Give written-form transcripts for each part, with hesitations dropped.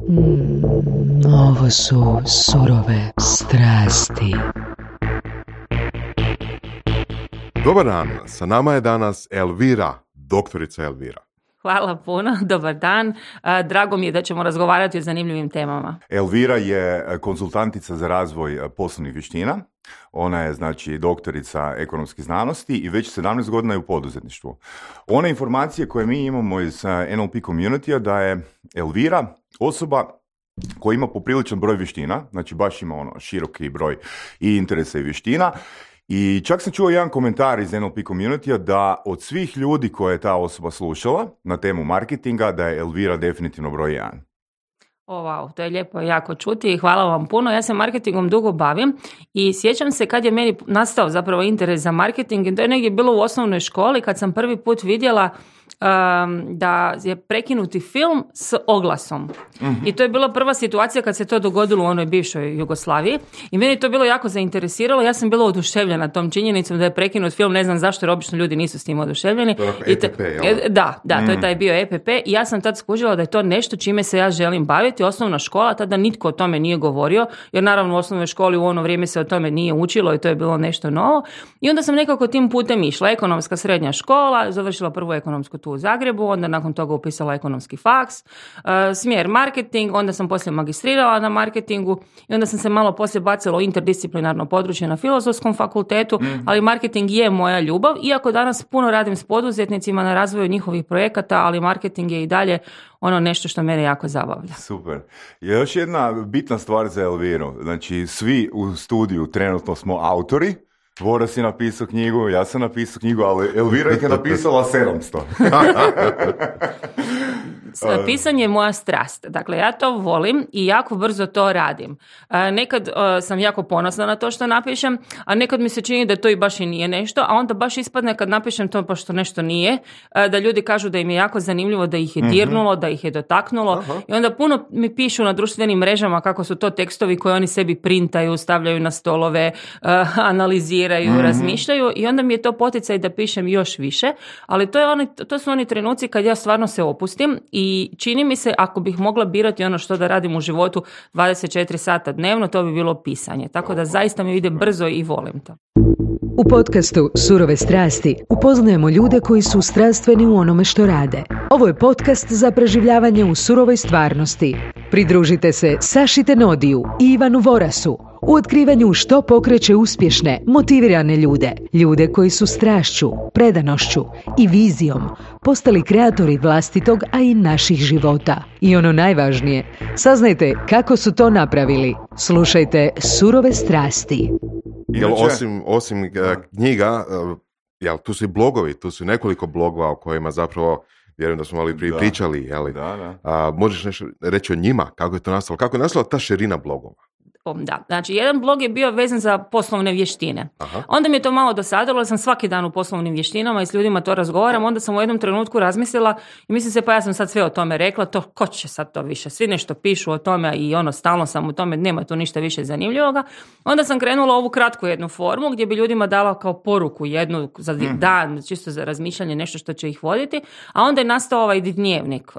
Ovo su surove strasti. Dobar dan, sa nama je danas Elvira, doktorica Elvira. Hvala puno, dobar dan. Drago mi je da ćemo razgovarati o zanimljivim temama. Elvira je konzultantica za razvoj poslovnih vještina. Ona je, znači, doktorica ekonomskih znanosti i već 17 godina je u poduzetništvu. One informacije koje mi imamo iz NLP community-a da je Elvira osoba koja ima popriličan broj vještina, znači baš ima široki broj i interesa i vještina. I čak sam čuo jedan komentar iz NLP community-a da od svih ljudi koje je ta osoba slušala na temu marketinga, da je Elvira definitivno broj 1. Wow, to je lijepo jako čuti i hvala vam puno. Ja se marketingom dugo bavim i sjećam se kad je meni nastao zapravo interes za marketing i to je negdje bilo u osnovnoj školi kad sam prvi put vidjela da je prekinuti film s oglasom. Mm-hmm. I to je bila prva situacija kad se to dogodilo u onoj bivšoj Jugoslaviji i meni je to bilo jako zainteresiralo. Ja sam bila oduševljena tom činjenicom da je prekinut film, ne znam zašto jer obično ljudi nisu s tim oduševljeni. EPP, Da, to je taj bio EPP i ja sam tad skužila da je to nešto čime se ja želim baviti. Osnovna škola, tada nitko o tome nije govorio, jer naravno u osnovnoj školi u ono vrijeme se o tome nije učilo i to je bilo nešto novo. I onda sam nekako tim putem išla. Ekonomska srednja škola, završila prvu ekonomsku tu u Zagrebu, onda nakon toga upisala ekonomski faks, smjer marketing, onda sam poslije magistrirala na marketingu i onda sam se malo poslije bacila u interdisciplinarno područje na Filozofskom fakultetu, ali marketing je moja ljubav, iako danas puno radim s poduzetnicima na razvoju njihovih projekata, ali marketing je i dalje ono nešto što mene jako zabavlja. Super. Još jedna bitna stvar za Elviru, znači svi u studiju trenutno smo autori. Voras je napisao knjigu, ja sam napisao knjigu, ali Elvira ih je napisala 700. Pisanje je moja strast. Dakle, ja to volim i jako brzo to radim. Nekad sam jako ponosna na to što napišem, a nekad mi se čini da to i baš i nije nešto, a onda baš ispadne kad napišem to pa što nešto nije, da ljudi kažu da im je jako zanimljivo, da ih je dirnulo, da ih je dotaknulo. I onda puno mi pišu na društvenim mrežama kako su to tekstovi koje oni sebi printaju, stavljaju na stolove, analiziraju, razmišljaju i onda mi je to poticaj da pišem još više, ali to su oni trenuci kad ja stvarno se opustim i čini mi se ako bih mogla birati ono što da radim u životu 24 sata dnevno, to bi bilo pisanje. Tako da zaista mi ide brzo i volim to. U podcastu Surove strasti upoznajemo ljude koji su strastveni u onome što rade. Ovo je podcast za preživljavanje u surovoj stvarnosti. Pridružite se Saši Tenodiju i Ivanu Vorasu u otkrivanju što pokreće uspješne, motivirane ljude. Ljude koji su strašću, predanošću i vizijom postali kreatori vlastitog, a i naših života. I ono najvažnije, saznajte kako su to napravili. Slušajte Surove strasti. Jel osim knjiga, tu su i blogovi, tu su nekoliko blogova o kojima zapravo vjerujem da smo malo prije pričali. Jeli? Da. Možeš nešto reći o njima, kako je to nastalo? Kako je nastala ta širina blogova? Da, znači jedan blog je bio vezan za poslovne vještine. Aha. Onda mi je to malo dosadilo, sam svaki dan u poslovnim vještinama i s ljudima to razgovaram, onda sam u jednom trenutku razmislila i mislim se pa ja sam sad sve o tome rekla, to ko će sad to više, svi nešto pišu o tome i stalno sam u tome, nema tu ništa više zanimljivoga. Onda sam krenula ovu kratku jednu formu gdje bi ljudima dala kao poruku jednu za dan, čisto za razmišljanje, nešto što će ih voditi, a onda je nastao ovaj dnevnik.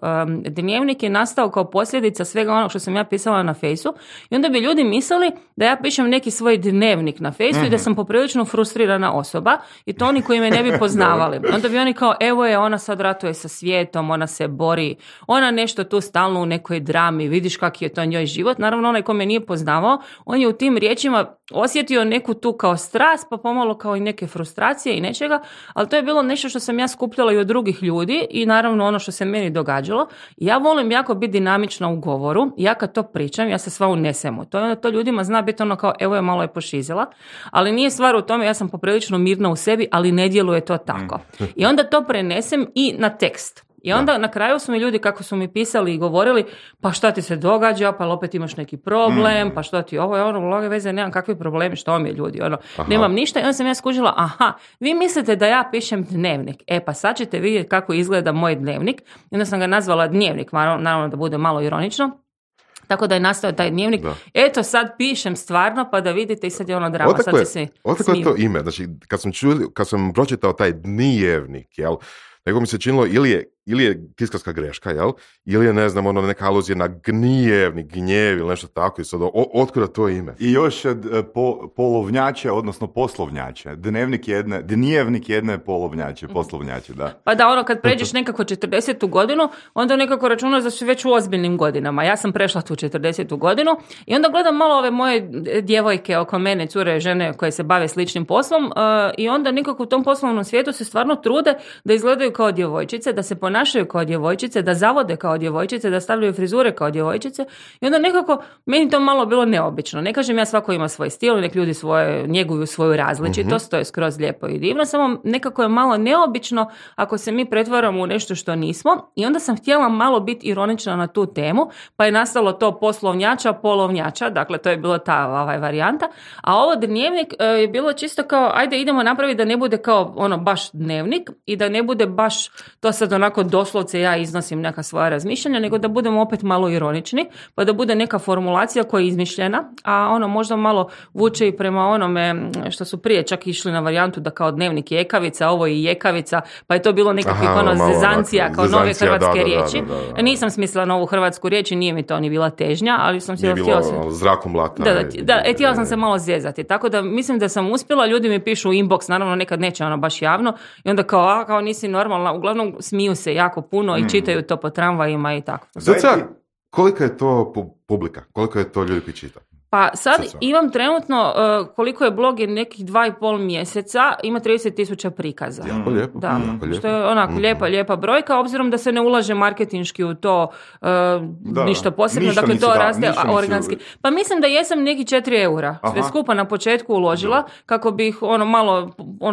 Dnevnik je nastao kao posljedica svega onog što sam ja pisala na Fejsu i onda bi ljudi mislili da ja pišem neki svoj dnevnik na Fejsu i da sam poprilično frustrirana osoba i to oni koji me ne bi poznavali. Onda bi oni kao, evo je, ona sad ratuje sa svijetom, ona se bori, ona nešto tu stalno u nekoj drami, vidiš kak je to njoj život. Naravno, onaj ko me nije poznavao, on je u tim riječima osjetio neku tu kao strast, pa pomalo kao i neke frustracije i nečega, ali to je bilo nešto što sam ja skupljala i od drugih ljudi i naravno ono što se meni događalo. Ja volim jako biti dinamična u govoru i ja kad to pričam, ja se sva unesem u to. Onda to ljudima zna biti ono kao, evo je, malo je pošizila, ali nije stvar u tome, ja sam poprilično mirna u sebi, ali ne djeluje to tako. I onda to prenesem i na tekst. I onda na kraju su mi ljudi, kako su mi pisali i govorili, pa šta ti se događa, pa opet imaš neki problem, pa što ti ovo je mnoge veze, nemam kakve probleme, što mi je ljudi, nemam ništa. I onda sam ja skužila, vi mislite da ja pišem dnevnik, pa sad ćete vidjeti kako izgleda moj dnevnik. I onda sam ga nazvala dnevnik, naravno da bude malo ironično. Tako da je nastao taj dnevnik. Da. Eto, sad pišem stvarno, pa da vidite i sad je ono drama. Odakle je to ime? Znači, kad sam pročitao taj dnevnik, nego mi se činilo ili je ili je tiskarska greška, jel? Ili je, ne znam, ono neka aluzija na gnjev ili nešto tako. I sad, otkuda to ime? I još polovnjače, odnosno poslovnjače. Dnevnik jedne polovnjače, poslovnjače, da. Pa da, ono, kad pređeš nekako 40. godinu, onda nekako računaš da su već u ozbiljnim godinama. Ja sam prešla tu 40. godinu i onda gledam malo ove moje djevojke oko mene, cure, žene koje se bave sličnim poslom i onda nekako u tom poslovnom svijetu se stvarno trude da izgledaju kao djevojčice, da se ponašaju kao djevojčice, da zavode kao djevojčice, da stavljaju frizure kao djevojčice i onda nekako meni to malo bilo neobično. Ne kažem ja svako ima svoj stil, nek ljudi njeguju svoju različitost, to je skroz lijepo i divno, samo nekako je malo neobično ako se mi pretvaramo u nešto što nismo i onda sam htjela malo biti ironična na tu temu, pa je nastalo to poslovnjača, polovnjača, dakle to je bilo ta varijanta, a ovo dnevnik je bilo čisto kao ajde idemo napraviti da ne bude kao ono baš dnevnik i da ne bude baš to sad onako doslovce ja iznosim neka svoja razmišljanja, nego da budemo opet malo ironični, pa da bude neka formulacija koja je izmišljena, a ono možda malo vuče i prema onome što su prije čak išli na varijantu da kao dnevnik je ekavica, ovo je jekavica, pa je to bilo nekakvih zezancija kao nove hrvatske riječi. Da. Nisam smislila novu hrvatsku riječ i nije mi to ni bila težnja, ali sam htjela se... zrakom lata. Htjela sam se malo zezati, tako da mislim da sam uspjela, ljudi mi pišu u inbox, naravno nekad neće ono baš javno i onda kao nisi normalna, uglavnom smiju se jako puno i čitaju to po tramvajima i tako. Kolika je to publika? Koliko je to ljudi koji čita? Pa sad imam trenutno, koliko je blog je nekih 2,5 mjeseca, ima 30,000 prikaza. Jako lijepo. Da, što je onako lijepa brojka, obzirom da se ne ulaže marketinški u to ništa posebno, dakle to raste organski. Pa mislim da jesam neki 4 eura, sve skupa na početku uložila, kako bih malo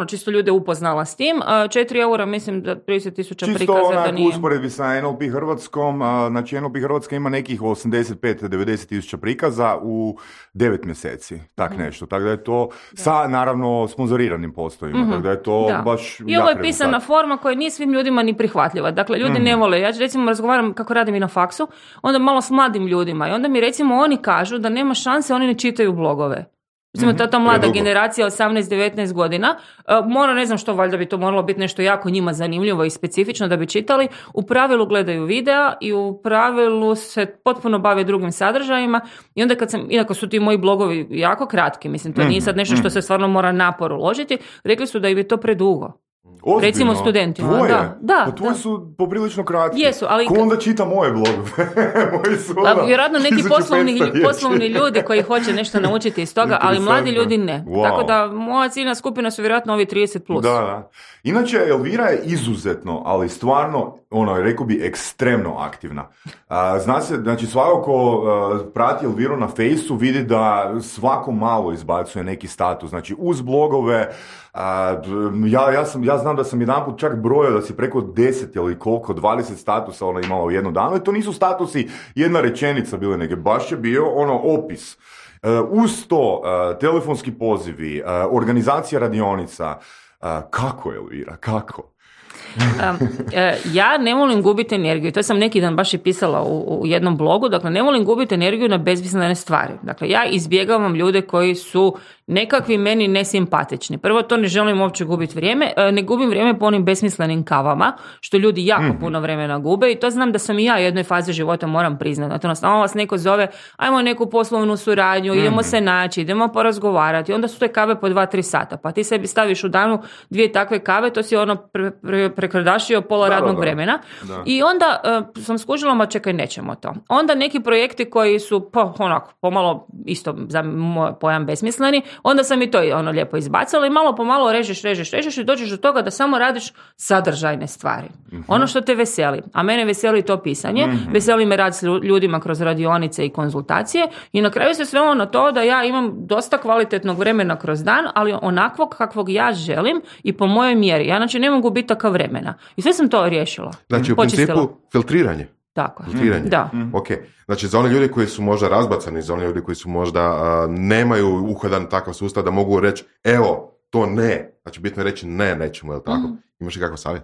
čisto ljude upoznala s tim. 4 eura mislim da 30,000 prikaza da nije. Čisto usporedbi sa NLP Hrvatskom, znači NLP Hrvatska ima nekih 85-90,000 prikaza u 9 mjeseci, tak nešto. Tako da je to sa, naravno, sponzoriranim postojima. Tako da je to baš... I ovo je pisana forma koja nije svim ljudima ni prihvatljiva. Dakle, ljudi ne vole. Ja recimo razgovaram kako radim i na faksu, onda malo s mladim ljudima i onda mi recimo oni kažu da nema šanse, oni ne čitaju blogove. Recimo, ta mlada generacija 18-19 godina, ne znam što, valjda bi to moralo biti nešto jako njima zanimljivo i specifično da bi čitali, u pravilu gledaju videa i u pravilu se potpuno bave drugim sadržajima i onda iako su ti moji blogovi jako kratki, mislim, to nije sad nešto što se stvarno mora napor uložiti, rekli su da im je to predugo. Ozbiljno? Recimo studentima. Tvoje? Pa tvoje su poprilično kratki. Jesu, ali... Ko onda čita moje blogove? Moji su vjerojatno neki poslovni ljudi koji hoće nešto naučiti iz toga, ali mladi ljudi ne. Wow. Tako da moja ciljna skupina su vjerojatno ovi 30+. Da. Inače, Elvira je izuzetno, ali stvarno, rekao bi, ekstremno aktivna. Zna se, znači svako ko prati Elviru na Fejsu vidi da svako malo izbacuje neki status. Znači, uz blogove, ja znam da sam jedanput čak brojao da si preko 10 ili koliko, 20 statusa ona imala u jednom danu. I to nisu statusi jedna rečenica bile, nego baš je bio opis. Uz to telefonski pozivi, organizacija radionica. Kako je, Elvira, kako? Ja ne volim gubiti energiju, to sam neki dan baš i pisala u jednom blogu, dakle ne volim gubiti energiju na bezmislene stvari. Dakle, ja izbjegavam ljude koji su nekakvi meni nesimpatični. Prvo, to ne želim uopće gubiti vrijeme, ne gubim vrijeme po onim besmislenim kavama, što ljudi jako puno vremena gube i to znam da sam i ja u jednoj fazi života, moram priznati. Odnosno, vas neko zove, ajmo neku poslovnu suradnju, idemo se naći, idemo porazgovarati, onda su te kave po 2-3 sata, pa ti sebi staviš u danu 2 takve kave, to si prekrdašio pola radnog vremena. Da. I onda sam skužila, čekaj, nećemo to. Onda neki projekti koji su pomalo isto za moj pojam besmisleni, onda sam i to lijepo izbacila i malo po malo režeš i dođeš do toga da samo radiš sadržajne stvari. Ono što te veseli. A mene veseli to pisanje, veseli me rad s ljudima kroz radionice i konzultacije i na kraju se svelo na to da ja imam dosta kvalitetnog vremena kroz dan, ali onakvog kakvog ja želim i po mojoj mjeri. Ja znači ne mogu biti takav vremena. I sve sam to riješila. Znači u principu filtriranje. Tako. Filtriranje. Da. Ok. Znači za one ljudi koji su možda razbacani, za one ljudi koji su možda nemaju uhodan takav sustav da mogu reći evo, to ne. Znači bitno je reći ne, nećemo, je li tako? Imaš li kakav savjet?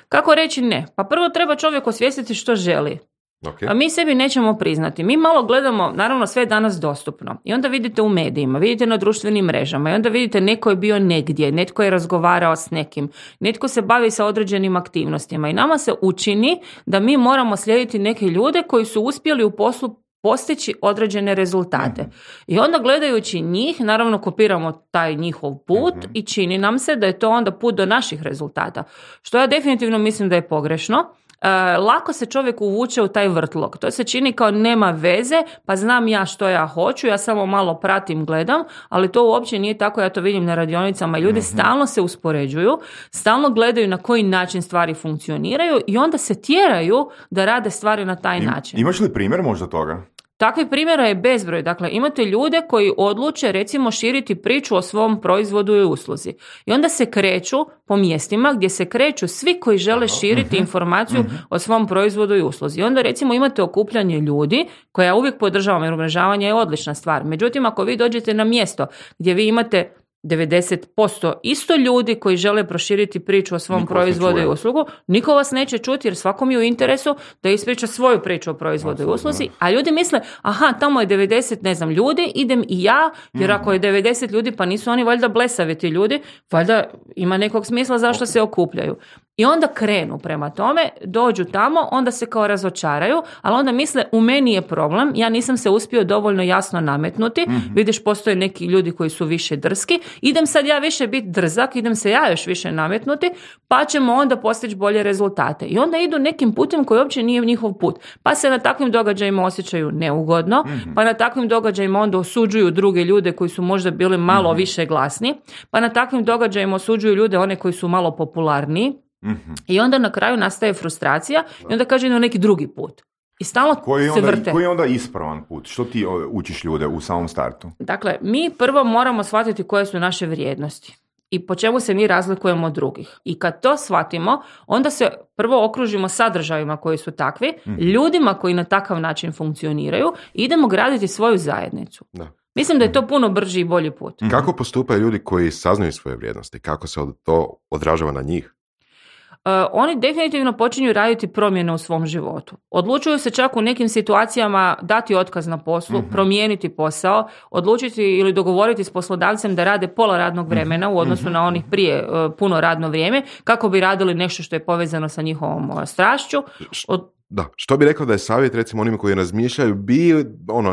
Kako reći ne? Pa prvo treba čovjek osvijestiti što želi. Okay. A mi sebi nećemo priznati. Mi malo gledamo, naravno sve je danas dostupno. I onda vidite u medijima, vidite na društvenim mrežama i onda vidite neko je bio negdje, netko je razgovarao s nekim, netko se bavi sa određenim aktivnostima i nama se učini da mi moramo slijediti neke ljude koji su uspjeli u poslu postići određene rezultate. I onda gledajući njih, naravno kopiramo taj njihov put i čini nam se da je to onda put do naših rezultata. Što ja definitivno mislim da je pogrešno. Lako se čovjek uvuče u taj vrtlog. To se čini kao nema veze, pa znam ja što ja hoću, ja samo malo pratim, gledam, ali to uopće nije tako, ja to vidim na radionicama i ljudi stalno se uspoređuju, stalno gledaju na koji način stvari funkcioniraju i onda se tjeraju da rade stvari na taj način. Imaš li primjer možda toga? Takvih primjera je bezbroj. Dakle, imate ljude koji odluče recimo širiti priču o svom proizvodu i usluzi. I onda se kreću po mjestima gdje se kreću svi koji žele širiti informaciju o svom proizvodu i usluzi. I onda recimo imate okupljanje ljudi koje ja uvijek podržavam jer umrežavanje je odlična stvar. Međutim, ako vi dođete na mjesto gdje vi imate 90% isto ljudi koji žele proširiti priču o svom proizvodu i uslugu, niko vas neće čuti jer svakom je u interesu da ispriča svoju priču o proizvodu i usluzi, a ljudi misle, aha, tamo je 90 ljudi, idem i ja, jer ako je 90 ljudi, pa nisu oni valjda blesavi ti ljudi, valjda ima nekog smisla zašto se okupljaju. I onda krenu prema tome, dođu tamo, onda se kao razočaraju, ali onda misle, u meni je problem, ja nisam se uspio dovoljno jasno nametnuti, vidiš, postoje neki ljudi koji su više drski, idem sad ja više biti drzak, idem se ja još više nametnuti, pa ćemo onda postići bolje rezultate. I onda idu nekim putem koji uopće nije njihov put. Pa se na takvim događajima osjećaju neugodno, pa na takvim događajima onda osuđuju druge ljude koji su možda bili malo više glasni, pa na takvim događajima osuđuju ljude one koji su malo popularniji. I onda na kraju nastaje frustracija i onda kaže na neki drugi put. I stalno se vrte. Koji je onda ispravan put? Što ti učiš ljude u samom startu? Dakle, mi prvo moramo shvatiti koje su naše vrijednosti i po čemu se mi razlikujemo od drugih. I kad to shvatimo, onda se prvo okružimo sadržajima koji su takvi, ljudima koji na takav način funkcioniraju i idemo graditi svoju zajednicu. Da. Mislim da je to puno brži i bolji put. Kako postupaju ljudi koji saznaju svoje vrijednosti? Kako se to odražava na njih? Oni definitivno počinju raditi promjene u svom životu. Odlučuju se čak u nekim situacijama dati otkaz na poslu, promijeniti posao, odlučiti ili dogovoriti s poslodavcem da rade pola radnog vremena u odnosu na onih prije puno radno vrijeme, kako bi radili nešto što je povezano sa njihovom strašću. Da, što bi rekao da je savjet recimo onima koji razmišljaju,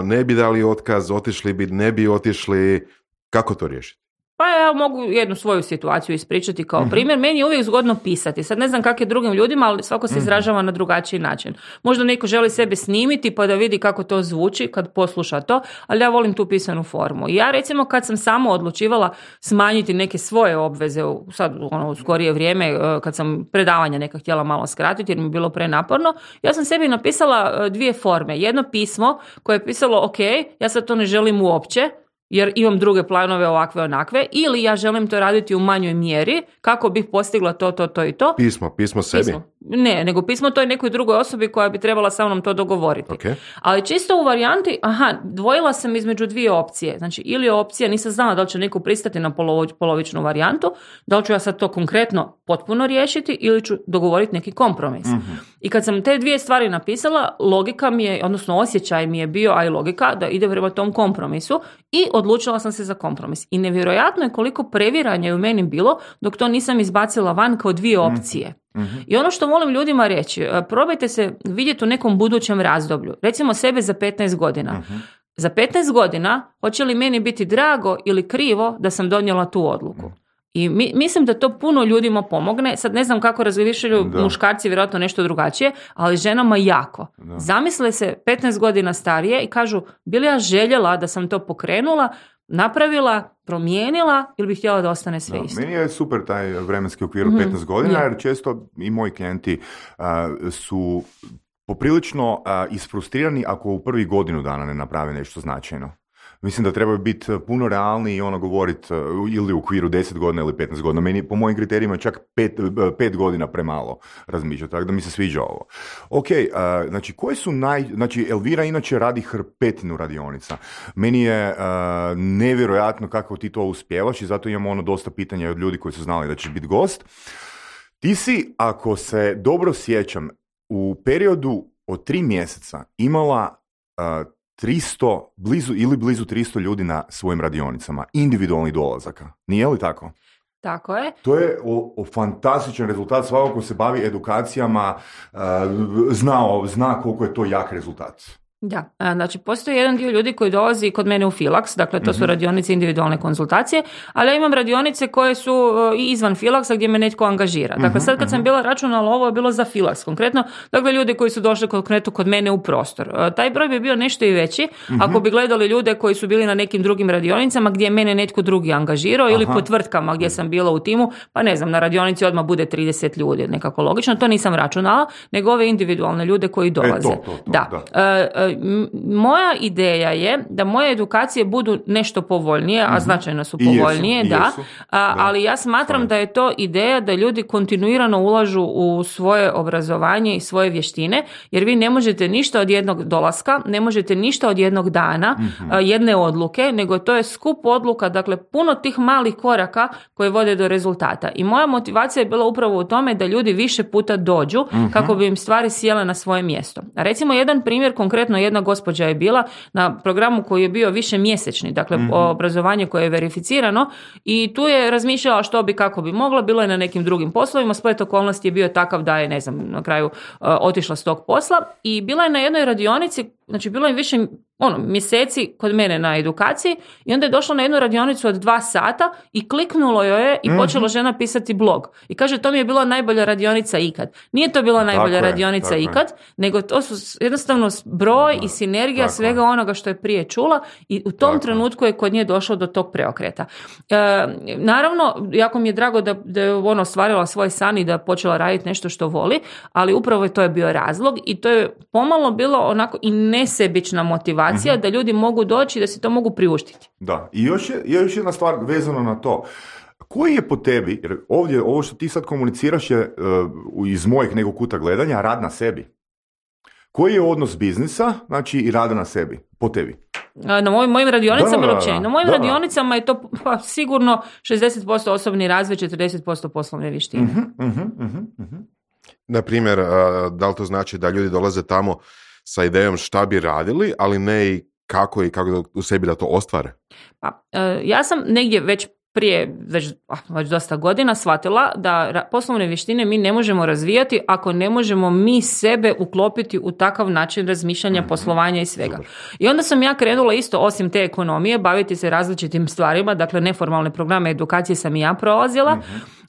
ne bi dali otkaz, otišli bi, ne bi otišli, kako to riješiti? Pa ja mogu jednu svoju situaciju ispričati kao primjer. Meni je uvijek zgodno pisati. Sad ne znam kako je drugim ljudima, ali svako se izražava na drugačiji način. Možda neko želi sebe snimiti pa da vidi kako to zvuči kad posluša to, ali ja volim tu pisanu formu. I ja recimo kad sam samo odlučivala smanjiti neke svoje obveze, sad u skorije vrijeme kad sam predavanja neka htjela malo skratiti jer mi je bilo prenaporno, ja sam sebi napisala dvije forme. Jedno pismo koje je pisalo ok, ja sad to ne želim uopće, jer imam druge planove ovakve onakve, ili ja želim to raditi u manjoj mjeri kako bih postigla to i to. Pismo sebi? Ne, nego pismo toj nekoj drugoj osobi koja bi trebala sa mnom to dogovoriti. Okay. Ali čisto u varijanti, dvojila sam između dvije opcije. Znači, ili opcija, nisam znala da li će neko pristati na polovičnu varijantu, da li ću ja sad to konkretno potpuno riješiti ili ću dogovoriti neki kompromis. I kad sam te dvije stvari napisala, logika mi je, odnosno osjećaj mi je bio, a i logika, da ide prema tom kompromisu i odlučila sam se za kompromis. I nevjerojatno je koliko previranja je u meni bilo dok to nisam izbacila van kao dvije opcije. I ono što volim ljudima reći, probajte se vidjeti u nekom budućem razdoblju. Recimo sebe za 15 godina. Za 15 godina hoće li meni biti drago ili krivo da sam donijela tu odluku? I mislim da to puno ljudima pomogne. Sad ne znam kako razmišljaju muškarci, vjerojatno nešto drugačije, ali ženama jako. Da. Zamisle se 15 godina starije i kažu, bi li ja željela da sam to pokrenula, napravila, promijenila ili bih htjela da ostane sve isto. Meni je super taj vremenski okvir 15 godina, jer često i moji klijenti su poprilično isfrustrirani ako u prvih godinu dana ne naprave nešto značajno. Mislim da treba biti puno realniji i govoriti ili u okviru 10 godina ili 15 godina. Meni, po mojim kriterijima, čak 5 godina premalo razmišljati, tako da mi se sviđa ovo. Ok, znači, koji su Znači, Elvira inače radi hrpetinu radionica. Meni je nevjerojatno kako ti to uspijevaš i zato imamo dosta pitanja od ljudi koji su znali da ćeš biti gost. Ti si, ako se dobro sjećam, u periodu od 3 mjeseca imala blizu 300 ljudi na svojim radionicama, individualnih dolazaka. Nije li tako? Tako je. To je fantastičan rezultat. Svako ko se bavi edukacijama zna koliko je to jak rezultat. Da, znači postoji jedan dio ljudi koji dolazi kod mene u Filax, dakle to su radionice individualne konzultacije, ali ja imam radionice koje su i izvan Filaxa gdje me netko angažira. Dakle sad kad sam bila računala, ovo je bilo za Filax konkretno, dakle ljudi koji su došli konkretno kod mene u prostor. Taj broj bi bio nešto i veći ako bi gledali ljude koji su bili na nekim drugim radionicama gdje je mene netko drugi angažirao ili po tvrtkama gdje sam bila u timu, pa ne znam, na radionici odmah bude 30 ljudi, nekako logično, to nisam računala, nego ove individualne ljude koji dolaze. Da. Moja ideja je da moje edukacije budu nešto povoljnije, a značajno su povoljnije, ali ja smatram da je to ideja da ljudi kontinuirano ulažu u svoje obrazovanje i svoje vještine, jer vi ne možete ništa od jednog dolaska, ne možete ništa od jednog dana, jedne odluke, nego to je skup odluka, dakle puno tih malih koraka koje vode do rezultata. I moja motivacija je bila upravo u tome da ljudi više puta dođu kako bi im stvari sjele na svoje mjesto. A recimo jedan primjer, konkretno jedna gospođa je bila na programu koji je bio više mjesečni, dakle obrazovanje koje je verificirano, i tu je razmišljala što bi, kako bi mogla, bilo je na nekim drugim poslovima, splet okolnosti je bio takav da je, ne znam, na kraju otišla s tog posla i bila je na jednoj radionici, znači bilo je više mjeseci kod mene na edukaciji i onda je došla na jednu radionicu od 2 sata i kliknulo joj je i počela žena pisati blog. I kaže, to mi je bila najbolja radionica ikad. Nije to bila najbolja radionica ikad, nego to su jednostavno broj i sinergija svega onoga što je prije čula i u tom trenutku je kod nje došlo do tog preokreta. Naravno, jako mi je drago da je ona ostvarila svoj san i da je počela raditi nešto što voli, ali upravo to je bio razlog i to je pomalo bilo onako i nesebična motivacija da ljudi mogu doći i da si to mogu priuštiti. Da, i još jedna stvar vezano na to. Koji je po tebi, jer ovdje ovo što ti sad komuniciraš je iz mojih nekog kuta gledanja, rad na sebi. Koji je odnos biznisa, znači i rada na sebi, po tebi? Na mojim radionicama ili općenito? Na mojim radionicama je to sigurno 60% osobni razvoj, 40% poslovne vještine. Na primjer, da li to znači da ljudi dolaze tamo sa idejom šta bi radili, ali ne i kako u sebi da to ostvare? Pa, ja sam negdje već prije već dosta godina shvatila da poslovne vještine mi ne možemo razvijati ako ne možemo mi sebe uklopiti u takav način razmišljanja, poslovanja i svega. I onda sam ja krenula isto, osim te ekonomije, baviti se različitim stvarima, dakle neformalne programe edukacije sam i ja prolazila,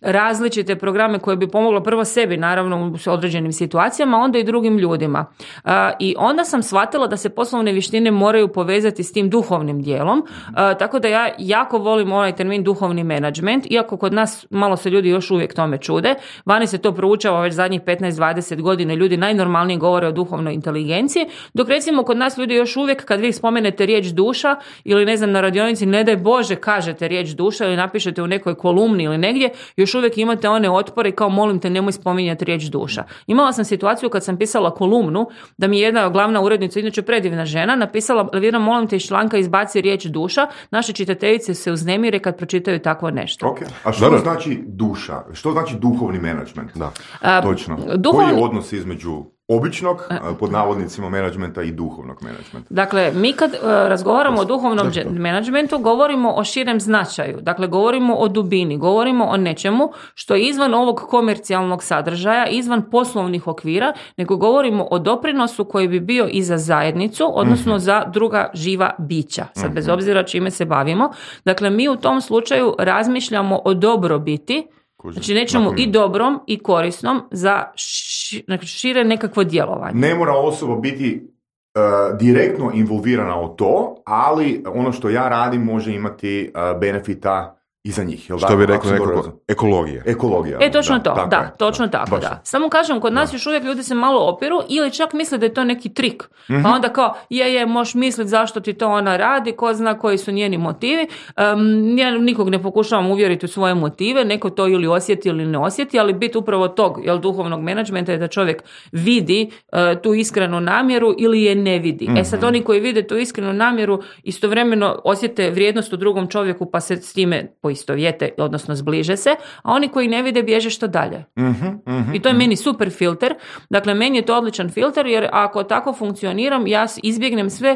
različite programe koje bi pomoglo prvo sebi, naravno u određenim situacijama, onda i drugim ljudima. I onda sam shvatila da se poslovne vještine moraju povezati s tim duhovnim dijelom, tako da ja jako volim onaj termin duhovni menadžment, iako kod nas malo se ljudi još uvijek tome čude. Vani se to proučava već zadnjih 15-20 godina, ljudi najnormalnije govore o duhovnoj inteligenciji, dok recimo kod nas ljudi još uvijek kad vi spomenete riječ duša ili ne znam na radionici, ne daj Bože kažete riječ duša ili napišete u nekoj kolumni ili negdje, još uvijek imate one otpore kao molim te nemoj spominjati riječ duša. Imala sam situaciju kad sam pisala kolumnu da mi je jedna glavna urednica, inače predivna žena, napisala Elvira molim te iz članka izbaci riječ duša, naše čitateljice se uznemire kad pročitaju takvo nešto. Okay. A što znači duša? Što znači duhovni menadžment? Točno. Koji je odnos između običnog, pod navodnicima, menadžmenta i duhovnog menadžmenta? Dakle, mi kad razgovaramo o duhovnom menadžmentu, govorimo o širem značaju. Dakle, govorimo o dubini, govorimo o nečemu što je izvan ovog komercijalnog sadržaja, izvan poslovnih okvira, nego govorimo o doprinosu koji bi bio i za zajednicu, odnosno za druga živa bića, sad bez obzira čime se bavimo. Dakle, mi u tom slučaju razmišljamo o dobrobiti, znači nečemu i dobrom i korisnom za šire nekakvo djelovanje. Ne mora osoba biti direktno involvirana u to, ali ono što ja radim može imati benefita i za njih. Jel što bi rekli nekako ekologija. Točno točno tako. Samo kažem, kod nas još uvijek ljudi se malo opiru ili čak misle da je to neki trik. Pa onda kao, možeš misliti zašto ti to ona radi, ko zna koji su njeni motivi. Ja nikog ne pokušavam uvjeriti u svoje motive, neko to ili osjeti ili ne osjeti, ali bit upravo tog duhovnog menadžmenta je da čovjek vidi tu iskrenu namjeru ili je ne vidi. Sad oni koji vide tu iskrenu namjeru istovremeno osjete vrijednost u drugom čovjeku pa se s time poistovećuju. poistovjete, odnosno zbliže se, a oni koji ne vide bježe što dalje. I to je meni super filter. Dakle, meni je to odličan filter, jer ako tako funkcioniram, ja izbjegnem sve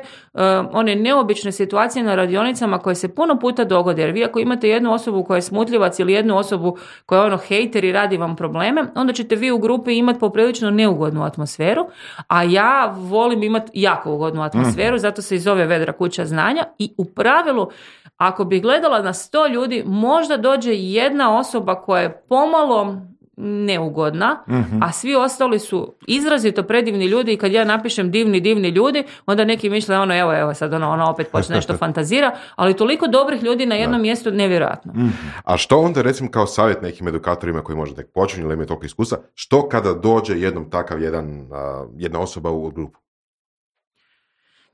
one neobične situacije na radionicama koje se puno puta dogode. Jer vi ako imate jednu osobu koja je smutljivac ili jednu osobu koja je hejter i radi vam probleme, onda ćete vi u grupi imati poprilično neugodnu atmosferu, a ja volim imati jako ugodnu atmosferu, zato se i zove Vedra kuća znanja i u pravilu, ako bi gledala na 100 ljudi, možda dođe jedna osoba koja je pomalo neugodna, a svi ostali su izrazito predivni ljudi i kad ja napišem divni ljudi, onda neki misle evo sad ona opet počne nešto fantazira, ali toliko dobrih ljudi na jednom mjestu, nevjerojatno. A što onda recimo kao savjet nekim edukatorima koji možda tek počinju ili imaju toliko iskustva, što kada dođe jednom takav jedna osoba u grupu?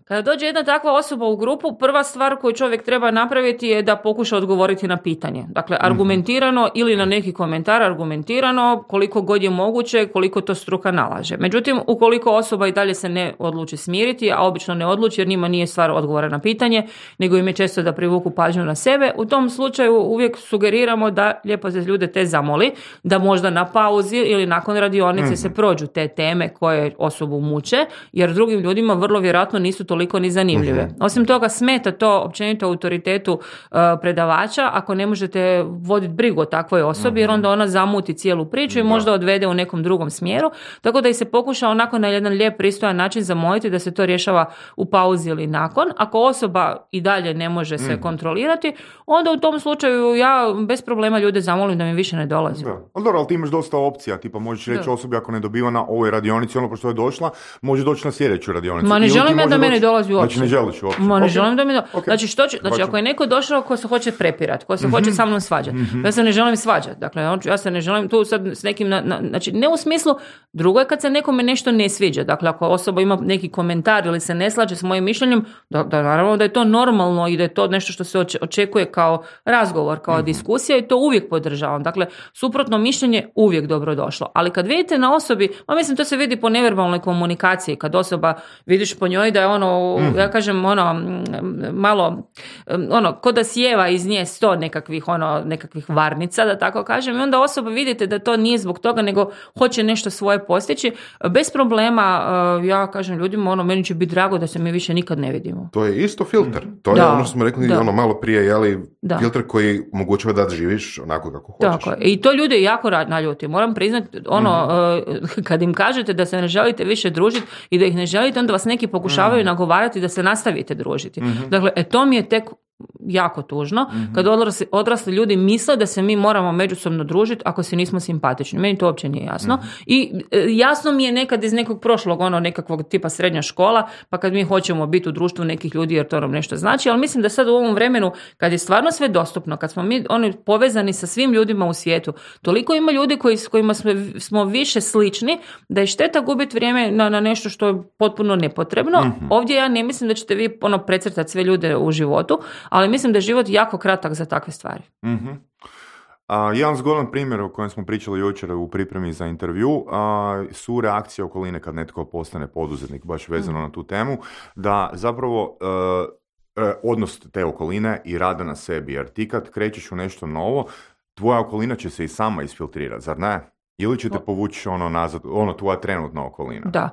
Kada dođe jedna takva osoba u grupu, prva stvar koju čovjek treba napraviti je da pokuša odgovoriti na pitanje. Dakle, argumentirano ili na neki komentar argumentirano, koliko god je moguće, koliko to struka nalaže. Međutim, ukoliko osoba i dalje se ne odluči smiriti, a obično ne odluči jer njima nije stvar odgovora na pitanje, nego im je često da privuku pažnju na sebe, u tom slučaju uvijek sugeriramo da lijepo se ljude te zamoli, da možda na pauzi ili nakon radionice se prođu te teme koje osobu muče, jer drugim ljudima vrlo vjerojatno nisu toliko ni zanimljive. Osim toga, smeta to općenito autoritetu predavača ako ne možete voditi brigu o takvoj osobi, jer onda ona zamuti cijelu priču i možda odvede u nekom drugom smjeru, tako da i se pokuša onako na jedan lijep, pristojan način zamoliti da se to rješava u pauzi ili nakon. Ako osoba i dalje ne može se kontrolirati, onda u tom slučaju ja bez problema ljude zamolim da mi više ne dolazi. Ali ti imaš dosta opcija, tipa možeš reći osobi ako ne dobiva na ovoj radionici ono što je došla, može doći na sljedeću radionicu. Ma ne želim da meni dolazi uopće. Znači ne želiš uopće. Ma ne želim da mi Znači, ako je neko došao ko se hoće prepirati, ko se hoće sa mnom svađati, ja se ne želim svađati. Dakle, ja se ne želim tu sad s nekim, znači ne u smislu, drugo je kad se nekome nešto ne sviđa. Dakle, ako osoba ima neki komentar ili se ne slaže s mojim mišljenjem, da naravno da je to normalno i da je to nešto što se očekuje kao razgovor, kao diskusija i to uvijek podržavam. Dakle, suprotno mišljenje uvijek dobro došlo. Ali kad vidite na osobi, mislim to se vidi po neverbalnoj komunikaciji, kad osoba vidiš po njoj da je ja kažem malo ko da sjeva iz nje 100 nekakvih varnica, da tako kažem, i onda osoba vidite da to nije zbog toga, nego hoće nešto svoje postići, bez problema ja kažem ljudima, meni će biti drago da se mi više nikad ne vidimo. To je isto filter. To je ono što smo rekli malo prije, filter koji omogućava da živiš onako kako hoćeš. Tako. I to ljude jako naljuti. Moram priznati, kad im kažete da se ne želite više družiti i da ih ne želite, onda vas neki pokušavaju nagovarati da se nastavite družiti. Dakle, to mi je tek jako tužno, kad odrasli ljudi misle da se mi moramo međusobno družiti ako se nismo simpatični. Meni to uopće nije jasno. I jasno mi je nekad iz nekog prošlog, nekakvog tipa srednja škola, pa kad mi hoćemo biti u društvu nekih ljudi jer to nam nešto znači, ali mislim da sad u ovom vremenu, kad je stvarno sve dostupno, kad smo mi povezani sa svim ljudima u svijetu, toliko ima ljudi s kojima smo više slični, da je šteta gubiti vrijeme na nešto što je potpuno nepotrebno. Ovdje ja ne mislim da ćete vi precrtati sve ljude u životu, ali mislim da je život jako kratak za takve stvari. Jedan zgodan primjer o kojem smo pričali jučer u pripremi za intervju su reakcije okoline kad netko postane poduzetnik, baš vezano na tu temu, da zapravo odnos te okoline i rada na sebi, jer ti kad krećeš u nešto novo, tvoja okolina će se i sama isfiltrirati, zar ne? Ili ćete povući nazad, tvoja trenutna okolina? Da.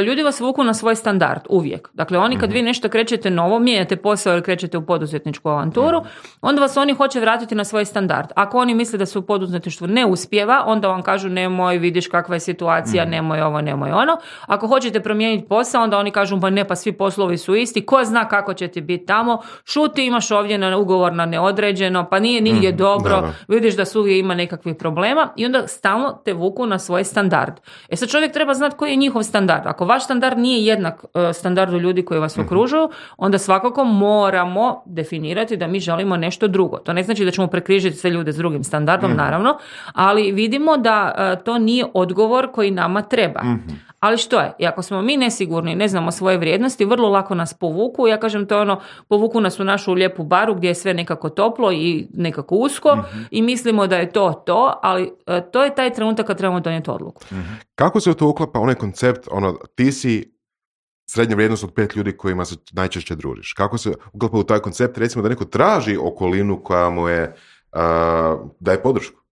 Ljudi vas vuku na svoj standard, uvijek. Dakle, oni kad vi nešto krećete novo, mijenjate posao ili krećete u poduzetničku avanturu, onda vas oni hoće vratiti na svoj standard. Ako oni misle da se u poduzetništvu ne uspijeva, onda vam kažu nemoj, vidiš kakva je situacija, nemoj ovo, nemoj ono. Ako hoćete promijeniti posao, onda oni kažu pa svi poslovi su isti, ko zna kako će ti biti tamo, šuti, imaš ovdje na ugovor na neodređeno, pa nije nigdje dobro, vidiš da svugdje ima nekakvih problema i onda stalno te vuku na svoj standard. Sad čovjek treba znati koji je njihov standard. Ako vaš standard nije jednak standardu ljudi koji vas okružuju, onda svakako moramo definirati da mi želimo nešto drugo. To ne znači da ćemo prekrižiti sve ljude s drugim standardom, naravno, ali vidimo da to nije odgovor koji nama treba. Ali što je? I ako smo mi nesigurni, ne znamo svoje vrijednosti, vrlo lako nas povuku. Ja kažem, to je povuku nas u našu lijepu baru gdje je sve nekako toplo i nekako usko i mislimo da je to, ali to je taj trenutak kad trebamo donijeti odluku. Kako se u to uklapa onaj koncept, ti si srednja vrijednost od 5 ljudi kojima se najčešće družiš? Kako se uklapa u taj koncept, recimo da neko traži okolinu koja mu je daje podršku.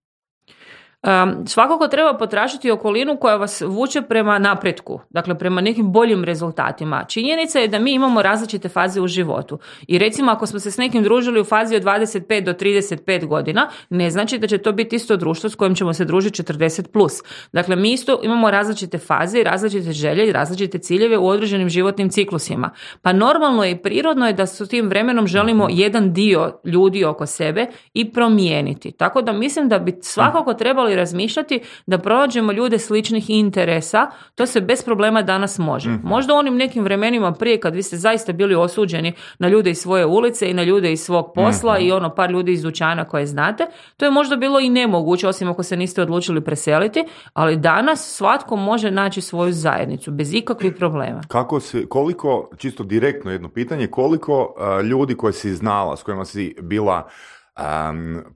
Svakako treba potražiti okolinu koja vas vuče prema napretku, dakle prema nekim boljim rezultatima. Činjenica je da mi imamo različite faze u životu i recimo ako smo se s nekim družili u fazi od 25 do 35 godina, ne znači da će to biti isto društvo s kojim ćemo se družiti 40 plus. Dakle, mi isto imamo različite faze, različite želje i različite ciljeve u određenim životnim ciklusima. Pa normalno je i prirodno je da s tim vremenom želimo jedan dio ljudi oko sebe i promijeniti. Tako da mislim da bi svakako trebali razmišljati da pronađemo ljude sličnih interesa, to se bez problema danas može. Možda u onim nekim vremenima prije kad vi ste zaista bili osuđeni na ljude iz svoje ulice i na ljude iz svog posla i ono par ljudi iz dućana koje znate, to je možda bilo i nemoguće, osim ako se niste odlučili preseliti, ali danas svatko može naći svoju zajednicu bez ikakvih problema. Koliko, čisto direktno jedno pitanje, koliko ljudi koje si znala, s kojima si bila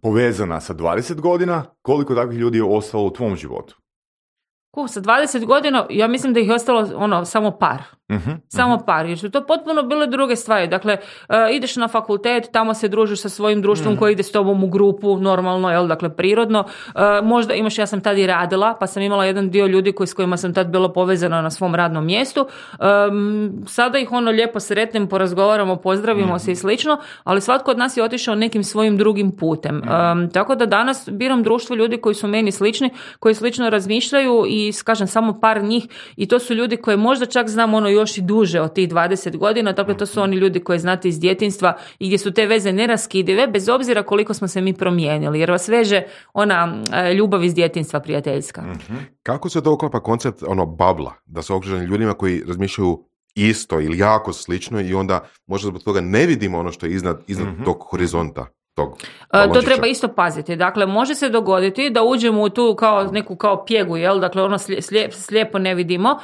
povezana sa 20 godina, koliko takvih ljudi je ostalo u tvom životu? Sa 20 godina, ja mislim da ih je ostalo samo par. Samo par, jer su to potpuno bile druge stvari. Dakle, ideš na fakultet, tamo se družiš sa svojim društvom koji ide s tobom u grupu, normalno, jel, dakle, prirodno. Možda imaš, ja sam tad i radila, pa sam imala jedan dio ljudi s kojima sam tad bila povezana na svom radnom mjestu. Sada ih lijepo sretnem, porazgovaramo, pozdravimo se i slično, ali svatko od nas je otišao nekim svojim drugim putem. Tako da danas biram društvo ljudi koji su meni slični, koji slično razmišljaju i, kažem, samo par njih i to su ljudi koje možda čak znam još i duže od tih 20 godina, dakle to su oni ljudi koje znate iz djetinjstva i gdje su te veze neraskidive, bez obzira koliko smo se mi promijenili, jer vas veže ona ljubav iz djetinjstva prijateljska. Kako se to uklapa koncept babla, da su okruženi ljudima koji razmišljaju isto ili jako slično i onda možda zbog toga ne vidimo ono što je iznad tog horizonta? To treba isto paziti. Dakle, može se dogoditi da uđemo u tu neku pjegu, jel? Dakle, slijepo ne vidimo.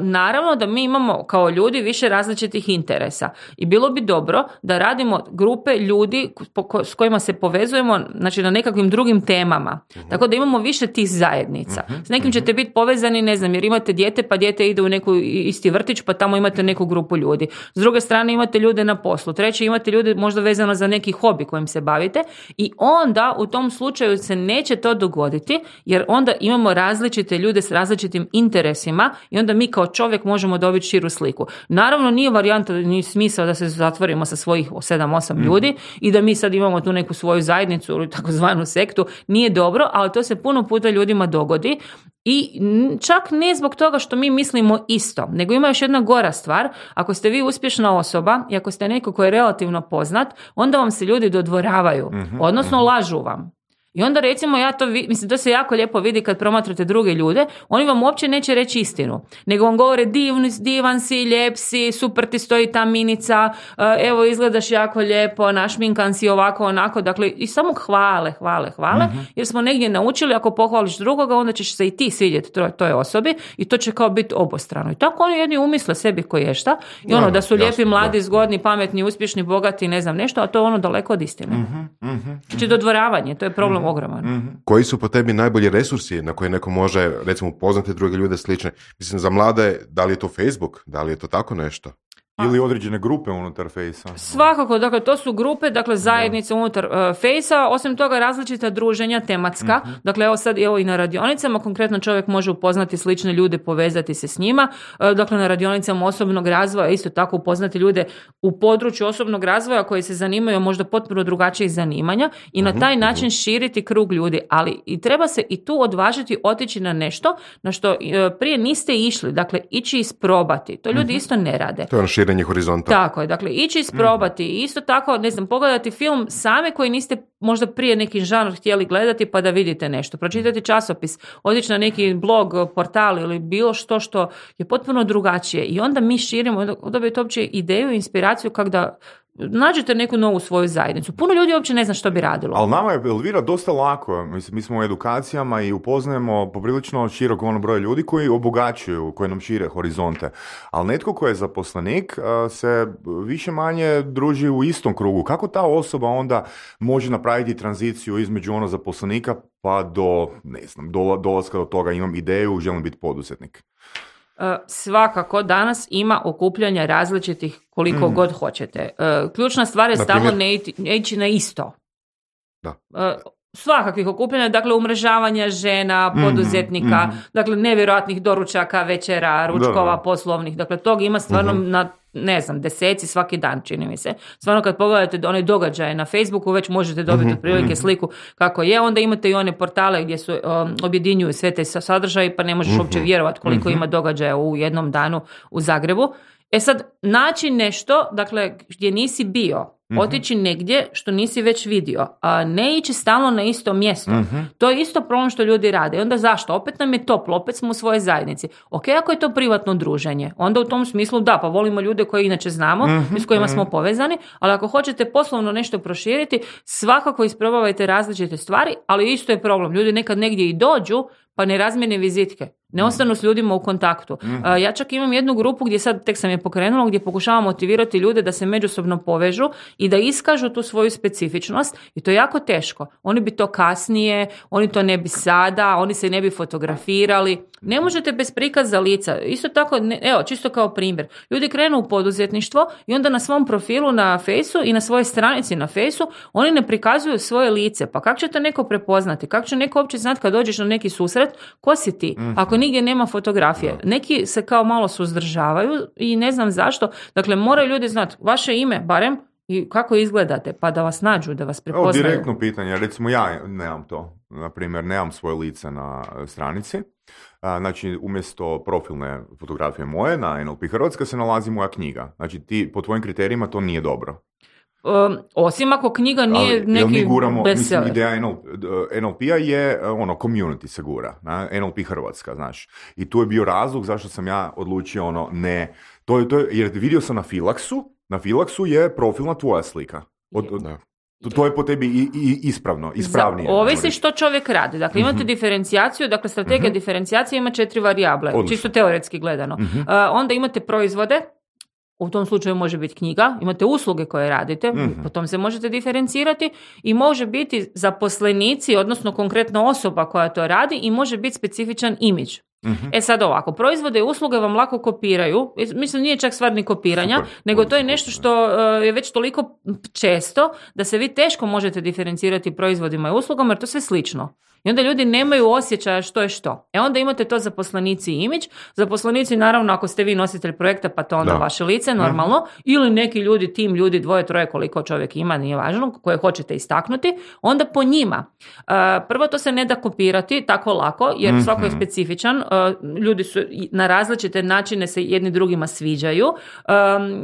Naravno da mi imamo kao ljudi više različitih interesa i bilo bi dobro da radimo grupe ljudi s kojima se povezujemo, znači na nekakvim drugim temama. Tako da imamo više tih zajednica. S nekim ćete biti povezani, ne znam, jer imate dijete, pa dijete ide u neku isti vrtić, pa tamo imate neku grupu ljudi. S druge strane imate ljude na poslu. Treće, imate ljude možda vezano za neki hobi kojim se bavite i onda u tom slučaju se neće to dogoditi jer onda imamo različite ljude s različitim interesima i onda mi kao čovjek možemo dobiti širu sliku. Naravno nije varijanta ni smisao da se zatvorimo sa svojih 7-8 ljudi i da mi sad imamo tu neku svoju zajednicu ili takozvanu sektu, nije dobro, ali to se puno puta ljudima dogodi. I čak ne zbog toga što mi mislimo isto, nego ima još jedna gora stvar. Ako ste vi uspješna osoba i ako ste neko ko je relativno poznat, onda vam se ljudi dodvoravaju, odnosno lažu vam. I onda recimo to se jako lijepo vidi kad promatrate druge ljude, oni vam uopće neće reći istinu, nego vam govore divan si, lijep si, super ti stoji ta minica, evo izgledaš jako lijepo, našminkan si ovako, onako, dakle i samo hvale, jer smo negdje naučili ako pohvališ drugoga, onda ćeš se i ti svidjeti toj osobi i to će kao biti obostrano. I tako oni jedni umisle sebi koješta i da su lijepi, mladi, zgodni, pametni, uspješni, bogati, ne znam nešto, a to je daleko od istine. Znači dodvoravanje, to je problem ogroman. Koji su po tebi najbolji resursi na koje neko može, recimo, upoznati druge ljude slične? Mislim, za mlade, da li je to Facebook? Da li je to tako nešto? Ili određene grupe unutar Fejsa? Svakako, dakle, to su grupe, dakle, zajednice unutar Fejsa, osim toga različita druženja tematska, dakle, evo i na radionicama, konkretno čovjek može upoznati slične ljude, povezati se s njima, dakle, na radionicama osobnog razvoja, isto tako upoznati ljude u području osobnog razvoja koji se zanimaju možda potpuno drugačijih zanimanja i na taj način širiti krug ljudi, ali i treba se i tu odvažiti otići na nešto na što prije niste išli, dakle, ići isprobati, to ljudi isto ne rade. To je horizonta. Tako je, dakle, ići isprobati i isto tako, ne znam, pogledati film same koji niste možda prije neki žanr htjeli gledati pa da vidite nešto, pročitati časopis, otići na neki blog, portal ili bilo što je potpuno drugačije i onda mi širimo, dobijete uopće ideju i inspiraciju kako da nađete neku novu svoju zajednicu. Puno ljudi uopće ne zna što bi radilo. Ali nama je, Elvira, dosta lako. Mi smo u edukacijama i upoznajemo poprilično širok broj ljudi koji obogaćuju, koji nam šire horizonte. Ali netko ko je zaposlenik se više manje druži u istom krugu. Kako ta osoba onda može napraviti tranziciju između zaposlenika pa do, ne znam, dolaska do toga imam ideju, želim biti poduzetnik? Svakako danas ima okupljanja različitih koliko god hoćete. Ključna stvar je stalno ne ići na isto. Da. Svakakvih okupljanja, dakle umrežavanja žena, poduzetnika, dakle nevjerojatnih doručaka, večera, ručkova, poslovnih, dakle tog ima stvarno na, ne znam, deseci svaki dan, čini mi se. Stvarno kad pogledate one događaje na Facebooku, već možete dobiti otprilike sliku kako je. Onda imate i one portale gdje su objedinjuju sve te sadržaje, pa ne možeš uopće vjerovati koliko ima događaja u jednom danu u Zagrebu. E sad, naći nešto, dakle, gdje nisi bio, otići negdje što nisi već vidio, a ne ići stalno na isto mjesto. To je isto problem što ljudi rade. I onda zašto? Opet nam je toplo, opet smo u svojoj zajednici. Ok, ako je to privatno druženje, onda u tom smislu da, pa volimo ljude koje inače znamo i s kojima smo povezani, ali ako hoćete poslovno nešto proširiti, svakako isprobavajte različite stvari, ali isto je problem. Ljudi nekad negdje i dođu, pa ne razmjene vizitke. Ne ostanu s ljudima u kontaktu. Ja čak imam jednu grupu gdje sad tek sam je pokrenula, gdje pokušavam motivirati ljude da se međusobno povežu i da iskažu tu svoju specifičnost i to je jako teško. Oni bi to kasnije, oni to ne bi sada, oni se ne bi fotografirali. Ne možete bez prikaza lica. Isto tako, evo, čisto kao primjer. Ljudi krenu u poduzetništvo i onda na svom profilu na Fejsu i na svojoj stranici na Fejsu oni ne prikazuju svoje lice. Pa kako će to neko prepoznati? Kako će neko uopće znati kad dođeš na neki susret? Ko si ti? Ako nigdje nema fotografije. Neki se kao malo suzdržavaju i ne znam zašto. Dakle, moraju ljudi znati vaše ime, barem, i kako izgledate, pa da vas nađu, da vas prepoznaju. Evo, direktno pitanje. Recimo, ja nemam to. Naprimjer, nemam svoje lice na stranici. Znači, umjesto profilne fotografije moje na NLP Hrvatska se nalazi moja knjiga. Znači, po tvojim kriterijima to nije dobro. Osim ako knjiga nije neki bestseller. Ideja NLP-a je community se gura, NLP Hrvatska, znaš. I tu je bio razlog zašto sam ja odlučio jer vidio sam na Filaksu je profilna tvoja slika. To je po tebi ispravnije. Ovisi što čovjek radi. Dakle, imate diferencijaciju, dakle, strategija diferencijacije ima 4 varijable, čisto teoretski gledano. Onda imate proizvode, u tom slučaju može biti knjiga, imate usluge koje radite, potom se možete diferencirati i može biti zaposlenici, odnosno konkretna osoba koja to radi i može biti specifičan imidž. E sad ovako, proizvode i usluge vam lako kopiraju, mislim nije čak stvar ni kopiranja, nego to je nešto što je već toliko često da se vi teško možete diferencirati proizvodima i uslugama jer to sve slično. I onda ljudi nemaju osjećaja što je što. E onda imate to zaposlenici i imidž. Zaposlenici, naravno, ako ste vi nositelj projekta, pa to onda vaše lice, normalno. Ili neki ljudi, tim ljudi, 2, 3, koliko čovjek ima, nije važno, koje hoćete istaknuti, onda po njima. Prvo, to se ne da kopirati tako lako, jer svako je specifičan. Ljudi su na različite načine se jedni drugima sviđaju,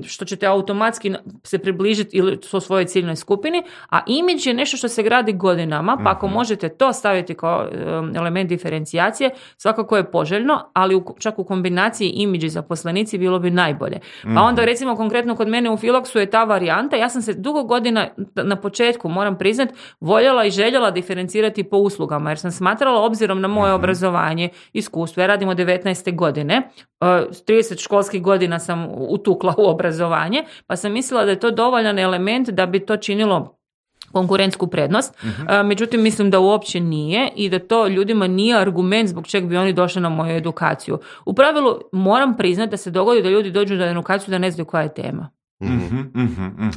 što ćete automatski se približiti ili u svojoj ciljnoj skupini, a imidž je nešto što se gradi godinama, pa ako možete to staviti kao element diferencijacije, svakako je poželjno, ali čak u kombinaciji imidž i zaposlenici bilo bi najbolje. Pa onda recimo konkretno kod mene u Filaksu je ta varijanta, ja sam se dugo godina na početku, moram priznat, voljela i željela diferencirati po uslugama, jer sam smatrala obzirom na moje obrazovanje, iskustvo, ja radim od 19. godine, 30 školskih godina sam utukla u obrazovanje, pa sam mislila da je to dovoljan element da bi to činilo konkurentsku prednost, međutim mislim da uopće nije i da to ljudima nije argument zbog čeg bi oni došli na moju edukaciju. U pravilu moram priznati da se dogodi da ljudi dođu na edukaciju da ne znaju koja je tema.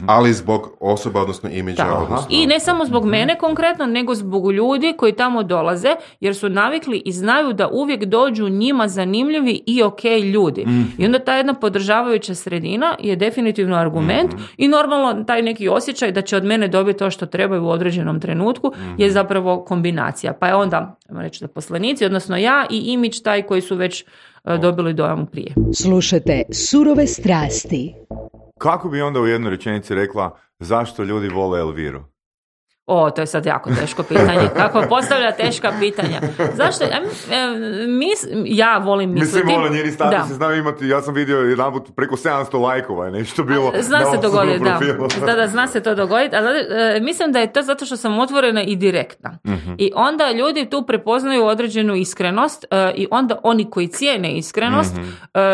Ali zbog osoba, odnosno imidža. I ne samo zbog mene konkretno, nego zbog ljudi koji tamo dolaze, jer su navikli i znaju da uvijek dođu njima zanimljivi i ok ljudi. I onda ta jedna podržavajuća sredina je definitivno argument i normalno taj neki osjećaj da će od mene dobiti to što trebaju u određenom trenutku je zapravo kombinacija. Pa je onda, reći zaposlenici, odnosno ja i imidž taj koji su već dobili dojam prije. Slušajte Surove strasti. Kako bi onda u jednoj rečenici rekla zašto ljudi vole Elviru? To je sad jako teško pitanje. Kako postavlja teška pitanja? Zašto? Ja volim misliti... Mislim, njeni statusi znaju imati, ja sam vidio jedanput preko 700 lajkova je nešto bilo. Zna se dogoditi, da, zna se to dogoditi, ali mislim da je to zato što sam otvorena i direktna. I onda ljudi tu prepoznaju određenu iskrenost i onda oni koji cijene iskrenost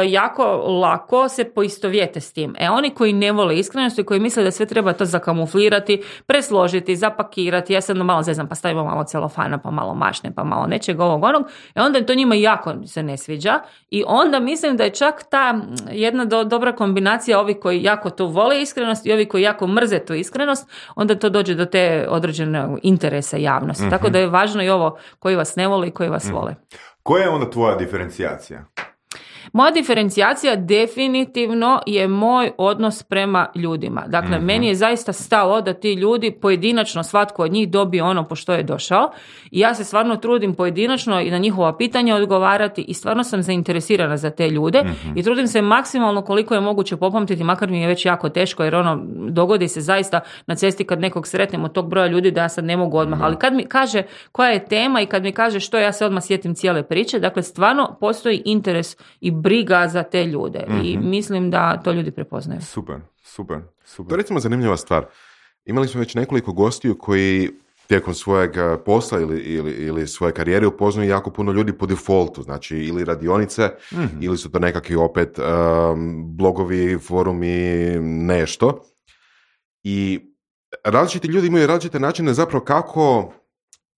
jako lako se poistovjete s tim. Oni koji ne vole iskrenost i koji misle da sve treba to zakamuflirati, presložiti, zapakirati, zapakirati, ja sad malo zezam, pa stavimo malo celofana, pa malo mašne, pa malo nečega ovog onog, onda to njima jako se ne sviđa i onda mislim da je čak ta jedna dobra kombinacija ovih koji jako to vole iskrenost i ovi koji jako mrze tu iskrenost, onda to dođe do te određene interesa javnosti. Tako da je važno i ovo koji vas ne vole i koji vas vole. Koja je onda tvoja diferencijacija? Moja diferencijacija definitivno je moj odnos prema ljudima. Dakle, meni je zaista stalo da ti ljudi pojedinačno, svatko od njih dobije ono po što je došao i ja se stvarno trudim pojedinačno i na njihova pitanja odgovarati i stvarno sam zainteresirana za te ljude i trudim se maksimalno koliko je moguće popamtiti, makar mi je već jako teško jer dogodi se zaista na cesti kad nekog sretnem od tog broja ljudi da ja sad ne mogu odmah, ali kad mi kaže koja je tema i kad mi kaže što, ja se odmah sjetim cijele priče. Dakle, stvarno postoji interes i briga za te ljude i mislim da to ljudi prepoznaju. Super. To je recimo zanimljiva stvar. Imali smo već nekoliko gostiju koji tijekom svojeg posla ili svoje karijere upoznaju jako puno ljudi po defaultu, znači ili radionice ili su to nekakvi opet blogovi, forumi, nešto. I različiti ljudi imaju različite načine zapravo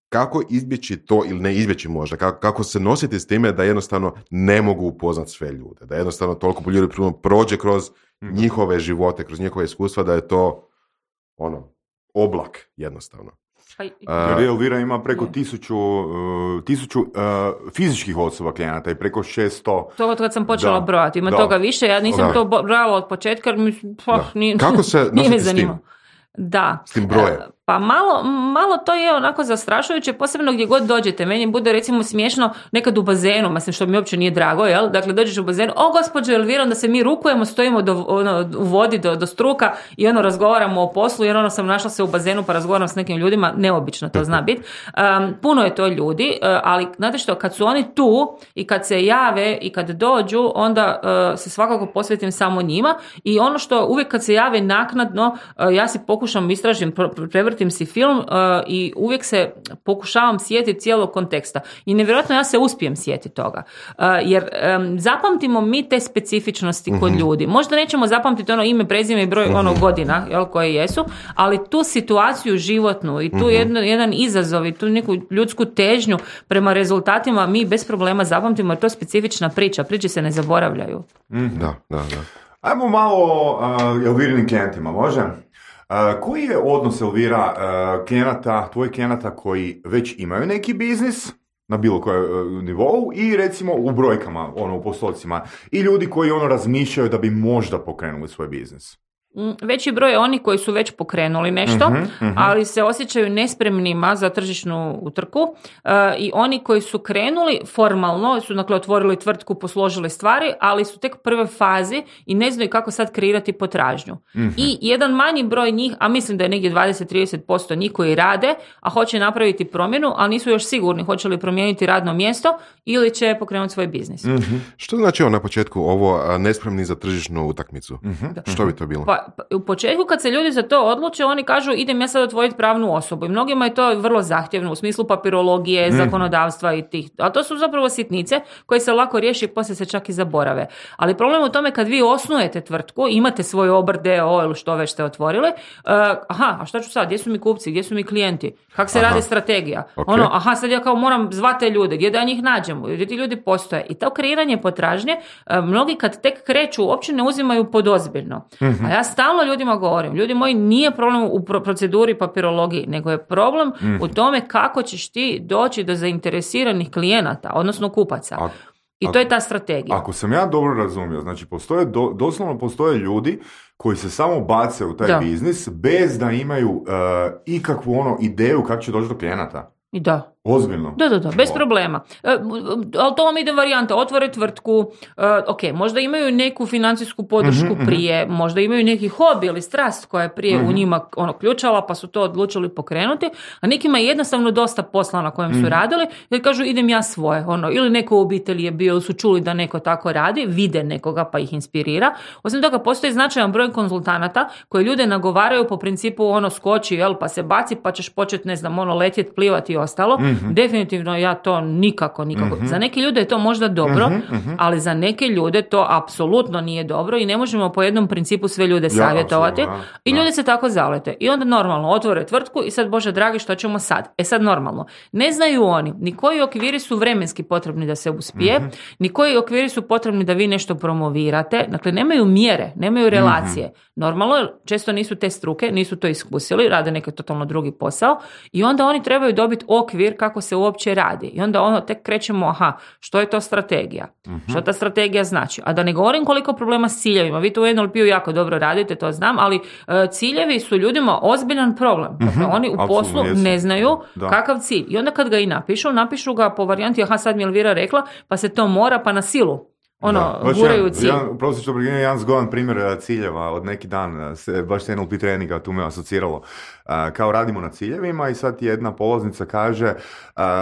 kako izbjeći to ili ne izbjeći možda, kako se nositi s time da jednostavno ne mogu upoznati sve ljude, da jednostavno toliko ljudi prođe kroz njihove živote, kroz njihove iskustva da je to oblak jednostavno. Jer Elvira ima preko 1000 fizičkih osoba klijenata i preko 600... To kad sam počela brojati, ima toga više, ja nisam to brojala od početka, Kako se nositi s tim? Da. S tim brojem? Pa malo to je onako zastrašujuće, posebno gdje god dođete. Meni bude recimo smiješno nekad u bazenu, mislim što mi uopće nije drago, jel? Dakle, dođeš u bazenu, gospođo Elvira, onda se mi rukujemo, stojimo u vodi do struka i razgovaramo o poslu, jer sam našla se u bazenu pa razgovaram s nekim ljudima, neobično to zna biti. Puno je to ljudi, ali znate što, kad su oni tu i kad se jave i kad dođu, onda se svakako posvetim samo njima i ono što uvijek kad se jave naknadno, ja si pokušam, istražim, prevrtim si film i uvijek se pokušavam sjetiti cijelog konteksta. I nevjerojatno ja se uspijem sjetiti toga. Jer zapamtimo mi te specifičnosti kod ljudi. Možda nećemo zapamtiti ime, prezime i broj godina koje jesu, ali tu situaciju životnu i tu jedan izazov i tu neku ljudsku težnju prema rezultatima mi bez problema zapamtimo jer to je specifična priča. Priče se ne zaboravljaju. Da. Ajmo malo o Elvirinim klijentima, može? Koji je odnos, Elvira, tvojih klijenata koji već imaju neki biznis na bilo kojem nivou i recimo u brojkama, u postocima, i ljudi koji razmišljaju da bi možda pokrenuli svoj biznis? Veći broj je oni koji su već pokrenuli nešto, ali se osjećaju nespremnima za tržišnu utrku i oni koji su krenuli formalno, su dakle otvorili tvrtku, posložili stvari, ali su tek u prvoj fazi i ne znaju kako sad kreirati potražnju. I jedan manji broj njih, a mislim da je negdje 20-30% njih koji rade, a hoće napraviti promjenu, ali nisu još sigurni hoće li promijeniti radno mjesto ili će pokrenuti svoj biznis. Što znači na početku ovo nespremni za tržišnu utakmicu? Što bi to bilo? Pa u početku kad se ljudi za to odluče, oni kažu idem ja sad otvoriti pravnu osobu i mnogima je to vrlo zahtjevno u smislu papirologije, zakonodavstva i tih, ali to su zapravo sitnice koje se lako riješi i poslije se čak i zaborave. Ali problem u tome kad vi osnujete tvrtku, imate svoj obrt d.o.o. ili što već ste otvorili, a šta ću sad, gdje su mi kupci, gdje su mi klijenti, kako se radi strategija, sad ja kao moram zvati te ljude, gdje da njih nađemo, gdje ti ljudi postoje i to kreiranje potražnje, mnogi kad tek kreću uopće ne uzimaju podozbiljno. A ja stalno ljudima govorim, ljudi moji, nije problem u proceduri papirologiji, nego je problem u tome kako ćeš ti doći do zainteresiranih klijenata, odnosno kupaca. I to je ta strategija. Ako sam ja dobro razumio, znači doslovno postoje ljudi koji se samo bace u taj biznis bez da imaju ikakvu ideju kako će doći do klijenata. I da. Ozbiljno? Da, bez problema. Ali to vam ide varijanta, otvore tvrtku, možda imaju neku financijsku podršku prije, možda imaju neki hobi ili strast koja je prije u njima ključala pa su to odlučili pokrenuti, a nekima je jednostavno dosta posla na kojem su radili jer kažu idem ja svoje, ili neko u obitelji je bio, su čuli da neko tako radi, vide nekoga pa ih inspirira. Osim toga postoji značajan broj konzultanata koji ljude nagovaraju po principu skoči, pa se baci pa ćeš početi, letjeti, plivati i ostalo. definitivno ja to nikako. Za neke ljude je to možda dobro, ali za neke ljude to apsolutno nije dobro i ne možemo po jednom principu sve ljude savjetovati. I ljudi se tako zalete. I onda normalno otvore tvrtku i sad, Bože dragi, što ćemo sad? Sad normalno. Ne znaju oni ni koji okviri su vremenski potrebni da se uspije, ni koji okviri su potrebni da vi nešto promovirate. Dakle, nemaju mjere, nemaju relacije. Normalno, često nisu te struke, nisu to iskusili, rade neki totalno drugi posao i onda oni trebaju dobiti okvir kako se uopće radi. I onda tek krećemo, što je to strategija? Što ta strategija znači? A da ne govorim koliko problema s ciljevima. Vi to u NLP-u jako dobro radite, to znam, ali ciljevi su ljudima ozbiljan problem. Dakle, oni u poslu ne znaju kakav cilj. I onda kad ga i napišu ga po varijanti, sad mi je Elvira rekla, pa se to mora, pa na silu. Guraju cilj. Jedan zgodan primjer ciljeva od neki dan, baš se NLP treninga tu me asociralo. Kao radimo na ciljevima i sad jedna polaznica kaže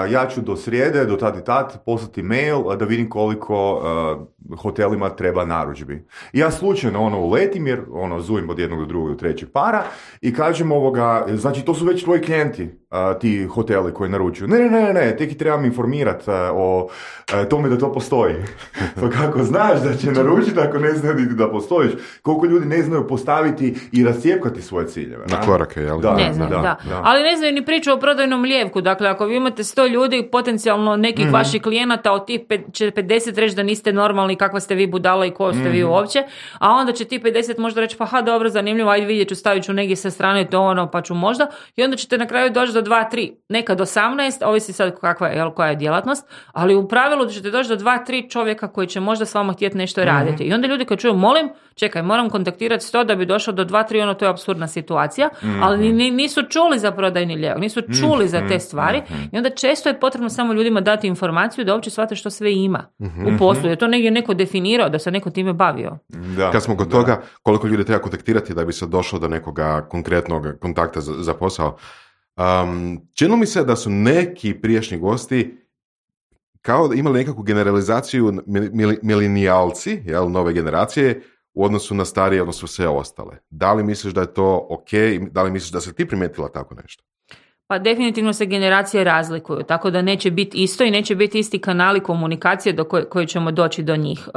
ja ću do srijede, do tad i tad poslati mail da vidim koliko hotelima treba narudžbi. I ja slučajno uletim jer zujim od jednog do drugog do trećeg para i kažem znači to su već tvoji klijenti, ti hoteli koji naručuju. Ne, tek i trebam informirati o tome da to postoji. Pa kako znaš da će naručiti ako ne znaju niti da postojiš? Koliko ljudi ne znaju postaviti i rascijepkati svoje ciljeve? Na korake, jel? Ne znam, da. Ali ne znaju ni priču o prodajnom lijevku. Dakle, ako vi imate 100 ljudi, potencijalno nekih vaših klijenata, od tih će 50 reći da niste normalni, kakva ste vi budala i ko ste vi uopće, a onda će ti 50 možda reći, pa dobro, zanimljivo, ajde vidjet ću, stavit ću negdje sa strane to pa ću možda, i onda ćete na kraju doći do 2-3, nekad 18, ovisi sad koja je djelatnost, ali u pravilu ćete doći do 2-3 čovjeka koji će možda s vama htjeti nešto raditi. I onda ljudi koji čuju, moram kontaktirati 100 da bi došao do 2-3, to je apsurdna situacija, ali nisu čuli za prodajni lijevak, nisu čuli za te stvari i onda često je potrebno samo ljudima dati informaciju da uopće shvate što sve ima u poslu. Je to negdje neko definirao, da se neko time bavio. Da. Kad smo kod toga, koliko ljudi treba kontaktirati da bi se došlo do nekoga konkretnog kontakta za posao, činilo mi se da su neki prijašnji gosti kao da imali nekakvu generalizaciju milenijalci, nove generacije, u odnosu na starije, odnosno sve ostale. Da li misliš da je to ok? Da li misliš da se ti primijetila tako nešto? Pa definitivno se generacije razlikuju, tako da neće biti isto i neće biti isti kanali komunikacije do koji ćemo doći do njih.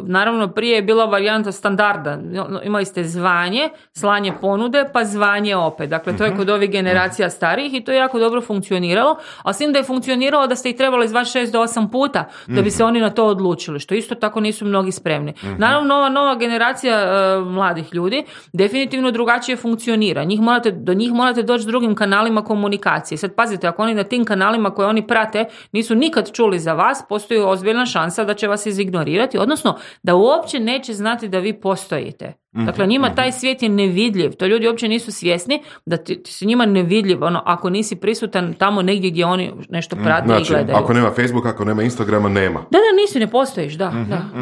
Naravno, prije je bila varijanta standarda. Imali ste zvanje, slanje ponude, pa zvanje opet. Dakle, to je kod ovih generacija starijih i to je jako dobro funkcioniralo, a s tim da je funkcioniralo da ste ih trebali zvati 6 do 8 puta da bi se oni na to odlučili, što isto tako nisu mnogi spremni. Naravno, ova nova generacija mladih ljudi definitivno drugačije funkcionira. Do njih morate doći drugim kanalima komunikacije. Sad pazite, ako oni na tim kanalima koje oni prate nisu nikad čuli za vas, postoji ozbiljna šansa da će vas izignorirati, odnosno da uopće neće znati da vi postojite. Dakle, njima taj svijet je nevidljiv. To ljudi uopće nisu svjesni da ti si njima nevidljiv, ako nisi prisutan tamo negdje gdje oni nešto prate i gledaju. Ako nema Facebooka, ako nema Instagrama, nema. Nisi, ne postojiš, ne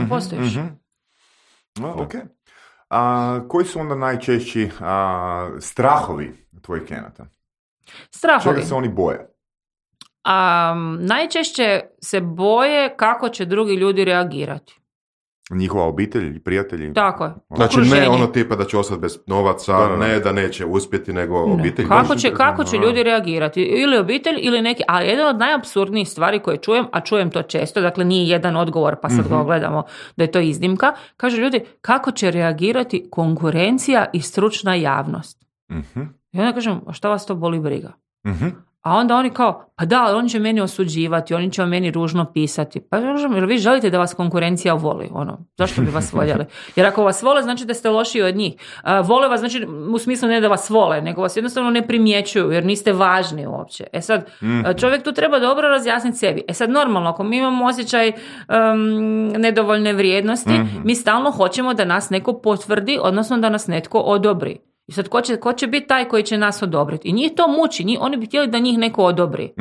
postojiš. Ok. Koji su onda najčešći strahovi tvojih klijenata? Strahovi. Čega se oni boje? Najčešće se boje kako će drugi ljudi reagirati. Njihova obitelj, prijatelji? Tako je. Znači okruženje. Ne ono tipa da će ostati bez novaca, ne da neće uspjeti, nego obitelj. Kako će ljudi reagirati? Ili obitelj ili neki, ali jedan od najapsurdnijih stvari koje čujem, a čujem to često, dakle nije jedan odgovor pa sad ga gledamo da je to iznimka, kaže ljudi kako će reagirati konkurencija i stručna javnost. I onda kažem, a šta vas to boli briga? A onda oni kao, pa da, oni će meni osuđivati, oni će o meni ružno pisati. Pa kažem, jer vi želite da vas konkurencija voli? Zašto bi vas voljeli? Jer ako vas vole, znači da ste lošiji od njih. Vole vas, znači u smislu ne da vas vole, nego vas jednostavno ne primjećuju, jer niste važni uopće. Sad, čovjek tu treba dobro razjasniti sebi. Sad, normalno, ako mi imamo osjećaj nedovoljne vrijednosti, mi stalno hoćemo da nas neko potvrdi, odnosno da nas netko odobri. I sad, ko će biti taj koji će nas odobriti? I njih to muči, oni bi htjeli da njih neko odobri.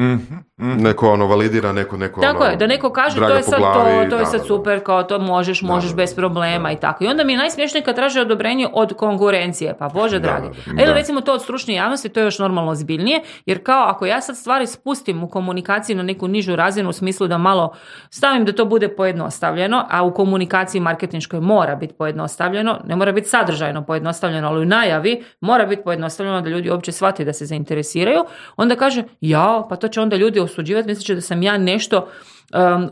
Neko validira, neko tako je, da neko kaže to je sad to je sad super, kao to možeš bez problema i tako. I onda mi je najsmiješnije kad traže odobrenje od konkurencije, pa Bože dragi. Ili recimo to od stručne javnosti, to je još normalno ozbiljnije, jer kao ako ja sad stvari spustim u komunikaciji na neku nižu razinu u smislu da malo stavim da to bude pojednostavljeno, a u komunikaciji marketinškoj mora biti pojednostavljeno, ne mora biti sadržajno pojednostavljeno, ali u najavi ljudi, mora biti pojednostavljeno da ljudi uopće shvate da se zainteresiraju, onda kaže, pa to će onda ljudi osuđivati, mislit će da sam ja nešto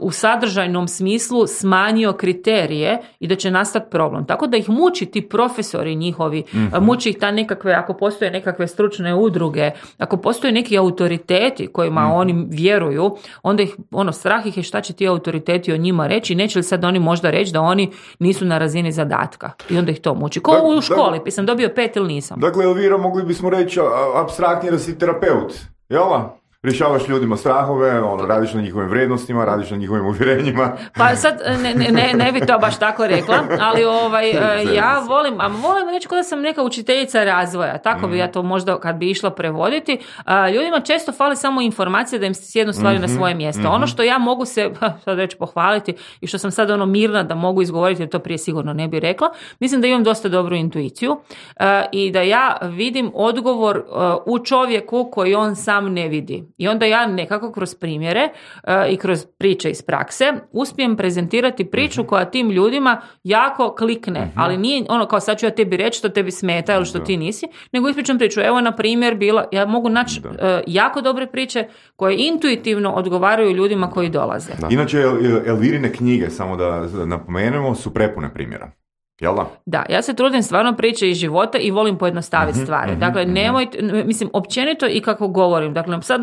u sadržajnom smislu smanjio kriterije i da će nastati problem. Tako da ih muči ti profesori njihovi, muči ih ta nekakve, ako postoje nekakve stručne udruge, ako postoje neki autoriteti kojima oni vjeruju, onda ih, strah ih je šta će ti autoriteti o njima reći, neće li sad oni možda reći da oni nisu na razini zadatka. I onda ih to muči. Ko u školi, sam dobio 5 ili nisam. Dakle, Elvira, mogli bismo reći apstraktnije da si terapeut, jel? Rješavaš ljudima strahove, radiš na njihovim vrijednostima, radiš na njihovim uvjerenjima. Pa sad ne bi to baš tako rekla, ali ja volim reći da sam neka učiteljica razvoja, tako bi ja to možda kad bi išla prevoditi. Ljudima često fali samo informacije da im sjednu stvari na svoje mjesto. Ono što ja mogu se, sad reći, pohvaliti i što sam sad mirna da mogu izgovoriti, jer to prije sigurno ne bi rekla, mislim da imam dosta dobru intuiciju i da ja vidim odgovor u čovjeku koji on sam ne vidi. I onda ja nekako kroz primjere i kroz priče iz prakse uspijem prezentirati priču koja tim ljudima jako klikne, ali nije kao sad ću ja tebi reći što tebi smeta ili što ti nisi, nego ispričam priču. Evo, na primjer, ja mogu naći jako dobre priče koje intuitivno odgovaraju ljudima koji dolaze. Inače, Elvirine knjige, samo da napomenemo, su prepune primjera. Jel da? Da, ja se trudim stvarno priče iz života i volim pojednostaviti stvari. Dakle, nemojte, mislim, općenito i kako govorim. Dakle, sad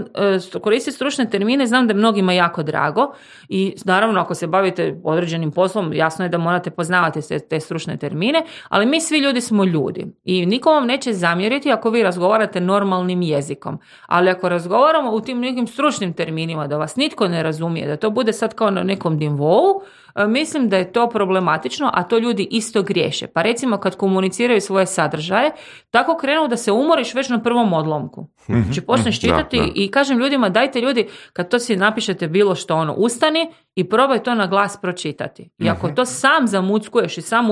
koristiti stručne termine, znam da je mnogima jako drago i naravno ako se bavite određenim poslom, jasno je da morate poznavati te stručne termine, ali mi svi ljudi smo ljudi i niko vam neće zamjeriti ako vi razgovarate normalnim jezikom. Ali ako razgovaramo u tim nekim stručnim terminima, da vas nitko ne razumije, da to bude sad kao na nekom nivou, mislim da je to problematično, a to ljudi isto griješe. Pa recimo kad komuniciraju svoje sadržaje, tako krenu da se umoriš već na prvom odlomku. Znači počneš čitati i kažem ljudima, dajte ljudi, kad to si napišete bilo što, ustani i probaj to na glas pročitati. I ako to sam zamuckuješ i sam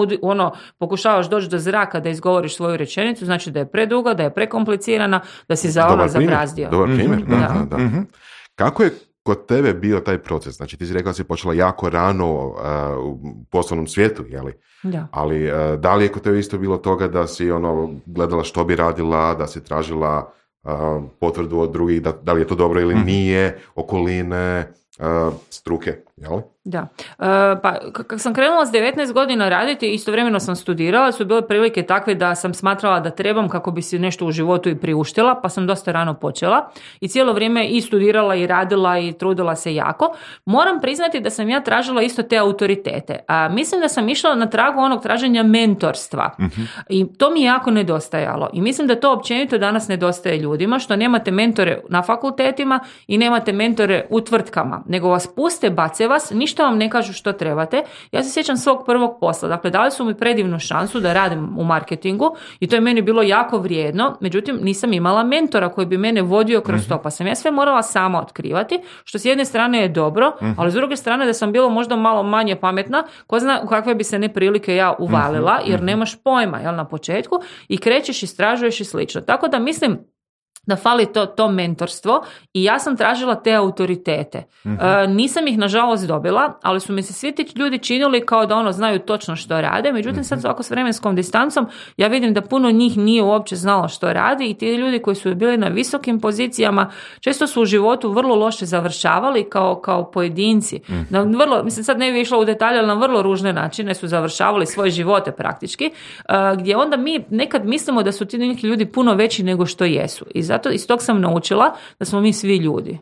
pokušavaš doći do zraka da izgovoriš svoju rečenicu, znači da je preduga, da je prekomplicirana, da si zabrazdio. Dobar primjer, da. Kako je kod tebe bio taj proces? Znači, ti si rekla da si počela jako rano u poslovnom svijetu, jeli? Da. Ali da li je kod tebe isto bilo toga da si gledala što bi radila, da si tražila potvrdu od drugih, da li je to dobro ili nije, okoline, struke, jel? Da. Pa kad sam krenula s 19 godina raditi, istovremeno sam studirala, su bile prilike takve da sam smatrala da trebam kako bi si nešto u životu i priuštila, pa sam dosta rano počela i cijelo vrijeme i studirala i radila i trudila se jako. Moram priznati da sam ja tražila isto te autoritete. Mislim da sam išla na tragu onog traženja mentorstva i to mi je jako nedostajalo i mislim da to općenito danas nedostaje ljudima, što nemate mentore na fakultetima i nemate mentore u tvrtkama, nego vas puste, bace vas, ništa vam ne kažu što trebate. Ja se sjećam svog prvog posla. Dakle, dali su mi predivnu šansu da radim u marketingu i to je meni bilo jako vrijedno. Međutim, nisam imala mentora koji bi mene vodio kroz to. Pa sam ja sve morala sama otkrivati, što s jedne strane je dobro, ali s druge strane da sam bila možda malo manje pametna, ko zna u kakve bi se neprilike ja uvalila, jer nemaš pojma, jel, na početku, i krećeš, istražuješ i slično. Tako da mislim da fali to mentorstvo i ja sam tražila te autoritete. Nisam ih nažalost dobila, ali su mi se svi ti ljudi činili kao da znaju točno što rade, međutim sad ovako s vremenskom distancom ja vidim da puno njih nije uopće znalo što radi i ti ljudi koji su bili na visokim pozicijama često su u životu vrlo loše završavali kao pojedinci. Mislim sad ne bi išla u detalje, ali na vrlo ružne načine su završavali svoje živote praktički, gdje onda mi nekad mislimo da su ti neki ljudi puno veći nego što jesu. I zato iz tog sam naučila da smo mi svi ljudi.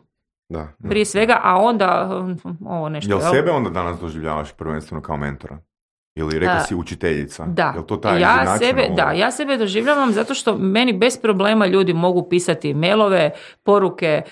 Da. Prije svega, a onda ovo nešto. Jel sebe onda danas doživljavaš prvenstveno kao mentora? Ili rekla si učiteljica? Da. Jel to taj ja sebe doživljavam zato što meni bez problema ljudi mogu pisati mailove, poruke,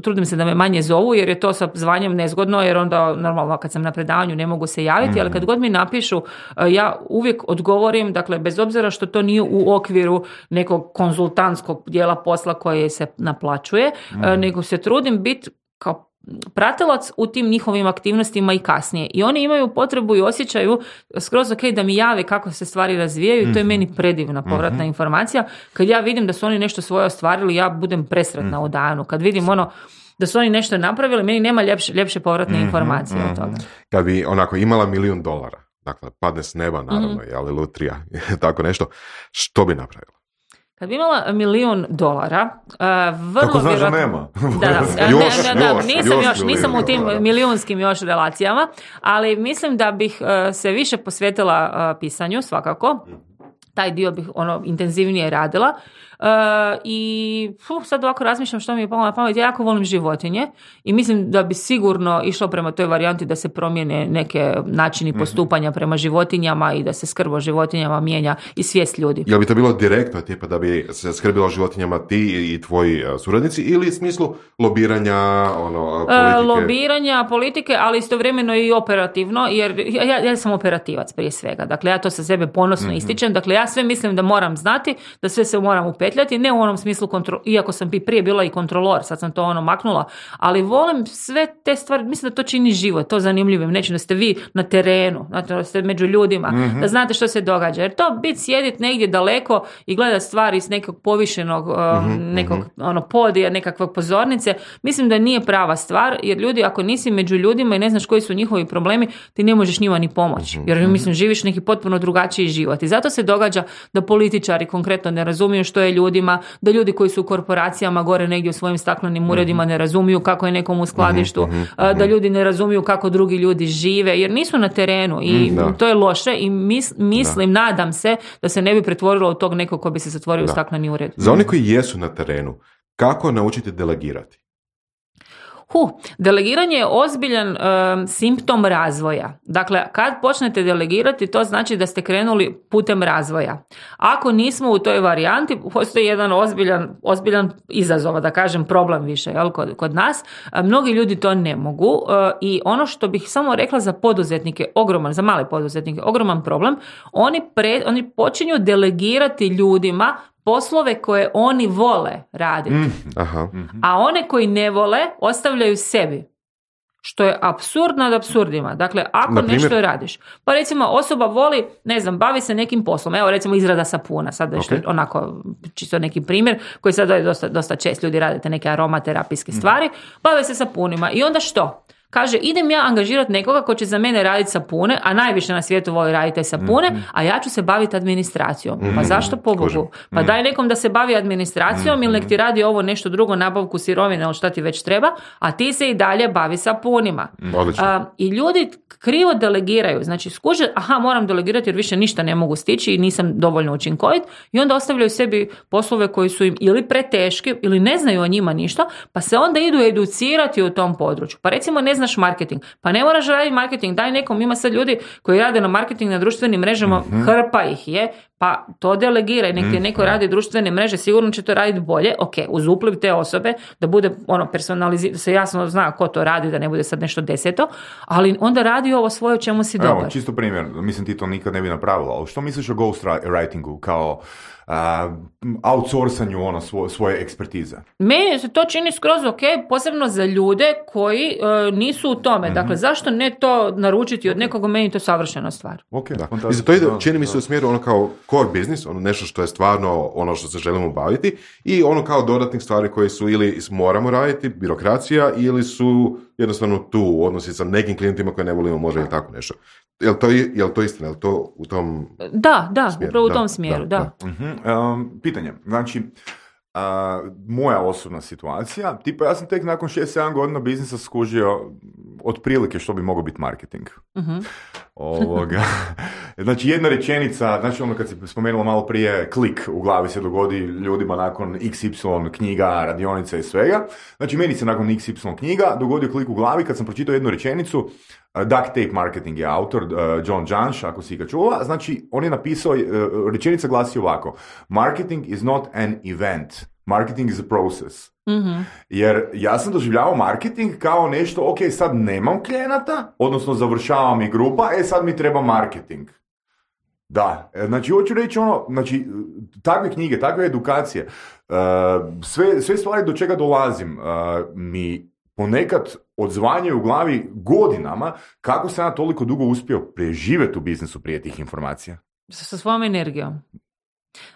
trudim se da me manje zovu jer je to sa zvanjem nezgodno, jer onda normalno kad sam na predavanju ne mogu se javiti, ali kad god mi napišu ja uvijek odgovorim, dakle bez obzira što to nije u okviru nekog konzultantskog dijela posla koje se naplaćuje, nego se trudim biti kao pratilac u tim njihovim aktivnostima i kasnije. I oni imaju potrebu i osjećaju skroz ok da mi jave kako se stvari razvijaju i to je meni predivna povratna informacija. Kad ja vidim da su oni nešto svoje ostvarili, ja budem presretna u danu. Kad vidim da su oni nešto napravili, meni nema ljepše povratne informacije od toga. Kad bi onako imala $1,000,000, dakle, padne s neba, naravno, ali lutrija, tako nešto, što bi napravila? Kad bi imala $1.000.000, vrlo kako znaš da vjerojatno... nema? Nisam u tim milijunskim još relacijama, ali mislim da bih se više posvetila pisanju, svakako. Taj dio bih intenzivnije radila. I sad ovako razmišljam što mi je palo na pamet. Ja jako volim životinje i mislim da bi sigurno išlo prema toj varijanti da se promijene neke načini postupanja prema životinjama i da se skrb o životinjama mijenja i svijest ljudi. Jel bi to bilo direktno, tipa da bi se skrbilo o životinjama ti i tvoji suradnici, ili u smislu lobiranja, politike? Lobiranja, politike, ali istovremeno i operativno, jer ja sam operativac prije svega. Dakle, ja to sa sebe ponosno ističem. Dakle, ja sve mislim da moram znati, da sve se moram upetljati, ne u onom smislu, iako sam prije bila i kontrolor, sad sam to maknula, ali volim sve te stvari, mislim da to čini život, to zanimljivim, neću da ste vi na terenu, da ste među ljudima, da znate što se događa, jer to biti sjediti negdje daleko i gledati stvari iz nekog povišenog nekog podija, nekakve pozornice, mislim da nije prava stvar, jer ljudi, ako nisi među ljudima i ne znaš koji su njihovi problemi, ti ne možeš njima ni pomoći, jer mislim živiš neki potpuno drugačiji život i zato se događa da političari konkretno ne razumiju što je ljudima, da ljudi koji su u korporacijama gore negdje u svojim staklenim uredima ne razumiju kako je nekom u skladištu, da ljudi ne razumiju kako drugi ljudi žive, jer nisu na terenu i to je loše i mislim, nadam se da se ne bi pretvorilo u tog nekog ko bi se zatvorio u stakleni ured. Za oni koji jesu na terenu, kako naučiti delegirati? Delegiranje je ozbiljan simptom razvoja. Dakle, kad počnete delegirati, to znači da ste krenuli putem razvoja. Ako nismo u toj varijanti, postoji jedan ozbiljan izazov, da kažem problem više, jel, kod nas. Mnogi ljudi to ne mogu i ono što bih samo rekla za poduzetnike, za male poduzetnike, ogroman problem, oni počinju delegirati ljudima poslove koje oni vole raditi. A one koji ne vole ostavljaju sebi. Što je apsurd nad apsurdima. Dakle, ako nešto radiš. Pa recimo osoba voli, bavi se nekim poslom. Evo recimo izrada sapuna. Sad onako čisto neki primjer koji sad je dosta čest. Ljudi radite neke aromaterapijske stvari. Bave se sapunima. I onda što? Kaže, idem ja angažirati nekoga ko će za mene raditi sapune, a najviše na svijetu voli raditi sapune, a ja ću se baviti administracijom. Pa zašto pobogu? Pa daj nekom da se bavi administracijom ili nek ti radi ovo nešto drugo, nabavku sirovine ili šta ti već treba, a ti se i dalje bavi sapunima. I ljudi krivo delegiraju. Znači, skuže, moram delegirati jer više ništa ne mogu stići i nisam dovoljno učinkovit, i onda ostavljaju sebi poslove koji su im ili preteški ili ne znaju o njima ništa, pa se onda idu educirati u tom području. Pa recimo ne znaš marketing, pa ne moraš raditi marketing, daj nekom, ima sad ljudi koji rade na marketing na društvenim mrežama, hrpa ih je, pa to delegiraj, nek ti neko radi društvene mreže, sigurno će to raditi bolje, uz upliv te osobe, da bude personalizirano, da se jasno zna ko to radi, da ne bude sad nešto deseto, ali onda radi ovo svoje o čemu si dobar. Evo, čisto primjer, mislim ti to nikad ne bi napravila, ali što misliš o ghostwritingu kao outsourcanju svoje ekspertize? Meni se to čini skroz ok, posebno za ljude koji nisu u tome. Dakle, zašto ne to naručiti od nekoga, meni to savršena stvar. Okay, da. I za to ide, čini mi se u smjeru kao core business, nešto što je stvarno ono što se želimo baviti, i kao dodatnih stvari koje su ili moramo raditi, birokracija, ili su jednostavno tu odnosi sa nekim klijentima koje ne volimo, može ili tako nešto. Jel to istina? Jel to u tom smjeru? Upravo u tom smjeru, da. Pitanje, znači, moja osobna situacija, tipa ja sam tek nakon 6-7 godina biznisa skužio otprilike što bi mogao biti marketing. Znači jedna rečenica, znači ono kad si spomenula malo prije, klik u glavi se dogodi ljudima nakon XY knjiga, radionica i svega. Znači meni se nakon XY knjiga dogodio klik u glavi kad sam pročitao jednu rečenicu. Duct Tape Marketing je autor, John Jansch, ako si ga čula. Znači on je napisao, rečenica glasi ovako: Marketing is not an event. Marketing is a process. Jer ja sam doživljavao marketing kao nešto, ok, sad nemam klijenata, odnosno završava mi grupa, sad mi treba marketing. Da, znači hoću reći znači takve knjige, takve edukacije, sve stvari do čega dolazim mi ponekad odzvanjaju u glavi godinama kako sam ja toliko dugo uspio preživjeti u biznisu prije tih informacija. Sa svojom energijom.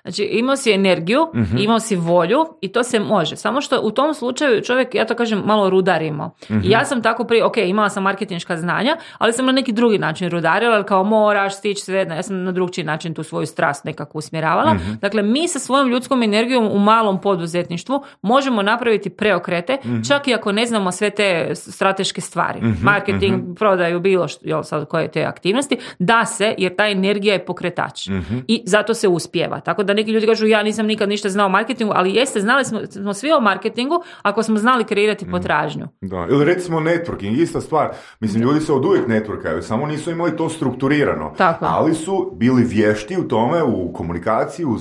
Znači, imao si energiju, imao si volju i to se može. Samo što u tom slučaju čovjek, ja to kažem, malo rudarimo. I ja sam tako prije, imala sam marketinška znanja, ali sam na neki drugi način rudarila, ali kao moraš stići sve, ja sam na drugčiji način tu svoju strast nekako usmjeravala. Dakle, mi sa svojom ljudskom energijom u malom poduzetništvu možemo napraviti preokrete, čak i ako ne znamo sve te strateške stvari. Marketing, prodaju, bilo što, sad koje te aktivnosti, da se, jer ta energija je pokretač. I zato se uspijeva. Tako da neki ljudi kažu, ja nisam nikad ništa znao o marketingu, ali jeste, znali smo svi o marketingu ako smo znali kreirati potražnju. Da, ili recimo networking, ista stvar. Mislim, ljudi se oduvijek networkaju, samo nisu imali to strukturirano. Tako. Ali su bili vješti u tome, u komunikaciji, u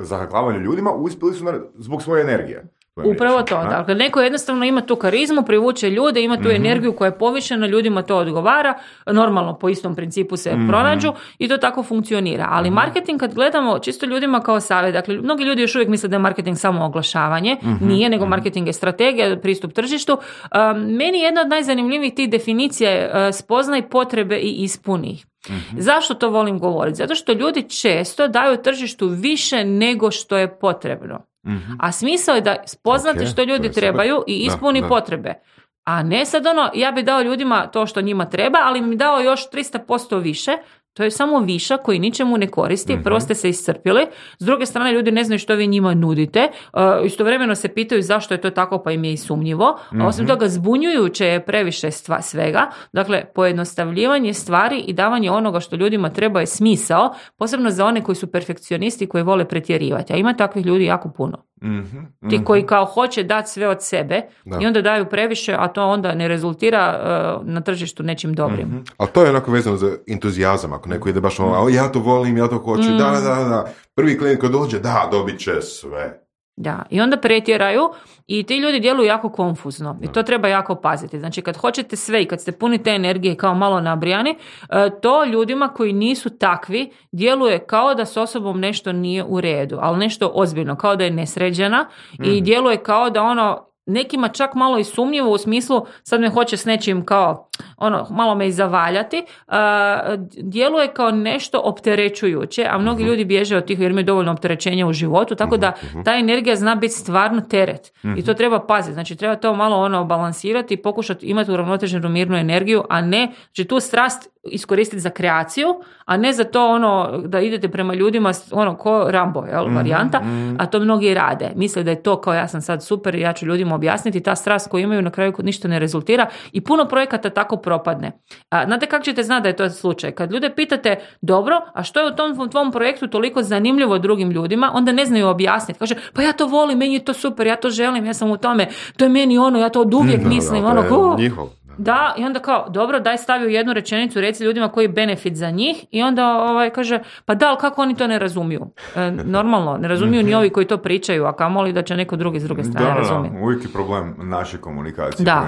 zahaklavanju ljudima, uspjeli su zbog svoje energije. Upravo to. Dakle, neko jednostavno ima tu karizmu, privuče ljude, ima tu energiju koja je povišena, ljudima to odgovara, normalno po istom principu se pronađu i to tako funkcionira. Ali marketing kad gledamo čisto ljudima kao savjet, dakle, mnogi ljudi još uvijek misle da je marketing samo oglašavanje, nije, nego marketing je strategija, pristup tržištu. Meni jedna od najzanimljivijih tih definicija je spoznaj potrebe i ispuni ih. Zašto to volim govoriti? Zato što ljudi često daju tržištu više nego što je potrebno. A smisao je da spoznate što ljudi trebaju i ispuni potrebe. A ne sad ja bi dao ljudima to što njima treba, ali mi dao još 300% više. To je samo višak koji ničemu ne koristi, prvo ste se iscrpili, s druge strane ljudi ne znaju što vi njima nudite, istovremeno se pitaju zašto je to tako, pa im je i sumnjivo, a osim toga zbunjujuće je previše svega, dakle pojednostavljivanje stvari i davanje onoga što ljudima treba je smisao, posebno za one koji su perfekcionisti koji vole pretjerivati, a ima takvih ljudi jako puno. Ti koji kao hoće dati sve od sebe i onda daju previše, a to onda ne rezultira na tržištu nečim dobrim. Ali to je onako vezano za entuzijazam, ako neko ide baš ja to volim, ja to hoću, da. Prvi klijent koji dođe, dobit će sve. Da, i onda pretjeraju i ti ljudi djeluju jako konfuzno i to treba jako paziti. Znači kad hoćete sve i kad ste puni te energije kao malo nabrijani, to ljudima koji nisu takvi djeluje kao da s osobom nešto nije u redu, ali nešto ozbiljno, kao da je nesređena i djeluje kao da nekima čak malo i sumnjivo u smislu sad me hoće s nečim kao malo me i zavaljati, djeluje kao nešto opterećujuće, a mnogi ljudi bježe od tih jer imaju dovoljno opterećenja u životu, tako da ta energija zna biti stvarno teret i to treba paziti, znači treba to malo balansirati i pokušati imati uravnoteženu mirnu energiju, a ne, znači tu strast iskoristiti za kreaciju, a ne za to da idete prema ljudima ko Rambo, varijanta, a to mnogi rade. Misle da je to kao ja sam sad super, ja ću ljudima objasniti, ta strast koju imaju na kraju ništa ne rezultira i puno projekata tako propadne. Znate kako ćete znati da je to slučaj? Kad ljude pitate, dobro, a što je u tom tvom projektu toliko zanimljivo drugim ljudima, onda ne znaju objasniti. Kaže, pa ja to volim, meni je to super, ja to želim, ja sam u tome, to je meni ja to od uvijek mislim. Njihov. Da, i onda kao, dobro, daj stavi u jednu rečenicu, reci ljudima koji je benefit za njih i onda kaže, pa da, ali kako oni to ne razumiju? Normalno, ne razumiju ni ovi koji to pričaju, a kamoli da će neko drugi s druge strane razumjeti. Uvijek je problem naše komunikacije. Da.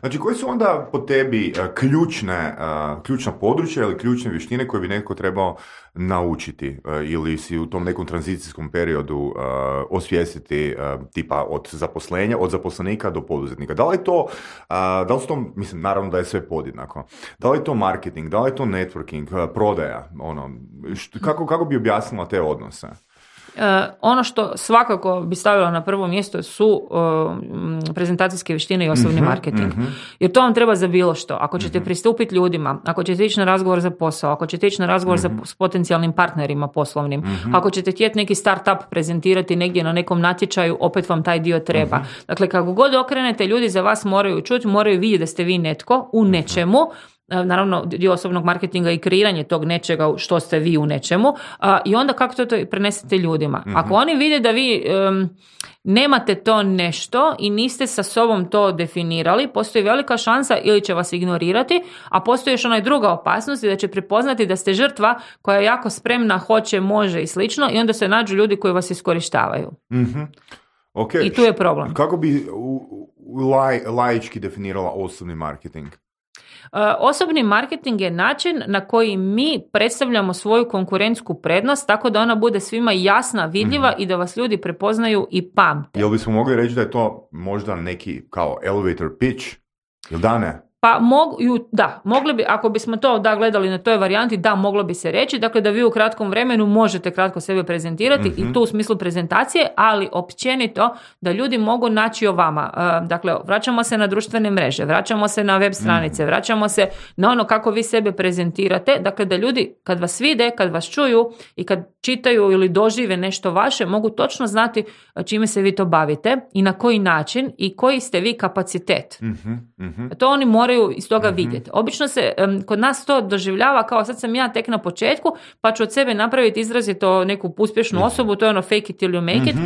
Znači, koji su onda po tebi ključna područja ili ključne vještine koje bi neko trebao naučiti ili si u tom nekom tranzicijskom periodu osvijestiti tipa od zaposlenika do poduzetnika? Da li su to, mislim, naravno da je sve podjednako. Da li je to marketing, da li je to networking, prodaja, kako bi objasnila te odnose? Ono što svakako bi stavila na prvo mjesto su prezentacijske vještine i osobni marketing. Jer to vam treba za bilo što. Ako ćete pristupiti ljudima, ako ćete ići na razgovor za posao, ako ćete ići na razgovor s potencijalnim partnerima poslovnim, ako ćete htjeti neki startup prezentirati negdje na nekom natječaju, opet vam taj dio treba. Dakle, kako god okrenete, ljudi za vas moraju čuti, moraju vidjeti da ste vi netko u nečemu. Naravno, dio osobnog marketinga i kreiranje tog nečega što ste vi u nečemu i onda kako to prenesete ljudima. Ako oni vide da vi nemate to nešto i niste sa sobom to definirali, postoji velika šansa ili će vas ignorirati, a postoji još druga opasnost da će prepoznati da ste žrtva koja je jako spremna, hoće, može i slično i onda se nađu ljudi koji vas iskorištavaju. Okay. I tu je problem. Kako bi laički definirala osobni marketing? Osobni marketing je način na koji mi predstavljamo svoju konkurentsku prednost tako da ona bude svima jasna, vidljiva i da vas ljudi prepoznaju i pamte. Jel bismo mogli reći da je to možda neki kao elevator pitch? Ili da ne? Pa mogli bi, ako bismo to gledali na toj varijanti, moglo bi se reći, dakle da vi u kratkom vremenu možete kratko sebe prezentirati i to u smislu prezentacije, ali općenito da ljudi mogu naći o vama. Dakle, vraćamo se na društvene mreže, vraćamo se na web stranice, vraćamo se na ono kako vi sebe prezentirate, dakle da ljudi kad vas vide, kad vas čuju i kad čitaju ili dožive nešto vaše, mogu točno znati čime se vi to bavite i na koji način i koji ste vi kapacitet. To oni moraju iz toga vidjeti. Obično se kod nas to doživljava kao sad sam ja tek na početku, pa ću od sebe napraviti izrazito neku uspješnu osobu, to je ono fake it till you make it.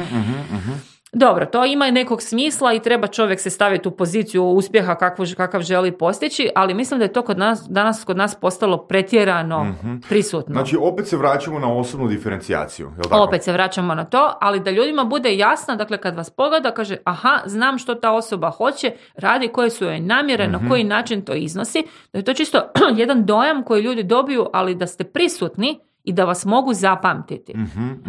Dobro, to ima nekog smisla i treba čovjek se staviti u poziciju uspjeha kakav želi postići, ali mislim da je to danas kod nas postalo pretjerano prisutno. Znači, opet se vraćamo na osobnu diferencijaciju, je li tako? Opet se vraćamo na to, ali da ljudima bude jasno, dakle, kad vas pogleda, kaže, aha, znam što ta osoba hoće, radi koje su joj namjere, na koji način to iznosi, da je to čisto jedan dojam koji ljudi dobiju, ali da ste prisutni i da vas mogu zapamtiti.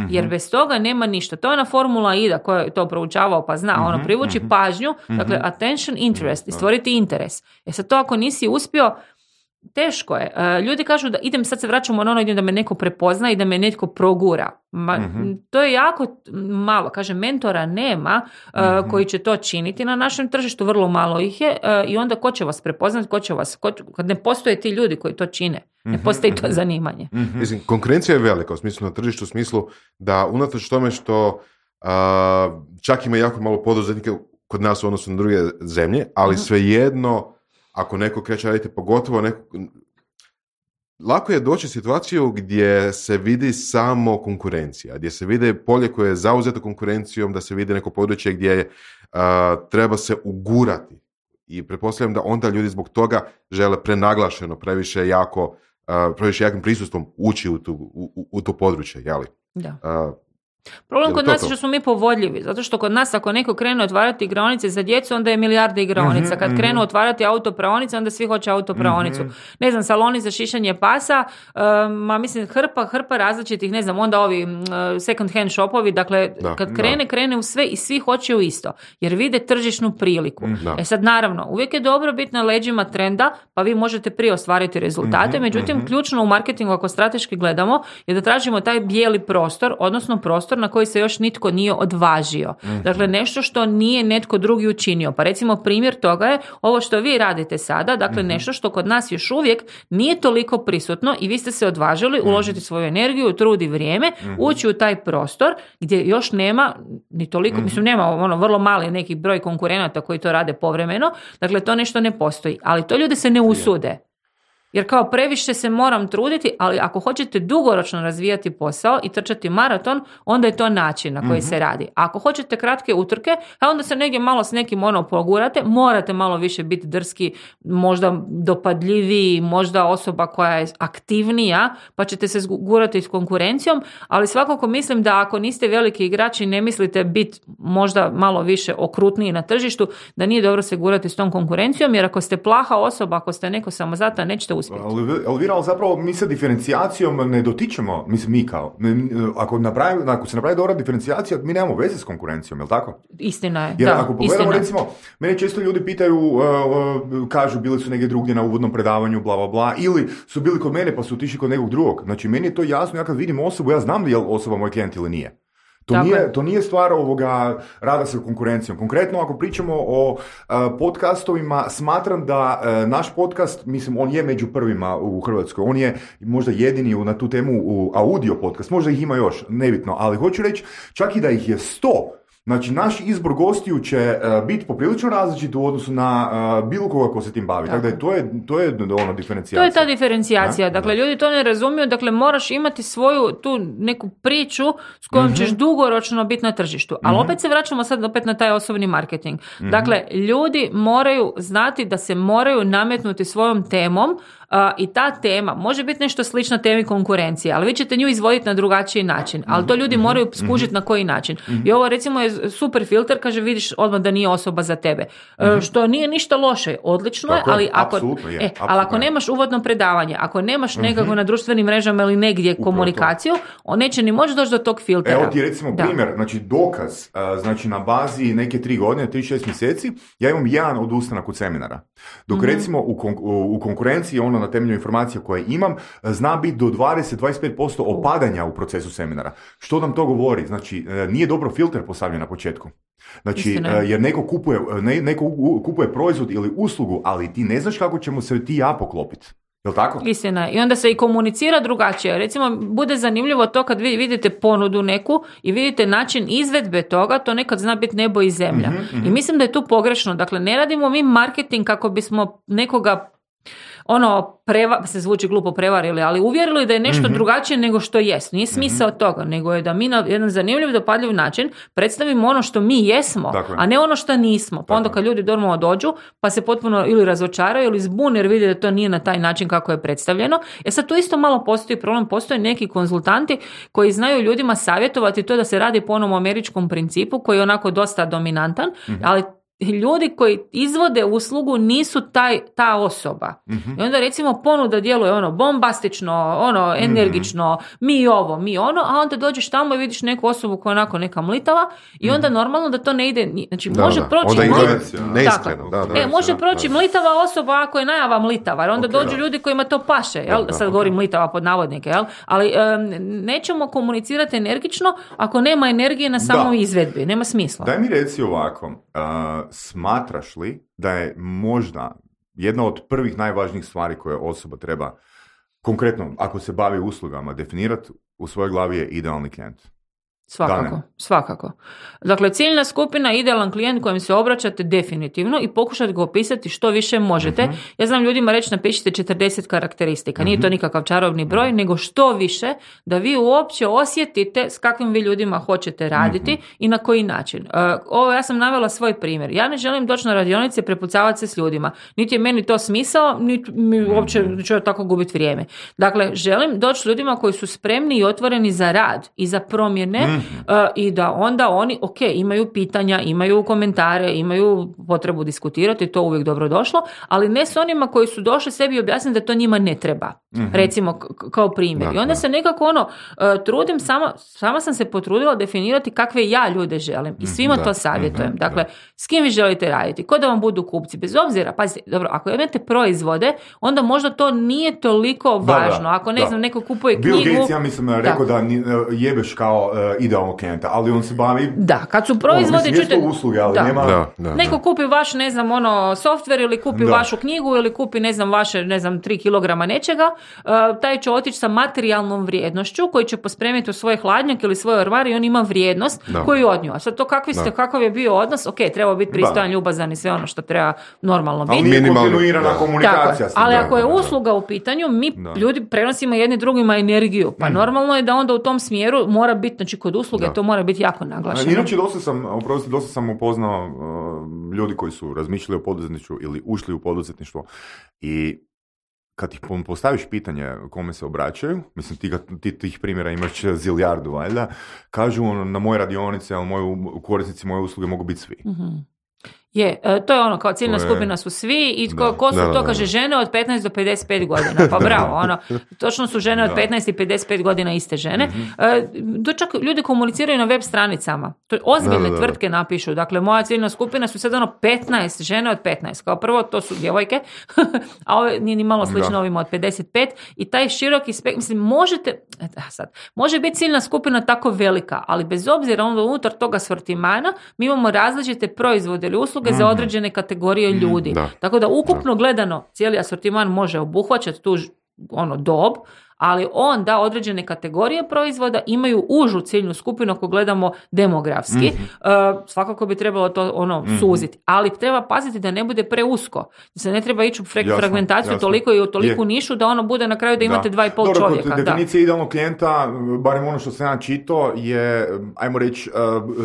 Jer bez toga nema ništa. To je ona formula IDA koja je to proučavao pa zna. Privući pažnju, dakle attention, interest i stvoriti interes. Sad to ako nisi uspio, teško je. Ljudi kažu da sad se vraćamo na ono da me neko prepozna i da me netko progura. To je jako malo. Kaže, mentora nema koji će to činiti na našem tržištu, vrlo malo ih je i onda ko će vas prepoznati, kad ne postoje ti ljudi koji to čine. Ne postoji to zanimanje. Mislim, konkurencija je velika u smislu na tržištu, u smislu da unatoč tome što čak ima jako malo poduzetnika kod nas u odnosu na druge zemlje, ali svejedno ako neko kreće raditi, pogotovo lako je doći u situaciju gdje se vidi samo konkurencija, gdje se vide polje koje je zauzeto konkurencijom, da se vidi neko područje gdje treba se ugurati. I pretpostavljam da onda ljudi zbog toga žele prenaglašeno, previše jakim prisustvom ući u to područje, jeli? Da. Problem kod nas je što smo mi povodljivi, zato što kod nas ako neko krene otvarati igraonice za djecu, onda je milijarde igraonica. Kad krenu otvarati autopraonice, onda svi hoće autopraonicu. Ne znam, saloni za šišanje pasa, mislim hrpa različitih, ne znam, onda ovi second hand shopovi, dakle, kad krene u sve i svi hoće u isto, jer vide tržišnu priliku. Sad naravno, uvijek je dobro biti na leđima trenda, pa vi možete prije ostvariti rezultate, međutim, ključno u marketingu, ako strateški gledamo, je da tražimo taj bijeli prostor, odnosno prostor na koji se još nitko nije odvažio. Dakle, nešto što nije netko drugi učinio. Pa recimo primjer toga je ovo što vi radite sada, dakle nešto što kod nas još uvijek nije toliko prisutno i vi ste se odvažili uložiti svoju energiju, trud i vrijeme, ući u taj prostor gdje još nema ni toliko, mislim nema vrlo mali neki broj konkurenata koji to rade povremeno, dakle to nešto ne postoji, ali to ljudi se ne usude. Jer kao previše se moram truditi, ali ako hoćete dugoročno razvijati posao i trčati maraton, onda je to način na koji se radi. A ako hoćete kratke utrke, onda se negdje malo s nekim pogurate, morate malo više biti drski, možda dopadljiviji, možda osoba koja je aktivnija, pa ćete se gurati s konkurencijom, ali svakako mislim da ako niste veliki igrači, ne mislite biti možda malo više okrutniji na tržištu, da nije dobro se gurati s tom konkurencijom, jer ako ste plaha osoba, ako ste neko samozatan, nećete uspjeti. Ali zapravo mi sa diferencijacijom ne dotičemo, mislim mi kao, ako se napravi dobra diferencijacija, mi nemamo veze s konkurencijom, je li tako? Istina je, jer ako pogledamo, recimo, mene često ljudi pitaju, kažu bili su negdje drugdje na uvodnom predavanju, bla, bla, bla, ili su bili kod mene pa su otišli kod nekog drugog. Znači, meni je to jasno, ja kad vidim osobu, ja znam da je osoba moj klijent ili nije. To nije stvar rada sa konkurencijom. Konkretno, ako pričamo o podcastovima, smatram da naš podcast, mislim, on je među prvima u Hrvatskoj. On je možda jedini na tu temu audio podcast. Možda ih ima još, nebitno. Ali hoću reći, čak i da ih je 100, znači, naš izbor gostiju će biti poprilično različit u odnosu na bilo koga ko se tim bavi. Tako da to je diferencijacija. To je ta diferencijacija. Dakle, ljudi to ne razumiju. Dakle, moraš imati svoju tu neku priču s kojom ćeš dugoročno biti na tržištu. Ali opet se vraćamo sad opet na taj osobni marketing. Dakle, ljudi moraju znati da se moraju nametnuti svojom temom I ta tema može biti nešto slično temi konkurencije, ali vi ćete nju izvoditi na drugačiji način, ali to ljudi moraju skužiti na koji način. I ovo recimo je super filter, kaže vidiš odmah da nije osoba za tebe. Što nije ništa loše, odlično je, ali ako nemaš uvodno predavanje, ako nemaš nekako na društvenim mrežama ili negdje komunikaciju, on neće ni moći doći do tog filtera. Evo ti recimo primjer, znači dokaz, znači na bazi neke 3 godine, 3-6 mjeseci, ja imam jedan odustanak od seminara. Dok recimo u konkurenciji, ono na temelju informacija koje imam, zna biti do 20-25% opadanja u procesu seminara. Što nam to govori? Znači, nije dobro filter postavljen na početku. Znači, jer neko kupuje proizvod ili uslugu, ali ti ne znaš kako ćemo se ti ja poklopiti. Jel' tako? Istina. I onda se i komunicira drugačije. Recimo, bude zanimljivo to kad vi vidite ponudu neku i vidite način izvedbe toga, to nekad zna biti nebo i zemlja. I mislim da je tu pogrešno. Dakle, ne radimo mi marketing kako bismo nekoga se zvuči glupo prevarili, ali uvjerili da je nešto drugačije nego što jest. Nije smisao toga, nego je da mi na jedan zanimljiv, dopadljiv način predstavimo ono što mi jesmo, a ne ono što nismo. Pa onda kad ljudi normalno dođu, pa se potpuno ili razočaraju ili zbune jer vide da to nije na taj način kako je predstavljeno. Sad tu isto malo postoji problem, postoje neki konzultanti koji znaju ljudima savjetovati to da se radi po onom američkom principu koji je onako dosta dominantan, ali ljudi koji izvode uslugu nisu ta osoba. I onda recimo ponuda djeluje bombastično, energično, mi ovo, mi ono, a onda dođeš tamo i vidiš neku osobu koja je onako neka mlitava i onda normalno da to ne ide, znači može proći može proći mlitava osoba ako je najava mlitava, jer onda dođu ljudi kojima to paše, sad govorim mlitava pod navodnike, ali nećemo komunicirati energično ako nema energije na samoj izvedbi, nema smisla. Daj mi reci ovako, smatraš li da je možda jedna od prvih najvažnijih stvari koje osoba treba, konkretno ako se bavi uslugama, definirati u svojoj glavi je idealni klijent? Svakako. Dakle, ciljna skupina, idealan klijent kojem se obraćate definitivno i pokušati ga opisati što više možete. Ja znam ljudima reći napišite 40 karakteristika. Nije to nikakav čarobni broj, nego što više da vi uopće osjetite s kakvim vi ljudima hoćete raditi i na koji način. Ovo ja sam navela svoj primjer. Ja ne želim doći na radionice prepucavati se s ljudima. Niti je meni to smisao, niti mi uopće ću tako gubiti vrijeme. Dakle, želim doći s ljudima koji su spremni i otvoreni za rad i za promjene i da onda oni, imaju pitanja, imaju komentare, imaju potrebu diskutirati, to uvijek dobro došlo, ali ne s onima koji su došli sebi objasniti da to njima ne treba. Recimo, kao primjer. I onda se nekako trudim, sama sam se potrudila definirati kakve ja ljude želim i svima to savjetujem. Dakle, s kim vi želite raditi, ko da vam budu kupci, bez obzira, pazite, dobro, ako imate proizvode, onda možda to nije toliko važno. Ako ne znam, neko kupuje knjigu... Bill Gates, ja mislim, rekao da jebeš kao idealnog klijenta, ali on se bavi... Da, kad su proizvodi... Čujete, usluge, ali nema... Neko kupi vaš, ne znam, software ili kupi vašu knjigu ili kupi, ne znam, vaše, 3 kilograma nečega, taj će otići sa materijalnom vrijednošću koji će pospremiti u svoj hladnjak ili svoj orvar i on ima vrijednost koju od nju. A sad to kakav je bio odnos, treba biti pristojan, ljubazan i sve ono što treba normalno biti. Ali nije kontinuirana komunikacija. Ali ako je usluga u pitanju, mi ljudi prenosimo jedni drugima energiju. Pa normalno je da onda u tom smjeru mora biti, znači kod usluge to mora biti jako naglašeno. Inače, dosta sam upoznao ljudi koji su razmišljali o poduzetništvu ili ušli u poduzetništvo i kad ih postaviš pitanje kome se obraćaju, mislim ti tih primjera imaš zilijardu, valjda, kažu na moje radionice, ali korisnici moje usluge mogu biti svi. To je kao ciljna skupina su svi i ko su to, kaže, žene od 15 do 55 godina. Pa bravo, točno su žene od 15 i 55 godina iste žene. To čak ljudi komuniciraju na web stranicama. To ozbiljne tvrtke napišu. Dakle, moja ciljna skupina su sad 15 žene od 15. Kao prvo, to su djevojke, a ovo nije ni malo slično ovima od 55 i taj široki mislim, može biti ciljna skupina tako velika, ali bez obzira onda unutar toga sortimana mi imamo različite proizvode ili usluge za određene kategorije ljudi. Tako da ukupno gledano cijeli asortiman može obuhvaćati tu dob, ali onda određene kategorije proizvoda imaju užu ciljnu skupinu ako gledamo demografski. Svakako bi trebalo to suziti, ali treba paziti da ne bude preusko. Da se ne treba ići u fragmentaciju toliko i u toliku nišu da bude na kraju da imate 2,5 čovjeka. Kod definicije idealnog klijenta, barem ono što sam ja čitao, je, ajmo reći,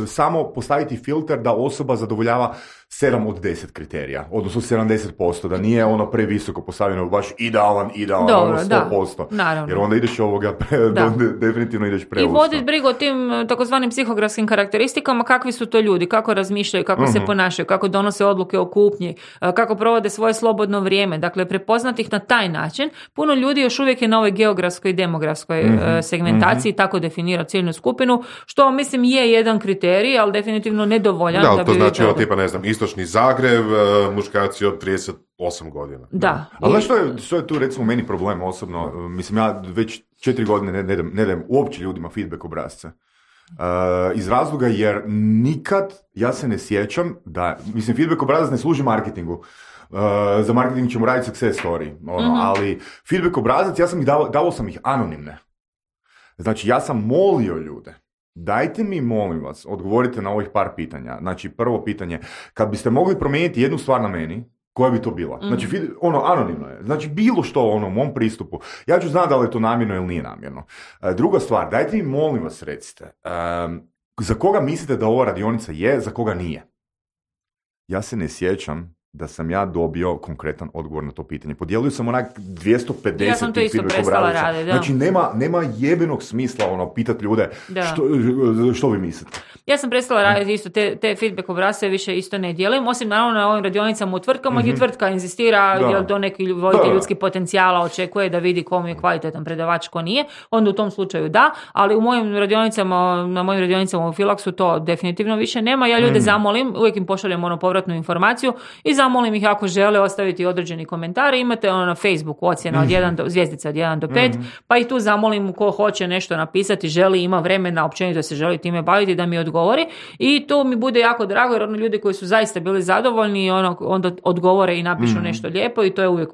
samo postaviti filter da osoba zadovoljava 7 od 10 kriterija, odnosno 70%, da nije ono previsoko postavljeno, baš idealan, dobro, 100%. Da, jer onda ideš definitivno ideš preusko. I voditi brigu o tim takozvanim psihografskim karakteristikama, kakvi su to ljudi, kako razmišljaju, kako se ponašaju, kako donose odluke o kupnji, kako provode svoje slobodno vrijeme. Dakle, prepoznati ih na taj način. Puno ljudi još uvijek je na ovoj geografskoj i demografskoj segmentaciji tako definira ciljnu skupinu, što mislim je jedan kriterij, ali definitivno nedovoljan. Da, to znači tipa, ne znam, istočni Zagreb, muškarci od 38 godina. Da. Ali što je tu recimo meni problem osobno? Mislim, ja već 4 godine ne dajem uopće ljudima feedback obrasce. Iz razloga jer nikad ja se ne sjećam da, mislim, feedback obrazac ne služi marketingu. Za marketing ćemo raditi success story, ali feedback obrazac, ja sam ih davao sam ih anonimne. Znači, ja sam molio ljude, dajte mi, molim vas, odgovorite na ovih par pitanja. Znači, prvo pitanje, kad biste mogli promijeniti jednu stvar na meni, koja bi to bila? Znači, anonimno je. Znači, bilo što u mom pristupu. Ja ću znati da li je to namjerno ili nije namjerno. Druga stvar, dajte mi, molim vas, recite, za koga mislite da ova radionica je, za koga nije? Ja se ne sjećam da sam ja dobio konkretan odgovor na to pitanje. Podijelio sam onak 250 ja sam to isto prestala raditi, da. Znači, nema jebenog smisla pitati ljude što vi mislite. Ja sam prestala raditi isto te feedback obrasce više isto ne dijelim, osim naravno na ovim radionicama u tvrtkama gdje tvrtka inzistira jel to neki voditelj ljudskih potencijala očekuje da vidi kom je kvalitetan predavač, ko nije, onda u tom slučaju da, ali u mojim radionicama, na mojim radionicama u Filaksu to definitivno više nema. Ja ljude zamolim, uvijek im pošaljem povratnu informaciju i zamolim ih ako žele ostaviti određeni komentar. Imate na Facebooku ocjena od 1 zvjezdica od 1 do 5, pa i tu zamolim ko hoće nešto napisati, želi, ima vremena, općenito se želi time baviti, da mi odgovori. I to mi bude jako drago, jer ljudi koji su zaista bili zadovoljni onda odgovore i napišu nešto lijepo i to je uvijek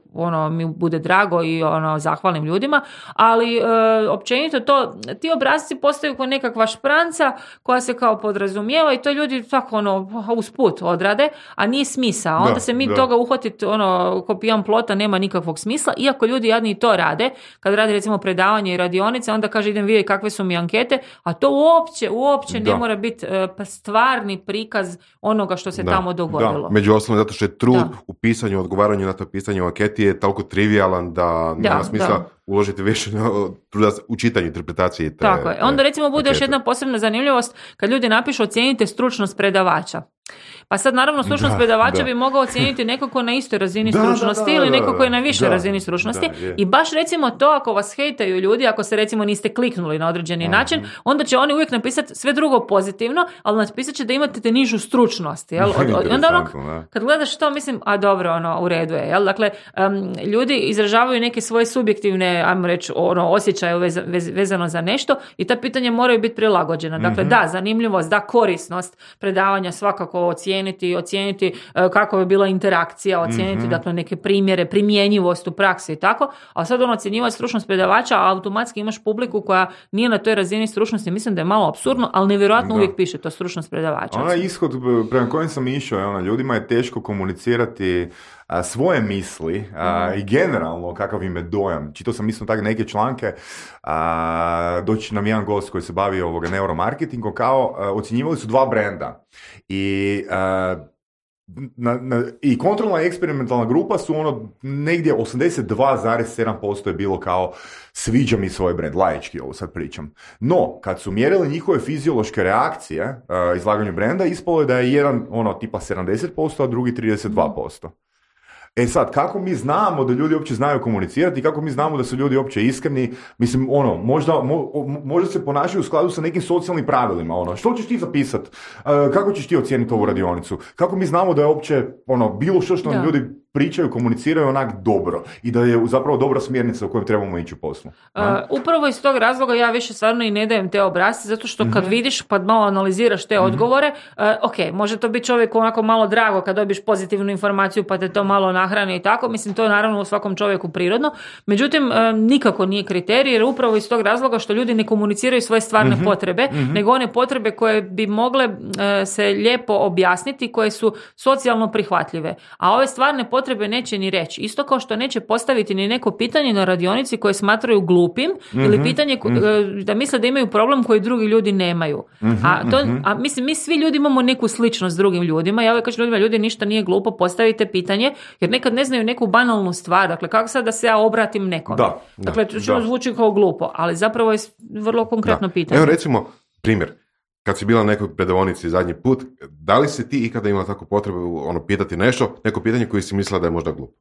mi bude drago i zahvalim ljudima. Ali općenito ti obrasci postaju kao nekakva špranca koja se kao podrazumijeva i to ljudi tako usput odrade, a nije smisao. Onda se mi toga uhvatiti ko pijan plota nema nikakvog smisla, iako ljudi jadni i to rade. Kad radi recimo predavanje i radionice, onda kaže idem vidjeti kakve su mi ankete, a to uopće ne mora biti stvarni prikaz onoga što se tamo dogodilo. Među ostalom, zato što je trud u pisanju, odgovaranju na to pisanje u anketi je toliko trivialan da nema smisla uložiti više truda u čitanju interpretacije. Tako je. Onda recimo bude još jedna posebna zanimljivost kad ljudi napišu ocijenite stručnost predavača. Pa sad naravno stručnost predavača bi mogao ocijeniti neko ko na istoj razini stručnosti ili neko ko je na višoj razini stručnosti i baš recimo to ako vas hejtaju ljudi, ako se recimo niste kliknuli na određeni način, onda će oni uvijek napisati sve drugo pozitivno, ali napisat će da imate te nižu stručnost. Jel? Onda kad gledaš to, mislim, a dobro, u redu je. Jel? Dakle, ljudi izražavaju neke svoje subjektivne, ajmo reći, osjećaje vezano za nešto i ta pitanja moraju biti prilagođena. Dakle, da, zanimljivost, da, korisnost predavanja svakako ocijeniti kako je bila interakcija, ocijeniti dakle neke primjere, primjenjivost u praksi i tako, a sad ocjenjivati stručnost predavača, a automatski imaš publiku koja nije na toj razini stručnosti, mislim da je malo apsurdno, ali nevjerojatno uvijek piše to stručnost predavača. Onaj ishod prema kojem sam išao, ljudima je teško komunicirati svoje misli i generalno kakav im je dojam. Čitao sam isto tako neke članke, doći nam jedan gost koji se bavi neuromarketingom, kao ocjenjivali su 2 brenda i i kontrolna eksperimentalna grupa su negdje 82,7% je bilo kao sviđa mi svoj brand, laički ovo sad pričam. No, kad su mjerili njihove fiziološke reakcije izlaganju brenda, ispalo je da je jedan tipa 70%, a drugi 32%. E sad, kako mi znamo da ljudi uopće znaju komunicirati i kako mi znamo da su ljudi uopće iskreni, mislim, možda se ponašaju u skladu sa nekim socijalnim pravilima, što ćeš ti zapisati, kako ćeš ti ocijeniti ovu radionicu, kako mi znamo da je uopće, bilo što nam ljudi pričaju, komuniciraju onak dobro i da je zapravo dobra smjernica u kojoj trebamo ići u poslu. Upravo iz tog razloga ja više stvarno i ne dajem te obrasce, zato što kad vidiš, pa malo analiziraš te odgovore, može to biti čovjek onako malo drago kad dobiš pozitivnu informaciju pa te to malo nahrani i tako, mislim to je naravno u svakom čovjeku prirodno, međutim nikako nije kriterij jer upravo iz tog razloga što ljudi ne komuniciraju svoje stvarne potrebe, nego one potrebe koje bi mogle se lijepo objasniti, koje su socijalno prihvatljive, a ove stvarne potrebe potrebe neće ni reći. Isto kao što neće postaviti ni neko pitanje na radionici koje smatraju glupim ili pitanje da misle da imaju problem koji drugi ljudi nemaju. A mislim, mi svi ljudi imamo neku sličnost s drugim ljudima. Ja uvijek kažem ljudima, ljudi, ništa nije glupo, postavite pitanje, jer nekad ne znaju neku banalnu stvar. Dakle, kako sad da se ja obratim nekome? Dakle, to zvuči kao glupo, ali zapravo je vrlo konkretno pitanje. Evo recimo, primjer, kad si bila na nekoj predavonici zadnji put, da li si ti ikada imala takvu potrebu pitati nešto, neko pitanje koje si mislila da je možda glupo?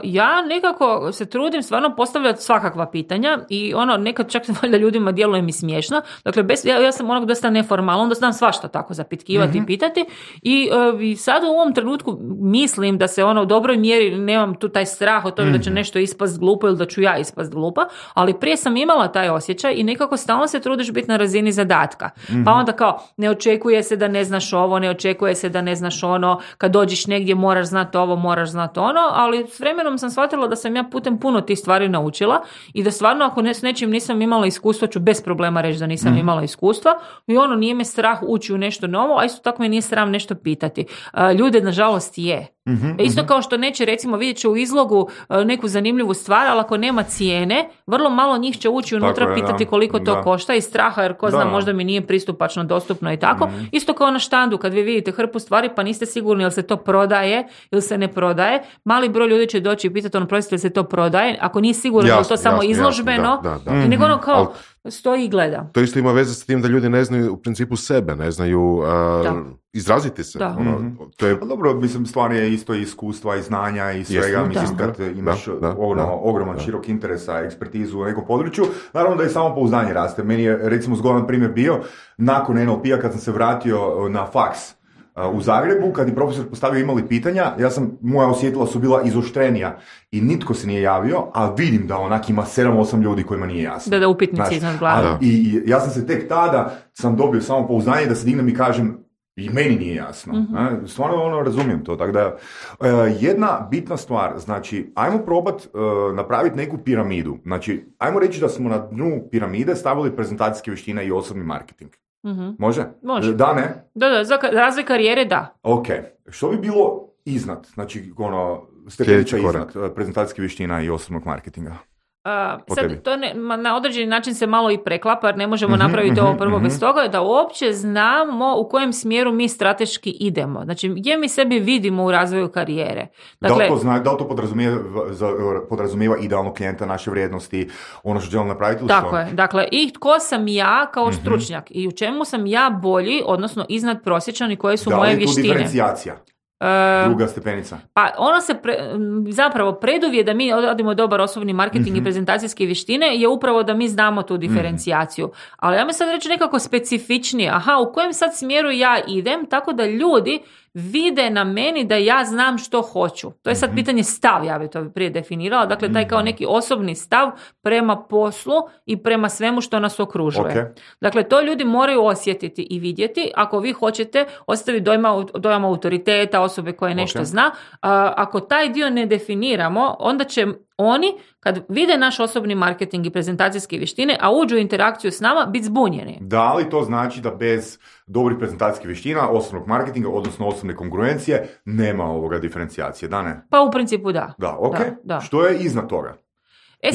Ja nekako se trudim stvarno postavljati svakakva pitanja i nekad čak valjda ljudima djeluje mi smiješno. Dakle, ja sam dosta neformalno, onda znam svašta tako zapitkivati i pitati i sad u ovom trenutku mislim da se u dobroj mjeri nemam tu taj strah od toga da će nešto ispast glupo ili da ću ja ispast glupa, ali prije sam imala taj osjećaj i nekako stalno se trudiš biti na razini zadatka. Pa onda kao, ne očekuje se da ne znaš ovo, ne očekuje se da ne znaš ono, kad dođeš negdje moraš znati ovo, moraš znati ono, ali s vremenom sam shvatila da sam ja putem puno tih stvari naučila i da stvarno ako s nečim nisam imala iskustva ću bez problema reći da nisam imala iskustva i nije me strah ući u nešto novo, a isto tako me nije sram nešto pitati. Ljude nažalost je. Isto kao što neće, recimo, vidjet će u izlogu neku zanimljivu stvar, ali ako nema cijene, vrlo malo njih će ući unutra pitati koliko to košta iz straha, jer ko zna, možda mi nije pristupačno, dostupno i tako. Isto kao na štandu, kad vi vidite hrpu stvari pa niste sigurni jel se to prodaje ili se ne prodaje, mali broj ljudi će doći i pitati prosite, jel se to prodaje, ako nije sigurno je to samo izložbeno, i nego kao stoji i gleda. To isto ima veze s tim da ljudi ne znaju u principu sebe, ne znaju izraziti se. To je... Dobro, mislim, stvar je isto iskustva i znanja i svega. Mislim, kad imaš ogroman širok interesa, ekspertizu u nekom području, naravno da i samopouzdanje raste. Meni je, recimo, zgodan primjer bio, nakon NLP-a kad sam se vratio na faks u Zagrebu, kad je profesor postavio imali pitanja, moja osjetila su bila izoštrenija i nitko se nije javio, a vidim da onak ima 7-8 ljudi kojima nije jasno. Da upitnici iznad glave. I ja sam se tek tada sam dobio samopouzdanje da se dignem i kažem i meni nije jasno. Stvarno razumijem to. Tako da, jedna bitna stvar, znači, ajmo probat napraviti neku piramidu. Znači, ajmo reći da smo na dnu piramide stavili prezentacijske vještine i osobni marketing. Može? Može. Da, ne? Da, za razvoj karijere da. Ok. Što bi bilo iznad? Znači, stepenica iznad prezentacijske vještina i osobnog marketinga? Sad to na određeni način se malo i preklapa, jer ne možemo napraviti ovo prvo bez toga, da uopće znamo u kojem smjeru mi strateški idemo. Znači, gdje mi sebi vidimo u razvoju karijere. Dakle, da li to podrazumijeva idealnog klijenta, naše vrijednosti, ono što želim napraviti? Tako je. Dakle, i tko sam ja kao stručnjak i u čemu sam ja bolji, odnosno iznad prosječan i koje su moje vještine. Da li je tu diferencijacija? Druga stepenica. Pa ono se zapravo preduvjet da mi odradimo dobar osobni marketing i prezentacijske vještine je upravo da mi znamo tu diferencijaciju. Ali ja mi sad reći nekako specifičnije. U kojem sad smjeru ja idem, tako da ljudi vide na meni da ja znam što hoću. To je sad pitanje stav, ja bi to prije definirala. Dakle, taj kao neki osobni stav prema poslu i prema svemu što nas okružuje. Okay. Dakle, to ljudi moraju osjetiti i vidjeti. Ako vi hoćete ostaviti dojam autoriteta, osobe koje nešto zna, ako taj dio ne definiramo, onda će oni, kad vide naš osobni marketing i prezentacijske vještine, a uđu u interakciju s nama, biti zbunjeni. Da li to znači da bez dobrih prezentacijskih vještina, osobnog marketinga, odnosno osobne kongruencije, nema ovoga diferencijacije, da ne? Pa u principu da. Da, ok. Da. Što je iznad toga?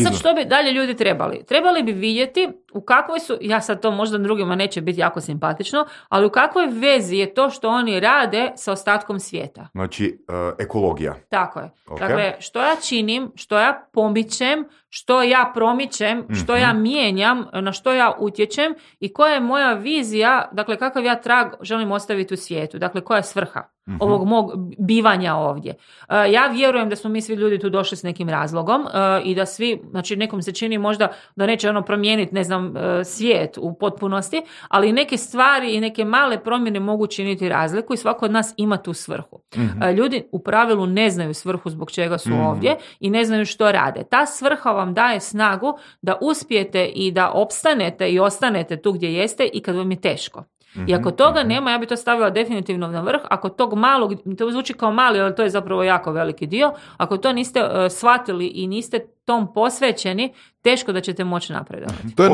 Sad što bi dalje ljudi trebali? Trebali bi vidjeti u kakvoj su, ja sad to možda drugima neće biti jako simpatično, ali u kakvoj vezi je to što oni rade sa ostatkom svijeta. Znači, ekologija. Tako je. Okay. Dakle, što ja činim, što ja pomičem, što ja promičem, što ja mijenjam, na što ja utječem i koja je moja vizija, dakle kakav ja trag želim ostaviti u svijetu, dakle koja je svrha ovog mog bivanja ovdje. Ja vjerujem da smo mi svi ljudi tu došli s nekim razlogom i da svi, znači nekom se čini možda da neće promijeniti, ne znam, svijet u potpunosti, ali neke stvari i neke male promjene mogu činiti razliku i svako od nas ima tu svrhu. Ljudi u pravilu ne znaju svrhu zbog čega su ovdje i ne znaju što rade. Ta svrha vam daje snagu da uspijete i da opstanete i ostanete tu gdje jeste i kad vam je teško. I ako toga nema, ja bi to stavila definitivno na vrh. Ako tog malog, to zvuči kao mali, ali to je zapravo jako veliki dio, ako to niste shvatili i niste tom posvećeni, teško da ćete moći napredovati. To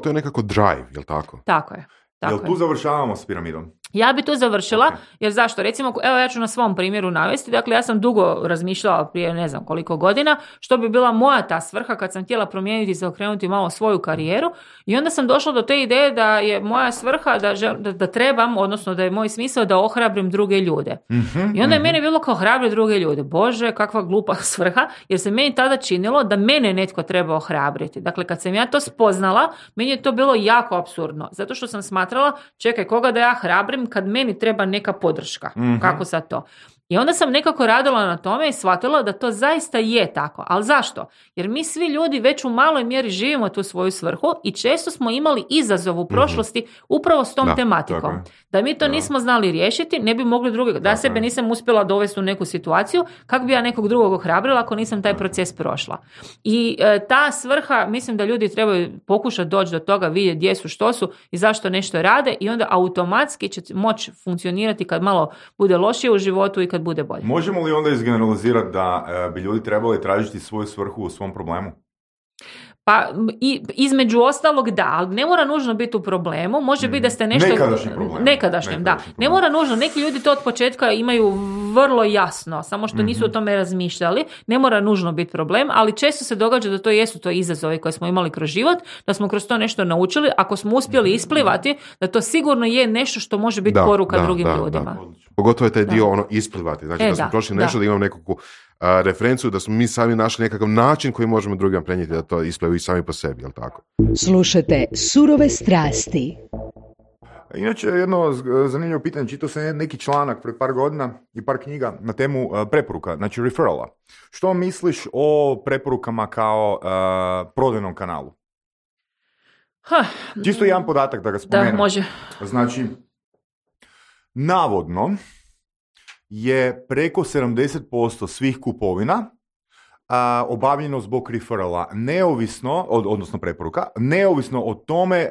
je nekako drive, je li tako? Tako je. Jel tu završavamo s piramidom? Ja bi tu završila, jer zašto? Recimo, evo ja ću na svom primjeru navesti, dakle ja sam dugo razmišljala prije ne znam koliko godina, što bi bila moja ta svrha kad sam htjela promijeniti i zaokrenuti malo svoju karijeru i onda sam došla do te ideje da je moja svrha da trebam, odnosno da je moj smisao da ohrabrim druge ljude. I onda je meni bilo kao hrabri druge ljude. Bože, kakva glupa svrha, jer se meni tada činilo da mene netko treba ohrabriti. Dakle, kad sam ja to spoznala, meni je to bilo jako apsurdno, zato što sam smatrala, čekaj, koga da ja hrabrim kad meni treba neka podrška. Kako sad to? I onda sam nekako radila na tome i shvatila da to zaista je tako. Ali zašto? Jer mi svi ljudi već u maloj mjeri živimo tu svoju svrhu i često smo imali izazov u prošlosti upravo s tom tematikom. Da mi to nismo znali riješiti, ne bi mogli drugog. Da sebe nisam uspjela dovesti u neku situaciju, kako bi ja nekog drugog ohrabrila ako nisam taj proces prošla. I ta svrha, mislim da ljudi trebaju pokušati doći do toga, vidjeti gdje su, što su i zašto nešto rade i onda automatski će moći funkcionirati kad malo bude lošije u životu i kad bude bolje. Možemo li onda izgeneralizirati da bi ljudi trebali tražiti svoju svrhu u svom problemu? Pa između ostalog da, ali ne mora nužno biti u problemu, može biti da ste nešto... Nekadašnjem, da. Ne mora nužno, neki ljudi to od početka imaju vrlo jasno, samo što nisu o tome razmišljali, ne mora nužno biti problem, ali često se događa da to jesu to izazovi koje smo imali kroz život, da smo kroz to nešto naučili, ako smo uspjeli isplivati, da to sigurno je nešto što može biti poruka drugim ljudima. Pogotovo je taj dio isplivati, znači da smo prošli nešto, da imam nekakvu referenciju, da smo mi sami našli nekakav način koji možemo drugima prenijeti da to isplavi i sami po sebi, jel tako? Slušajte Surove strasti. Inače, jedno zanimljivo pitanje, čitao sam neki članak pred par godina i par knjiga na temu preporuka, znači referrala. Što misliš o preporukama kao prodajnom kanalu? Čisto jedan podatak da ga spomenem. Da, može. Znači, navodno je preko 70% svih kupovina obavljeno zbog referrala, neovisno, odnosno preporuka, neovisno o tome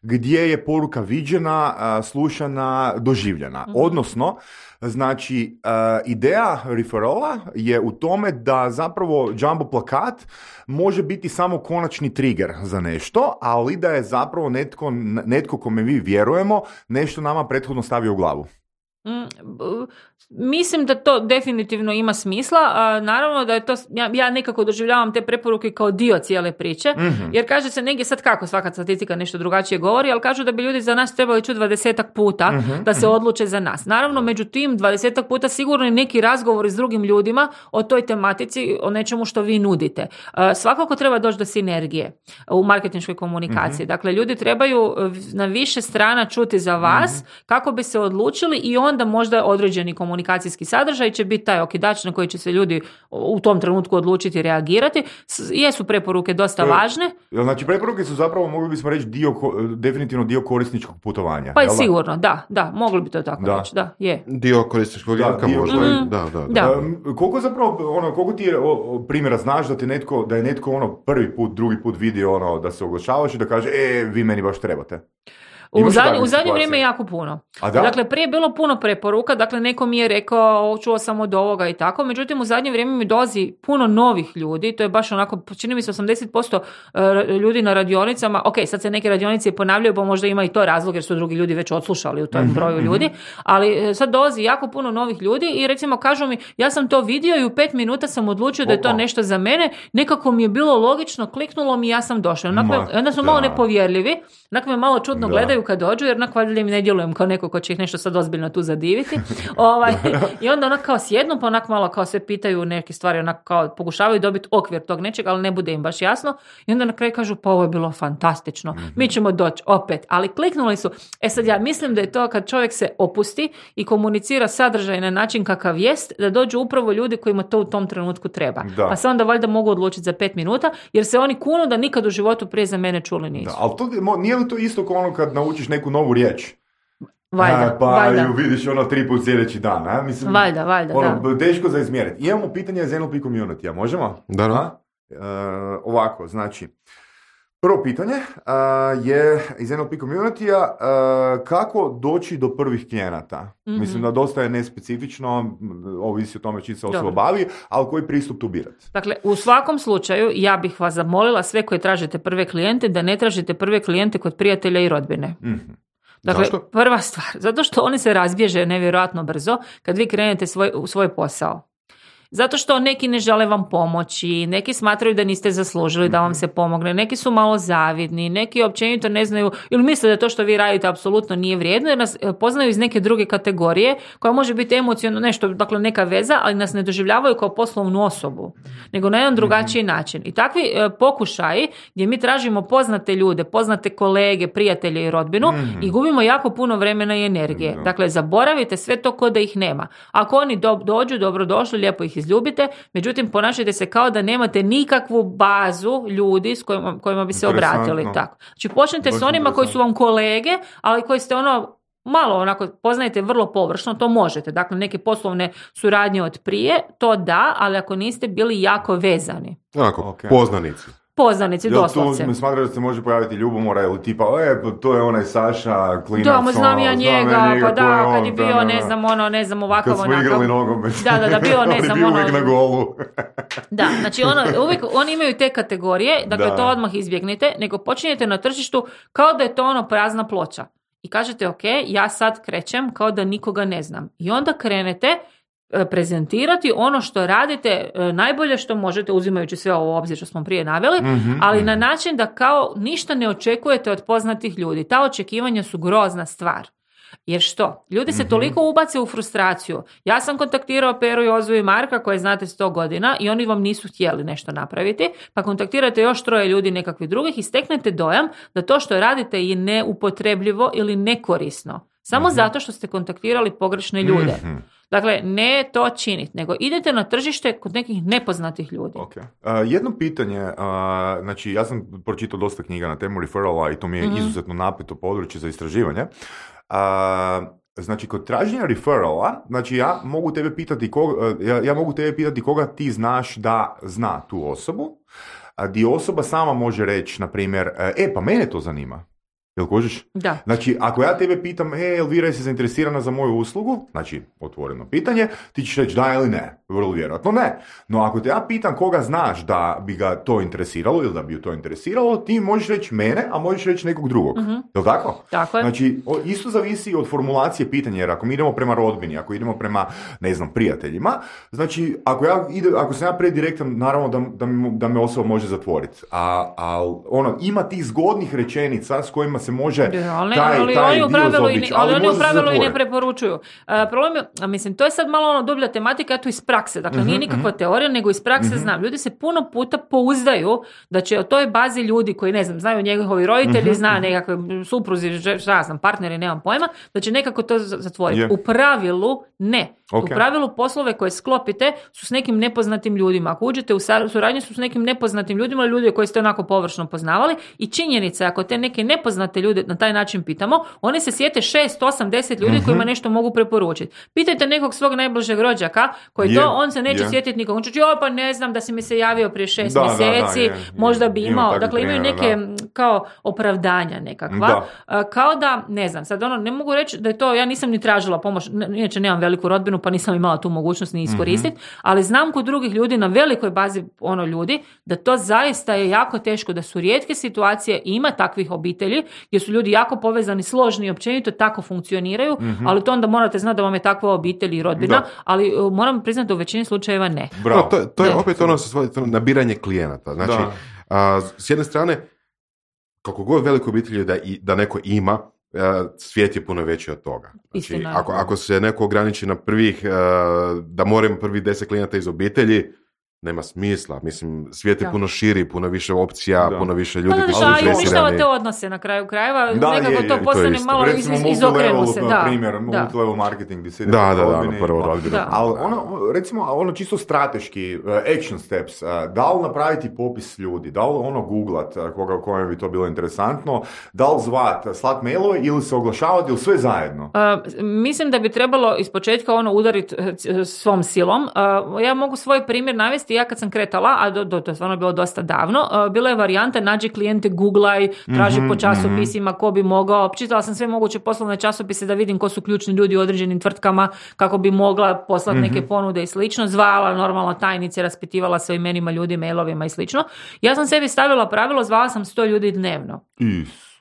gdje je poruka viđena, slušana, doživljena. Odnosno, znači, ideja referrala je u tome da zapravo jumbo plakat može biti samo konačni trigger za nešto, ali da je zapravo netko kome mi vjerujemo nešto nama prethodno stavio u glavu. Mislim da to definitivno ima smisla. Naravno da je to, ja nekako doživljavam te preporuke kao dio cijele priče, jer kaže se negdje sad kako svaka statistika nešto drugačije govori, ali kažu da bi ljudi za nas trebali čuti 20 puta da se odluče za nas. Naravno, među tim 20 puta sigurno je neki razgovor s drugim ljudima o toj tematici, o nečemu što vi nudite. Svakako treba doći do sinergije u marketinškoj komunikaciji. Dakle, ljudi trebaju na više strana čuti za vas kako bi se odlučili i onda možda određeni komunikacijski sadržaj će biti taj okidač na koji će se ljudi u tom trenutku odlučiti reagirati. Jesu preporuke dosta važne. Znači, preporuke su zapravo, mogli bismo reći, definitivno dio korisničkog putovanja. Pa je sigurno, da, mogli bi to tako reći, da, je. Dio korisničkog jaka možda. Da. Koliko zapravo, koliko ti primjera znaš da je netko prvi put, drugi put vidio da se oglašavaš i da kaže, vi meni baš trebate? U zadnje vrijeme jako puno. Dakle, prije je bilo puno preporuka, dakle neko mi je rekao čuo sam od ovoga i tako, međutim u zadnje vrijeme mi dolazi puno novih ljudi, to je baš onako, čini mi se 80% ljudi na radionicama, ok, sad se neke radionice ponavljaju, pa možda ima i to razlog jer su drugi ljudi već odslušali u tom broju ljudi, ali sad dolazi jako puno novih ljudi i recimo kažu mi, ja sam to vidio i u 5 minuta sam odlučio da je to nešto za mene, nekako mi je bilo logično, kliknulo mi i ja sam došao. Onda su malo nepovjerljivi, onako me malo čudno gledaju kad dođu, jer onako valjda im ne djelujem kao neko ko će ih nešto sad ozbiljno tu zadiviti. I onda onako kao sjednu, pa onako malo kao sve pitaju neke stvari, onako kao pokušavaju dobiti okvir tog nečega, ali ne bude im baš jasno. I onda na kraju kažu, pa ovo je bilo fantastično, mi ćemo doći opet. Ali kliknuli su. Sad ja mislim da je to kad čovjek se opusti i komunicira sadržaj na način kakav jest, da dođu upravo ljudi kojima to u tom trenutku treba. Da. Pa se onda valjda mogu odlučiti za 5 minuta, jer se oni kunu da nikad u životu prije za mene čuli nisu. Da, ali to, nije li to isto kao kad naučiš neku novu riječ? Valjda, pa ju vidiš 3 put sljedeći dan. Mislim, valjda, da. Teško za izmjeriti. Imamo pitanje za NLP community, možemo? Da. Ovako, znači, prvo pitanje je iz NLP community-a kako doći do prvih klijenata. Mislim da dosta je nespecifično, ovisi o tome čiji se osoba bavi, ali koji pristup tu birati? Dakle, u svakom slučaju ja bih vas zamolila sve koji tražite prve klijente da ne tražite prve klijente kod prijatelja i rodbine. Dakle, Zašto? prva stvar, zato što oni se razbježe nevjerojatno brzo kad vi krenete u svoj posao. Zato što neki ne žele vam pomoći, neki smatraju da niste zaslužili da vam se pomogne, neki su malo zavidni, neki općenito ne znaju ili misle da to što vi radite apsolutno nije vrijedno jer nas poznaju iz neke druge kategorije koja može biti emocionalno nešto, dakle neka veza, ali nas ne doživljavaju kao poslovnu osobu, nego na jedan drugačiji način. I takvi pokušaji gdje mi tražimo poznate ljude, poznate kolege, prijatelje i rodbinu i gubimo jako puno vremena i energije. Dakle, zaboravite sve to ko da ih nema. Ako oni dođu, dobrodošli, lijepo ih izljubite, međutim ponašajte se kao da nemate nikakvu bazu ljudi s kojima bi se obratili. Tako. Znači počnite s onima koji su vam kolege, ali koji ste malo onako poznajete vrlo površno, to možete. Dakle, neke poslovne suradnje od prije, to da, ali ako niste bili jako vezani. Onako, poznanici. Poznanici, doslovce. Tu mi smatraš da se može pojaviti ljubomora ili tipa, to je onaj Saša, klinac. Da, znam ja njega, pa da, kad je bio, ne znam, ovakav, onakav. Kad smo igrali nogomet. Da, bio, ne znam, uvijek na golu. Da, znači uvijek oni imaju te kategorije, dakle to odmah izbjegnite, nego počinjete na tržištu kao da je to prazna ploča. I kažete, ok, ja sad krećem kao da nikoga ne znam. I onda krenete prezentirati ono što radite najbolje što možete, uzimajući sve ovo u obzir što smo prije naveli, ali na način da kao ništa ne očekujete od poznatih ljudi. Ta očekivanja su grozna stvar. Jer što? Ljudi se toliko ubace u frustraciju. Ja sam kontaktirao Peru, Jozu i Marka koje znate 100 godina i oni vam nisu htjeli nešto napraviti, pa kontaktirate još 3 ljudi nekakvih drugih i steknete dojam da to što radite je neupotrebljivo ili nekorisno. Samo zato što ste kontaktirali pogrešne ljude. Dakle, ne to činiti, nego idete na tržište kod nekih nepoznatih ljudi. Okay. Jedno pitanje, znači ja sam pročitao dosta knjiga na temu referrala i to mi je izuzetno napito područje za istraživanje. Znači, kod traženja referrala, znači ja mogu tebe pitati koga ti znaš da zna tu osobu, gdje osoba sama može reći, na primjer, pa mene to zanima. Jel kužiš? Da. Znači, ako ja tebe pitam, Elvira, jesi zainteresirana za moju uslugu? Znači, otvoreno pitanje, ti ćeš reći da ili ne. Vrlo vjerojatno ne. No, ako te ja pitam koga znaš da bi ga to interesiralo ili da bi ju to interesiralo, ti možeš reći mene, a možeš reći nekog drugog. Jel tako? Tako je. Znači, isto zavisi od formulacije pitanja, jer ako mi idemo prema rodbini, ako idemo prema, ne znam, prijateljima, znači, ako sam ja predirektan, naravno da me osoba može zatvoriti. Ima tih zgodnih rečenica s kojima se može taj dio zaobići. Ali oni u pravilu i ne preporučuju. Problem je, mislim, to je sad malo dublja tematika, to iz prakse. Dakle, nije nikakva teorija, nego iz prakse znam. Ljudi se puno puta pouzdaju da će o toj bazi ljudi koji, ne znam, znaju njegovi roditelji, zna nekakve supruzi, šta znam, partneri, nemam pojma, da će nekako to zatvoriti. U pravilu ne. U pravilu poslove koje sklopite su s nekim nepoznatim ljudima. Ako uđete u suradnju su s nekim nepoznatim ljudima, ljudi koje ste onako površno poznavali i činjenica ako te neke nepoznate ljude na taj način pitamo, oni se sjete 6, 8, 10 ljudi kojima nešto mogu preporučiti. Pitajte nekog svog najbližeg rođaka koji on se neće sjetiti nikog. On će pa ne znam da si mi se javio prije 6 mjeseci, možda bi imao. Dakle, imaju neke kao opravdanja nekakva. Kao da, ne znam, sad ne mogu reći da je to, ja nisam ni tražila pomoć, inače nemam veliku rodbinu, pa nisam imala tu mogućnost ni iskoristiti, ali znam kod drugih ljudi na velikoj bazi ljudi da to zaista je jako teško, da su rijetke situacije i ima takvih obitelji gdje su ljudi jako povezani, složni i općenito tako funkcioniraju, ali to onda morate znati da vam je takva obitelj i rodbina, ali moram priznati da u većini slučajeva ne. No, to je opet se svodi nabiranje klijenata. Znači, s jedne strane, kako god veliko obitelji da neko ima, svijet je puno veći od toga. Znači, ako se neko ograniči na da moramo prvih 10 klijenata iz obitelji, nema smisla. Mislim, svijet je puno širi, puno više opcija, puno više ljudi koji su zainteresirani. Uništavate odnose na kraju krajeva, nekako to postane malo izokrenu se. Primjer, multilevel marketing, gdje se prvo rodbinu. Ali recimo, čisto strateški, action steps, da li napraviti popis ljudi, da li googlat, kojem bi to bilo interesantno, da li slat mailove ili se oglašavati ili sve zajedno? Mislim da bi trebalo ispočetka udariti svom silom. Ja mogu svoj primjer navesti. Ja kad sam kretala, a to je stvarno bilo dosta davno, bila je varijanta nađi klijente, googlaj, traži po časopisima ko bi mogao, čitala sam sve moguće poslovne časopise da vidim ko su ključni ljudi u određenim tvrtkama, kako bi mogla poslati neke ponude i slično, zvala normalno tajnice, raspitivala se o imenima ljudi, mailovima i slično. Ja sam sebi stavila pravilo, zvala sam 100 ljudi dnevno.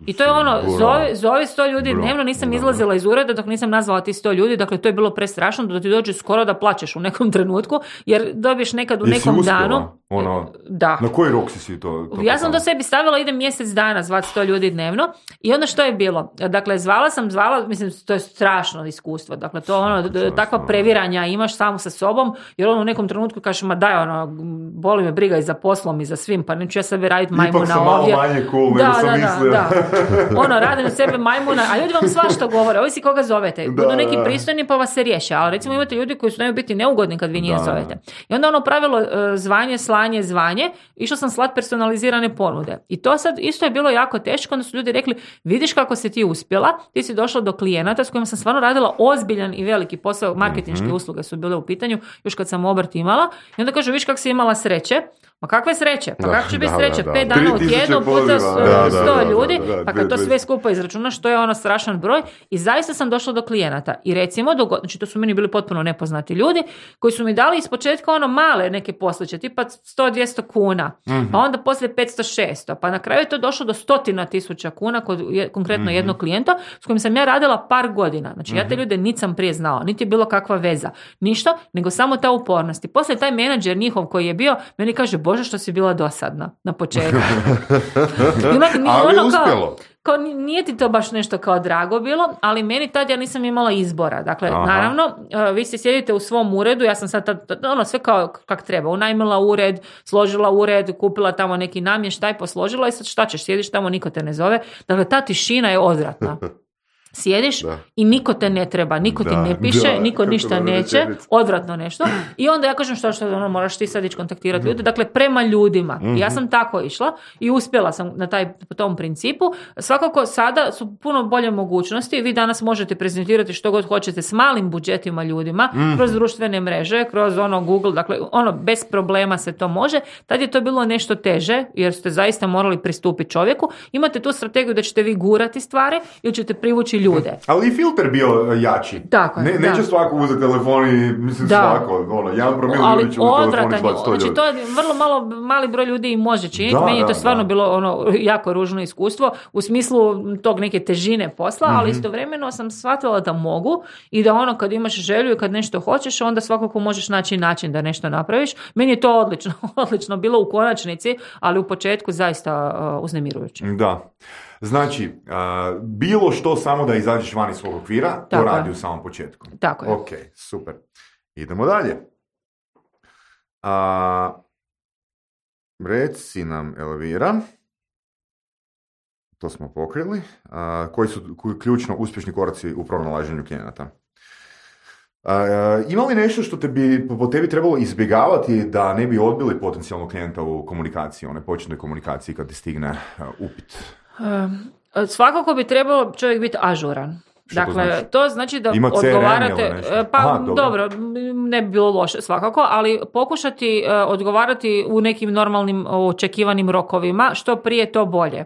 I to je ono, zovi 100 ljudi dnevno, nisam izlazila iz ureda dok nisam nazvala ti 100 ljudi, dakle to je bilo prestrašno da ti dođe skoro da plačeš u nekom trenutku, jer dobiješ nekad u nekom danu. Da. Na koji rok si to? Ja sam do sebi stavila, idem mjesec dana zvati 100 ljudi dnevno i onda što je bilo? Dakle, zvala, mislim, to je strašno iskustvo, dakle to ono, takva previranja imaš samo sa sobom, jer ono u nekom trenutku kažeš, ma daj, ono, boli me briga i za poslom i za svim, pa neću ja sebi raditi majmuna ovdje. Ipak sam malo manje cool nego sam mislio. Da. Ono, radim od sebe majmuna, a ljudi vam svašta govore, ovisi koga zovete. Budu neki pristojni pa vas se riješe, ali recimo imate ljudi koji su nemaju biti neugodni kad vi njih zovete. I onda ono pravilo zvanje, išla sam slat personalizirane ponude. I to sad isto je bilo jako teško, onda su ljudi rekli, vidiš kako si ti uspjela, ti si došla do klijenata s kojima sam stvarno radila ozbiljan i veliki posao, marketinške usluge su bile u pitanju, još kad sam obrt imala, i onda kaže, viš kako si imala sreće. Ma kakve sreće? Pa kako će biti sreće? 5 dana u tjednu puta 100 ljudi, pa kad to sve skupa izračunaš, to je ono strašan broj. I zaista sam došla do klijenata. I recimo, znači to su meni bili potpuno nepoznati ljudi, koji su mi dali ispočetka ono male neke posliće, tipa 100-200 kuna, pa onda poslije 500-600, pa na kraju je to došlo do 100.000 kuna kod konkretno jednog klijenta s kojim sam ja radila par godina. Znači ja te ljude niti sam prije znala, niti je bilo kakva veza, ništa, nego samo ta upornost. I poslije taj menadžer njihov koji je bio, meni kaže, Bože, što si bila dosadna na početku. Ali ono uspjelo. Kao nije ti to baš nešto kao drago bilo, ali meni tad ja nisam imala izbora. Dakle, naravno, vi se sjedite u svom uredu, ja sam sad ono, sve kao kak treba. Unajmila ured, složila ured, kupila tamo neki namještaj, posložila i sad šta ćeš, sjediš tamo, niko te ne zove. Dakle, ta tišina je odvratna. Sjediš i niko te ne treba, niko ti ne piše, niko ništa neće, odvratno nešto. I onda ja kažem što ono, moraš ti sad ići kontaktirati ljude, dakle prema ljudima. I ja sam tako išla i uspjela sam po tom principu. Svakako sada su puno bolje mogućnosti, vi danas možete prezentirati što god hoćete s malim budžetima ljudima, kroz društvene mreže, kroz ono Google, dakle ono bez problema se to može. Tad je to bilo nešto teže, jer ste zaista morali pristupiti čovjeku. Imate tu strategiju da ćete vi gurati stvari ili ćete privući ljude. Ali i filter bio jači. Tako, neće svako uzeti telefon i mislim svako. Jedan promil ljudi će uzeti telefon i slati 100 ljudi. Znači to je vrlo mali broj ljudi i može činiti. Meni je to stvarno bilo ono jako ružno iskustvo u smislu tog neke težine posla, ali istovremeno sam shvatila da mogu i da ono kad imaš želju i kad nešto hoćeš, onda svakako možeš naći način da nešto napraviš. Meni je to odlično bilo u konačnici, ali u početku zaista uznemirujuće. Da. Znači, bilo što samo da izađeš van iz svog okvira, to radi u samom početku. Tako je. Ok, super. Idemo dalje. Reci nam, Elvira, to smo pokrili, koji su ključno uspješni koraci u pronalaženju klijenata? Ima li nešto što po tebi trebalo izbjegavati da ne bi odbili potencijalnog klijenta u komunikaciji, one početnoj komunikaciji kad ti stigne upit? Svakako bi trebalo čovjek biti ažuran. Dakle, to znači da odgovarate, dobro, ne bi bilo loše svakako, ali pokušati odgovarati u nekim normalnim očekivanim rokovima, što prije to bolje.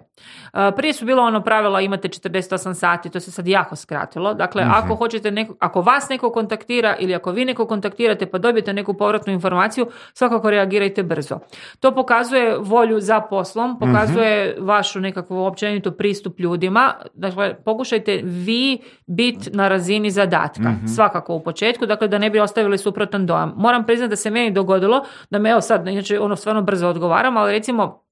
Prije su bilo ono pravila imate 48 sati, to se sad jako skratilo. Dakle, ako hoćete ako vas neko kontaktira ili ako vi neko kontaktirate pa dobijete neku povratnu informaciju, svakako reagirajte brzo. To pokazuje volju za poslom, pokazuje vašu nekakvu općenitu pristup ljudima. Dakle, pokušajte vi biti na razini zadatka. Svakako u početku, dakle da ne bi ostavili suprotan dojam. Moram priznati da se meni dogodilo da me, evo sad, inače ono stvarno brzo odgovaram, ali recimo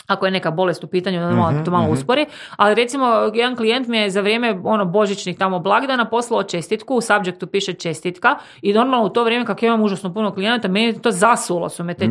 ako je neka bolest u pitanju, da to malo uspori, ali recimo jedan klijent mi je za vrijeme božićnih tamo blagdana poslao čestitku, u subjectu piše čestitka i normalno u to vrijeme kako imam užasno puno klijenata, meni to zasulo su me te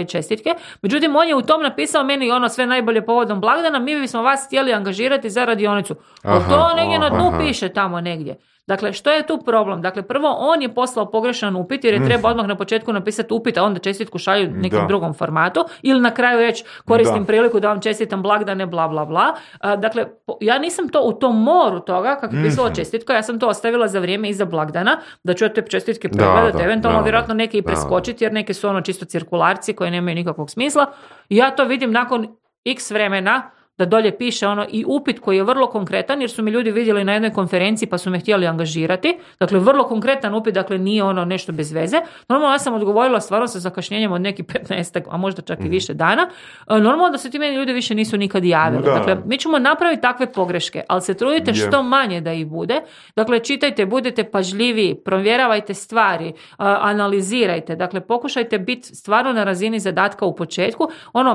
čestitke, međutim on je u tom napisao meni sve najbolje povodom blagdana, mi bismo vas htjeli angažirati za radionicu. To negdje na dnu piše tamo negdje. Dakle, što je tu problem? Dakle, prvo, on je poslao pogrešan upit jer je treba odmah na početku napisati upit, a onda čestitku šalju nekom drugom formatu ili na kraju reći koristim priliku da vam čestitam blagdane, bla, bla, bla. Dakle, ja nisam to u tom moru toga, kako je pisala čestitka, ja sam to ostavila za vrijeme iza blagdana, da ću te čestitke pregledati, eventualno vjerojatno neke i preskočiti, jer neke su čisto cirkularci koje nemaju nikakvog smisla. I ja to vidim nakon x vremena, da dolje piše i upit koji je vrlo konkretan, jer su mi ljudi vidjeli na jednoj konferenciji pa su me htjeli angažirati. Dakle, vrlo konkretan upit, dakle nije nešto bez veze. Normalno ja sam odgovorila stvarno sa zakašnjenjem od nekih 15, a možda čak i više dana. Normalno da se ti meni ljudi više nisu nikad javili. Dakle, mi ćemo napraviti takve pogreške, ali se trudite što manje da ih bude. Dakle, čitajte, budete pažljiviji, provjeravajte stvari, analizirajte. Dakle, pokušajte biti stvarno na razini zadatka u početku,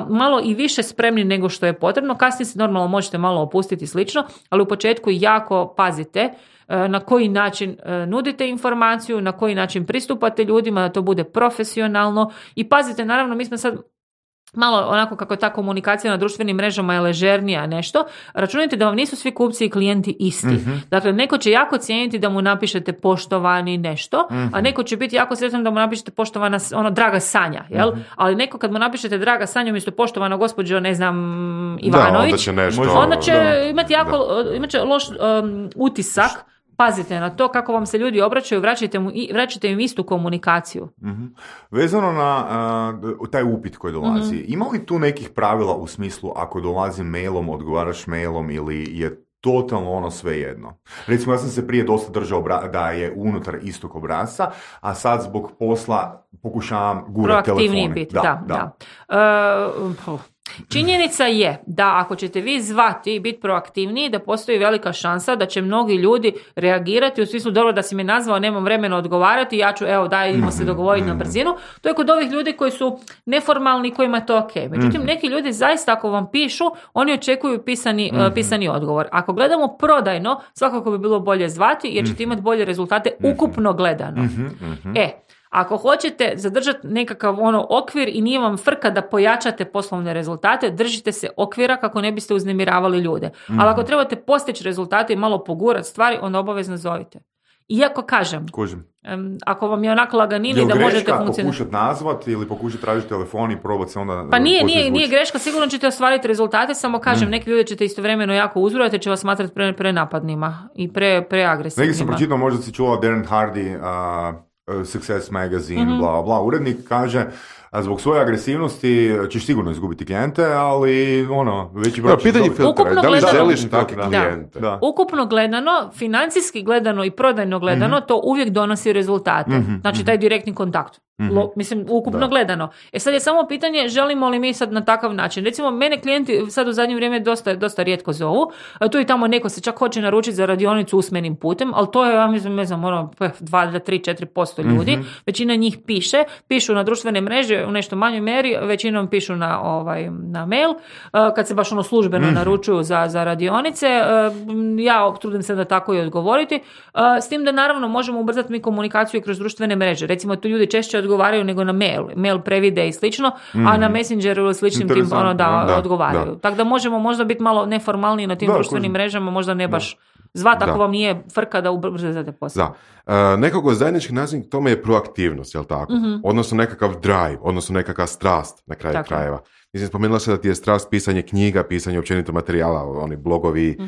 malo i više spremni nego što je potrebno. Kasnije se normalno možete malo opustiti slično, ali u početku jako pazite na koji način nudite informaciju, na koji način pristupate ljudima, da to bude profesionalno i pazite, naravno, mi smo sad malo onako kako je ta komunikacija na društvenim mrežama je ležernija nešto, računajte da vam nisu svi kupci i klijenti isti. Dakle, neko će jako cijeniti da mu napišete poštovani nešto, a neko će biti jako sretan da mu napišete poštovana, draga Sanja, jel? Ali neko kad mu napišete draga Sanja umjesto poštovana gospođo, ne znam, Ivanović, onda će imati loš utisak. Pazite na to kako vam se ljudi obraćaju, vraćajte im istu komunikaciju. Vezano na taj upit koji dolazi, ima li tu nekih pravila u smislu ako dolazi mailom, odgovaraš mailom ili je totalno svejedno? Recimo, ja sam se prije dosta držao da je unutar istog obrasca, a sad zbog posla pokušavam gurati telefone. Proaktivniji biti, da. Činjenica je da ako ćete vi zvati i biti proaktivniji, da postoji velika šansa da će mnogi ljudi reagirati u smislu dobro da si me nazvao, nemam vremena odgovarati, ja ću, dajmo se dogovoriti na brzinu. To je kod ovih ljudi koji su neformalni, kojima je to ok. Međutim, neki ljudi zaista ako vam pišu, oni očekuju pisani odgovor. Ako gledamo prodajno, svakako bi bilo bolje zvati jer ćete imati bolje rezultate ukupno gledano. Ako hoćete zadržati nekakav okvir i nije vam frka da pojačate poslovne rezultate, držite se okvira kako ne biste uznemiravali ljude. Ali ako trebate postići rezultate i malo pogurati stvari, onda obavezno zovite. Iako kažem, ako vam je onako laganini da možete funkcionirati. Pokušati nazvati ili pokušati tražiti telefon i probati se onda... Pa nije greška, sigurno ćete ostvariti rezultate, samo kažem, neki ljudi ćete istovremeno jako uzrujati, će vas smatrati prenapadnima i preagresivnima. Neki sam pročitao, možda si čula Darren Hardy, Success Magazine, bla, bla. Urednik kaže, zbog svoje agresivnosti ćeš sigurno izgubiti klijente, ali veći broj... Pitanje filtera, da li želiš takve klijente? Da. Ukupno gledano, financijski gledano i prodajno gledano, to uvijek donosi rezultate. Znači, taj direktni kontakt. Ukupno gledano. Sad je samo pitanje, želimo li mi sad na takav način. Recimo, mene klijenti sad u zadnje vrijeme dosta rijetko zovu. Tu i tamo neko se čak hoće naručiti za radionicu usmenim putem, ali to je, ja mislim, 2-3-4% ljudi. Većina njih pišu na društvene mreže u nešto manjoj mjeri, većinom pišu na mail. Kad se baš službeno naručuju za radionice, ja trudim se da tako i odgovoriti. S tim da naravno možemo ubrzati mi komunikaciju kroz društvene mreže. Recimo, tu ljudi češće odgovaraju nego na mail previde i slično, a na Messengeru ili sličnim tim odgovaraju. Tako da možemo možda biti malo neformalniji na tim društvenim mrežama, možda ne baš zvati ako vam nije frka da ubrzate posao. Nekako zajednički nazivnik tome je proaktivnost, jel tako? Odnosno nekakav drive, odnosno nekakav strast na kraju krajeva. Mislim, spomenula se da ti je strast pisanje knjiga, pisanje općenito materijala, oni blogovi,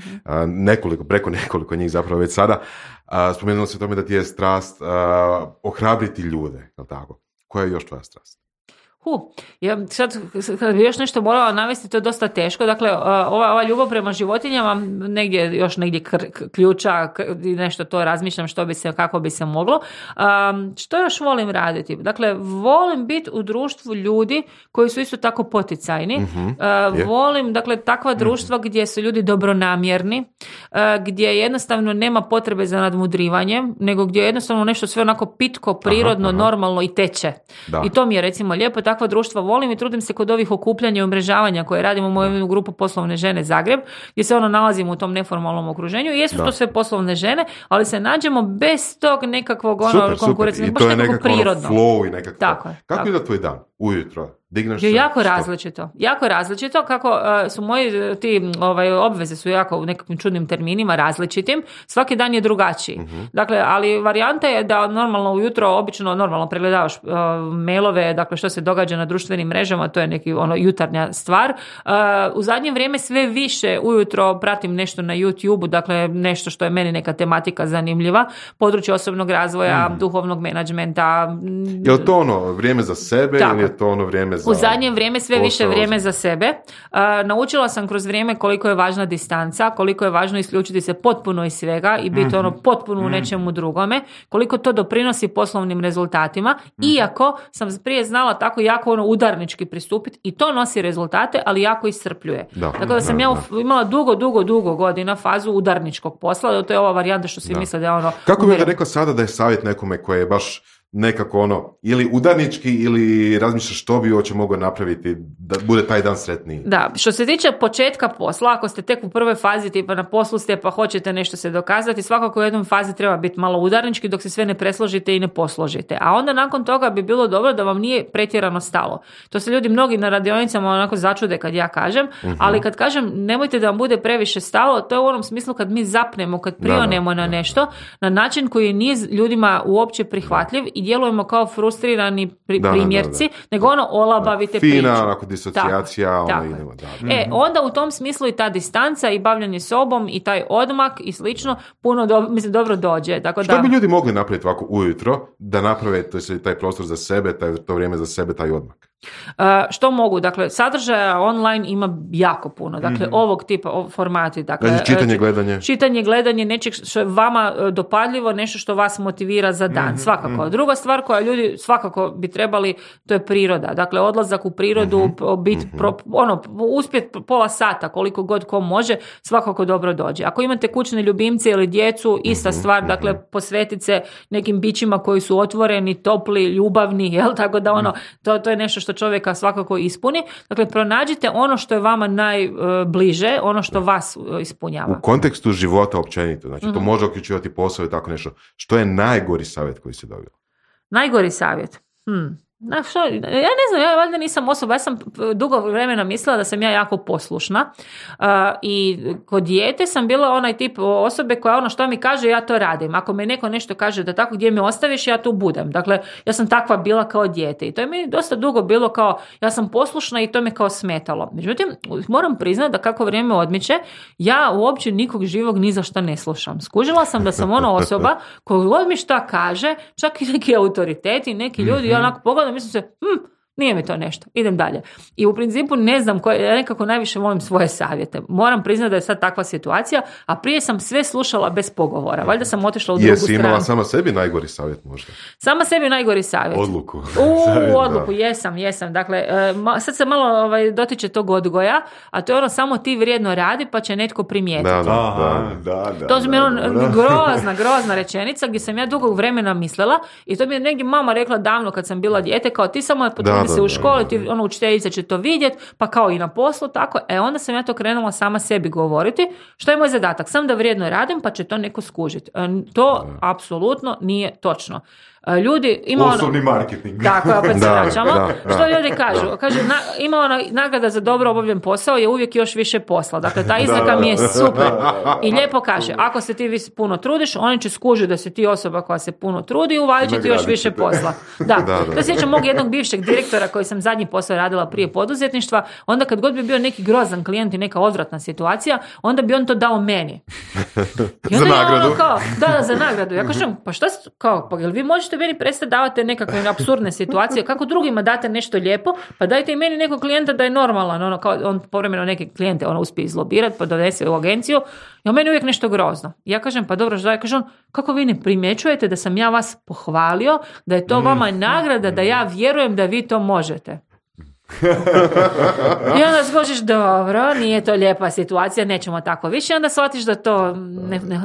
preko nekoliko njih zapravo već sada. Spomenula se tome da ti je strast ohrabriti ljude, jel tako? Koja je još tvoja strast? Ja sad kad bi još nešto morala navesti, to je dosta teško. Dakle, ova ljubav prema životinjama negdje ključa i nešto to razmišljam kako bi se moglo. Što još volim raditi? Dakle, volim biti u društvu ljudi koji su isto tako poticajni. Volim, dakle, takva društva gdje su ljudi dobronamjerni, gdje jednostavno nema potrebe za nadmudrivanjem, nego gdje je jednostavno nešto sve onako pitko, prirodno, normalno i teče. I to mi je recimo lijepo. Takva društva volim i trudim se kod ovih okupljanja i umrežavanja koje radimo u moju grupu Poslovne žene Zagreb, gdje se nalazimo u tom neformalnom okruženju. Jesu to sve poslovne žene, ali se nađemo bez tog nekakvog konkurencije, baš nekako prirodno. Flow i nekako. Kako je da tvoj dan ujutro? Je jako različito, kako su moji obveze su jako u nekakvim čudnim terminima različitim, svaki dan je drugačiji. Dakle, ali varijanta je da normalno ujutro normalno pregledavaš mailove, dakle što se događa na društvenim mrežama, to je neki jutarnja stvar. U zadnje vrijeme sve više ujutro pratim nešto na YouTube-u, dakle nešto što je meni neka tematika zanimljiva, područje osobnog razvoja, duhovnog menadžmenta. Je li to vrijeme za sebe ili je to ono vrijeme za... U zadnje vrijeme sve više vrijeme za sebe. Naučila sam kroz vrijeme koliko je važna distanca, koliko je važno isključiti se potpuno iz svega i biti ono potpuno u nečemu drugome, koliko to doprinosi poslovnim rezultatima, iako sam prije znala tako jako ono udarnički pristupiti i to nosi rezultate, ali jako iscrpljuje. Tako da sam ja imala dugo godina fazu udarničkog posla, to je ova varijanta što svi misle da je ono... Kako bi da rekla sada da je savjet nekome koji je baš nekako ono, ili udarnički ili razmišlja što bi uopće mogao napraviti da bude taj dan sretniji? Da, što se tiče početka posla, ako ste tek u prvoj fazi, tipa na poslu ste pa hoćete nešto se dokazati, svakako u jednoj fazi treba biti malo udarnički dok se sve ne presložite i ne posložite. A onda nakon toga bi bilo dobro da vam nije pretjerano stalo. To se ljudi mnogi na radionicama onako začude kad ja kažem, ali kad kažem nemojte da vam bude previše stalo, to je u onom smislu kad mi zapnemo, kad prionemo na nešto, na način koji nije ljudima uopće prihvatljiv i djelujemo kao frustrirani primjerci, nego ono olabavite priču. Fina, onako disocijacija. Onda u tom smislu i ta distanca i bavljanje sobom i taj odmak i slično puno dobro dođe. Tako što bi ljudi mogli napraviti ovako ujutro da naprave taj prostor za sebe, to vrijeme za sebe, taj odmak? Što mogu? Dakle, sadržaja online ima jako puno. Dakle, ovog tipa formati. Dakle, čitanje, gledanje nečeg što je vama dopadljivo, nešto što vas motivira za dan. Svakako. Druga stvar koja ljudi svakako bi trebali, to je priroda. Dakle, odlazak u prirodu, uspjet pola sata, koliko god ko može, svakako dobro dođe. Ako imate kućne ljubimce ili djecu, ista stvar, dakle, posvetiti se nekim bićima koji su otvoreni, topli, ljubavni, jel? Tako da to je nešto što čovjeka svakako ispuni. Dakle, pronađite ono što je vama najbliže, ono što vas ispunjava. U kontekstu života općenito, znači to može uključivati posao i tako nešto. Što je najgori savjet koji si dobila? Najgori savjet? Ja ne znam, ja valjda nisam osoba, ja sam dugo vremena mislila da sam ja jako poslušna i kod dijete sam bila onaj tip osobe koja što mi kaže ja to radim, ako me neko nešto kaže da tako gdje me ostaviš ja tu budem, dakle ja sam takva bila kao dijete i to je meni dosta dugo bilo kao ja sam poslušna i to me kao smetalo. Međutim, moram priznati da kako vrijeme odmiče ja uopće nikog živog ni za šta ne slušam. Skužila sam da sam ona osoba koja god mi šta kaže, čak i neki autoriteti, neki ljudi, ja onako pogledam, mislim se, nije mi to nešto, idem dalje. I u principu ne znam, ja nekako najviše volim svoje savjete. Moram priznati da je sad takva situacija, a prije sam sve slušala bez pogovora. Valjda sam otišla u drugu stranu. Jesi imala sama sebi najgori savjet možda? Sama sebi najgori savjet. Odluku. Odluku, jesam. Dakle, sad se malo dotiče tog odgoja, a to je samo ti vrijedno radi pa će netko primijetiti. Da. To mi je grozna rečenica gdje sam ja dugo vremena mislila i to mi je negdje mama rekla davno kad sam bila dijete, kao ti samo se u školi, ti učiteljica će to vidjeti, pa kao i na poslu, tako. Onda sam ja to krenula sama sebi govoriti. Što je moj zadatak? Sam da vrijedno radim, pa će to neko skužiti. To apsolutno nije točno. Ljudi ima osobni marketing. Tako, opet se vraćamo. Što ljudi kažu? Kaže, ima nagrada za dobro obavljen posao je uvijek još više posla. Dakle, ta izreka mi je super. I lijepo kaže, ako se ti puno trudiš, oni će skužiti da si ti osoba koja se puno trudi i uvalit će ti još više posla. To sjećam mog jednog bivšeg direktora koji sam zadnji posao radila prije poduzetništva, onda kad god bi bio neki grozan klijent i neka odvratna situacija, onda bi on to dao meni. Za nagradu? Za nagradu. Ja kažem, pa šta pa jel vi možete meni prestati davate nekakve apsurdne situacije, kako drugima date nešto lijepo, pa dajte i meni nekog klijenta da je normalan, on povremeno neke klijente uspije izlobirati, pa donese u agenciju, i on meni uvijek nešto grozno. Ja kažem, pa dobro, što je, kaže on, kako vi ne primjećujete da sam ja vas pohvalio, da je to vama nagrada, da ja vjerujem da vi to možete. I onda skočiš, dobro, nije to lijepa situacija, nećemo tako više, onda shvatiš da to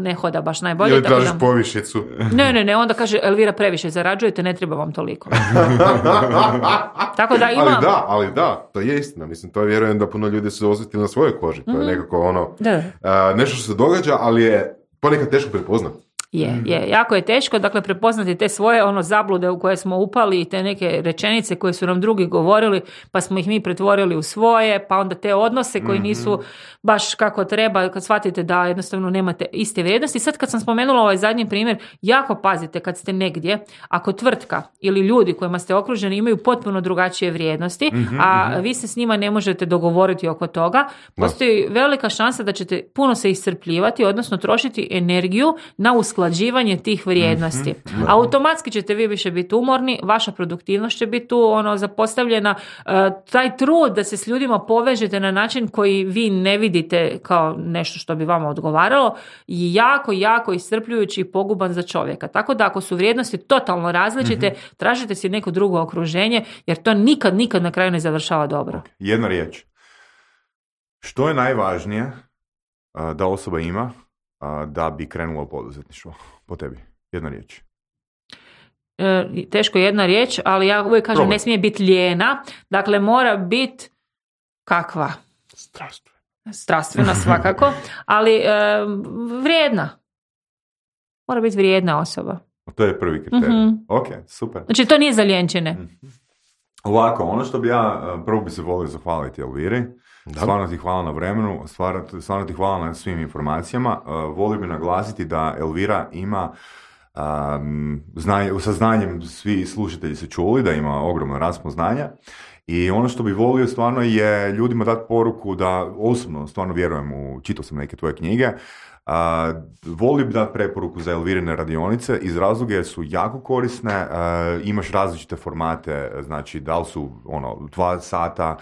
ne hoda baš najbolje. Ili tražiš povišicu. Ne, onda kaže, Elvira, previše zarađujete, ne treba vam toliko. Tako da ima... Ali da, to je istina. Mislim, to vjerujem da puno ljudi su osjetili na svojoj koži. To je nekako nešto što se događa, ali je ponekad teško prepoznati. Je, jako je teško, dakle, prepoznati te svoje zablude u koje smo upali i te neke rečenice koje su nam drugi govorili, pa smo ih mi pretvorili u svoje, pa onda te odnose koji nisu baš kako treba, kad shvatite da jednostavno nemate iste vrijednosti. Sad kad sam spomenula ovaj zadnji primjer, jako pazite kad ste negdje, ako tvrtka ili ljudi kojima ste okruženi imaju potpuno drugačije vrijednosti, a vi se s njima ne možete dogovoriti oko toga, postoji velika šansa da ćete puno se iscrpljivati, odnosno trošiti energiju na usklađenje usklađivanje tih vrijednosti. Automatski ćete vi više biti umorni, vaša produktivnost će biti tu zapostavljena, taj trud da se s ljudima povežete na način koji vi ne vidite kao nešto što bi vama odgovaralo je jako, jako iscrpljujući i poguban za čovjeka. Tako da ako su vrijednosti totalno različite, tražite si neko drugo okruženje, jer to nikad na kraju ne završava dobro. Jedna riječ. Što je najvažnije da osoba ima da bi krenula u poduzetništvo po tebi? Jedna riječ. Teško jedna riječ, ali ja uvijek kažem ne smije biti lijena, dakle mora biti kakva? Strastvena svakako, ali vrijedna. Mora biti vrijedna osoba. To je prvi kriterij. Ok, super. Znači to nije za lijenčine. Ovako, ono što bi ja prvo bi se volio zahvaliti Elviri. Stvarno ti hvala na vremenu, stvarno ti hvala na svim informacijama. Volio bi naglasiti da Elvira ima sa znanjem, svi slušatelji su čuli da ima ogromno raspon znanja. I ono što bi volio stvarno je ljudima dati poruku da osobno stvarno vjerujem čitao sam neke tvoje knjige, volio bi dati preporuku za Elvirine radionice iz razloga jer su jako korisne, imaš različite formate, znači da li su 2 sata,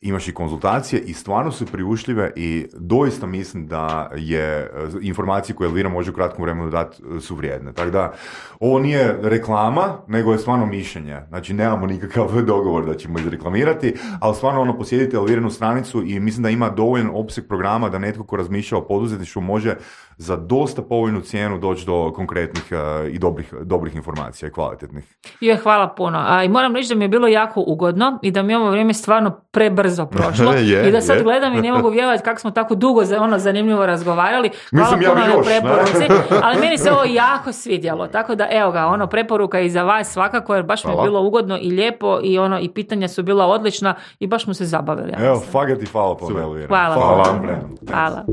imaš i konzultacije i stvarno su priušljive i doista mislim da je informacije koje Elvira može u kratkom vremenu dati su vrijedne. Tako da ovo nije reklama, nego je stvarno mišljenje. Znači nemamo nikakav dogovor da ćemo izreklamirati, ali stvarno posjetite Elvirinu stranicu i mislim da ima dovoljan opseg programa da netko ko razmišlja o poduzetništvu može za dosta povoljnu cijenu doći do konkretnih i dobrih informacija i kvalitetnih. Hvala puno. I moram reći da mi je bilo jako ugodno i da mi ovo vrijeme stvarno prebrzo prošlo i da sad gledam i ne mogu vjerovati kako smo tako dugo zanimljivo razgovarali. Hvala puno na preporuci, ali meni se ovo jako svidjelo, tako da evo ga, preporuka i za vas svakako, jer baš mi je bilo ugodno i lijepo i pitanja su bila odlična i baš smo se zabavili. Evo, fakat i hvala po Elvira. Hvala. Hvala. Hvala.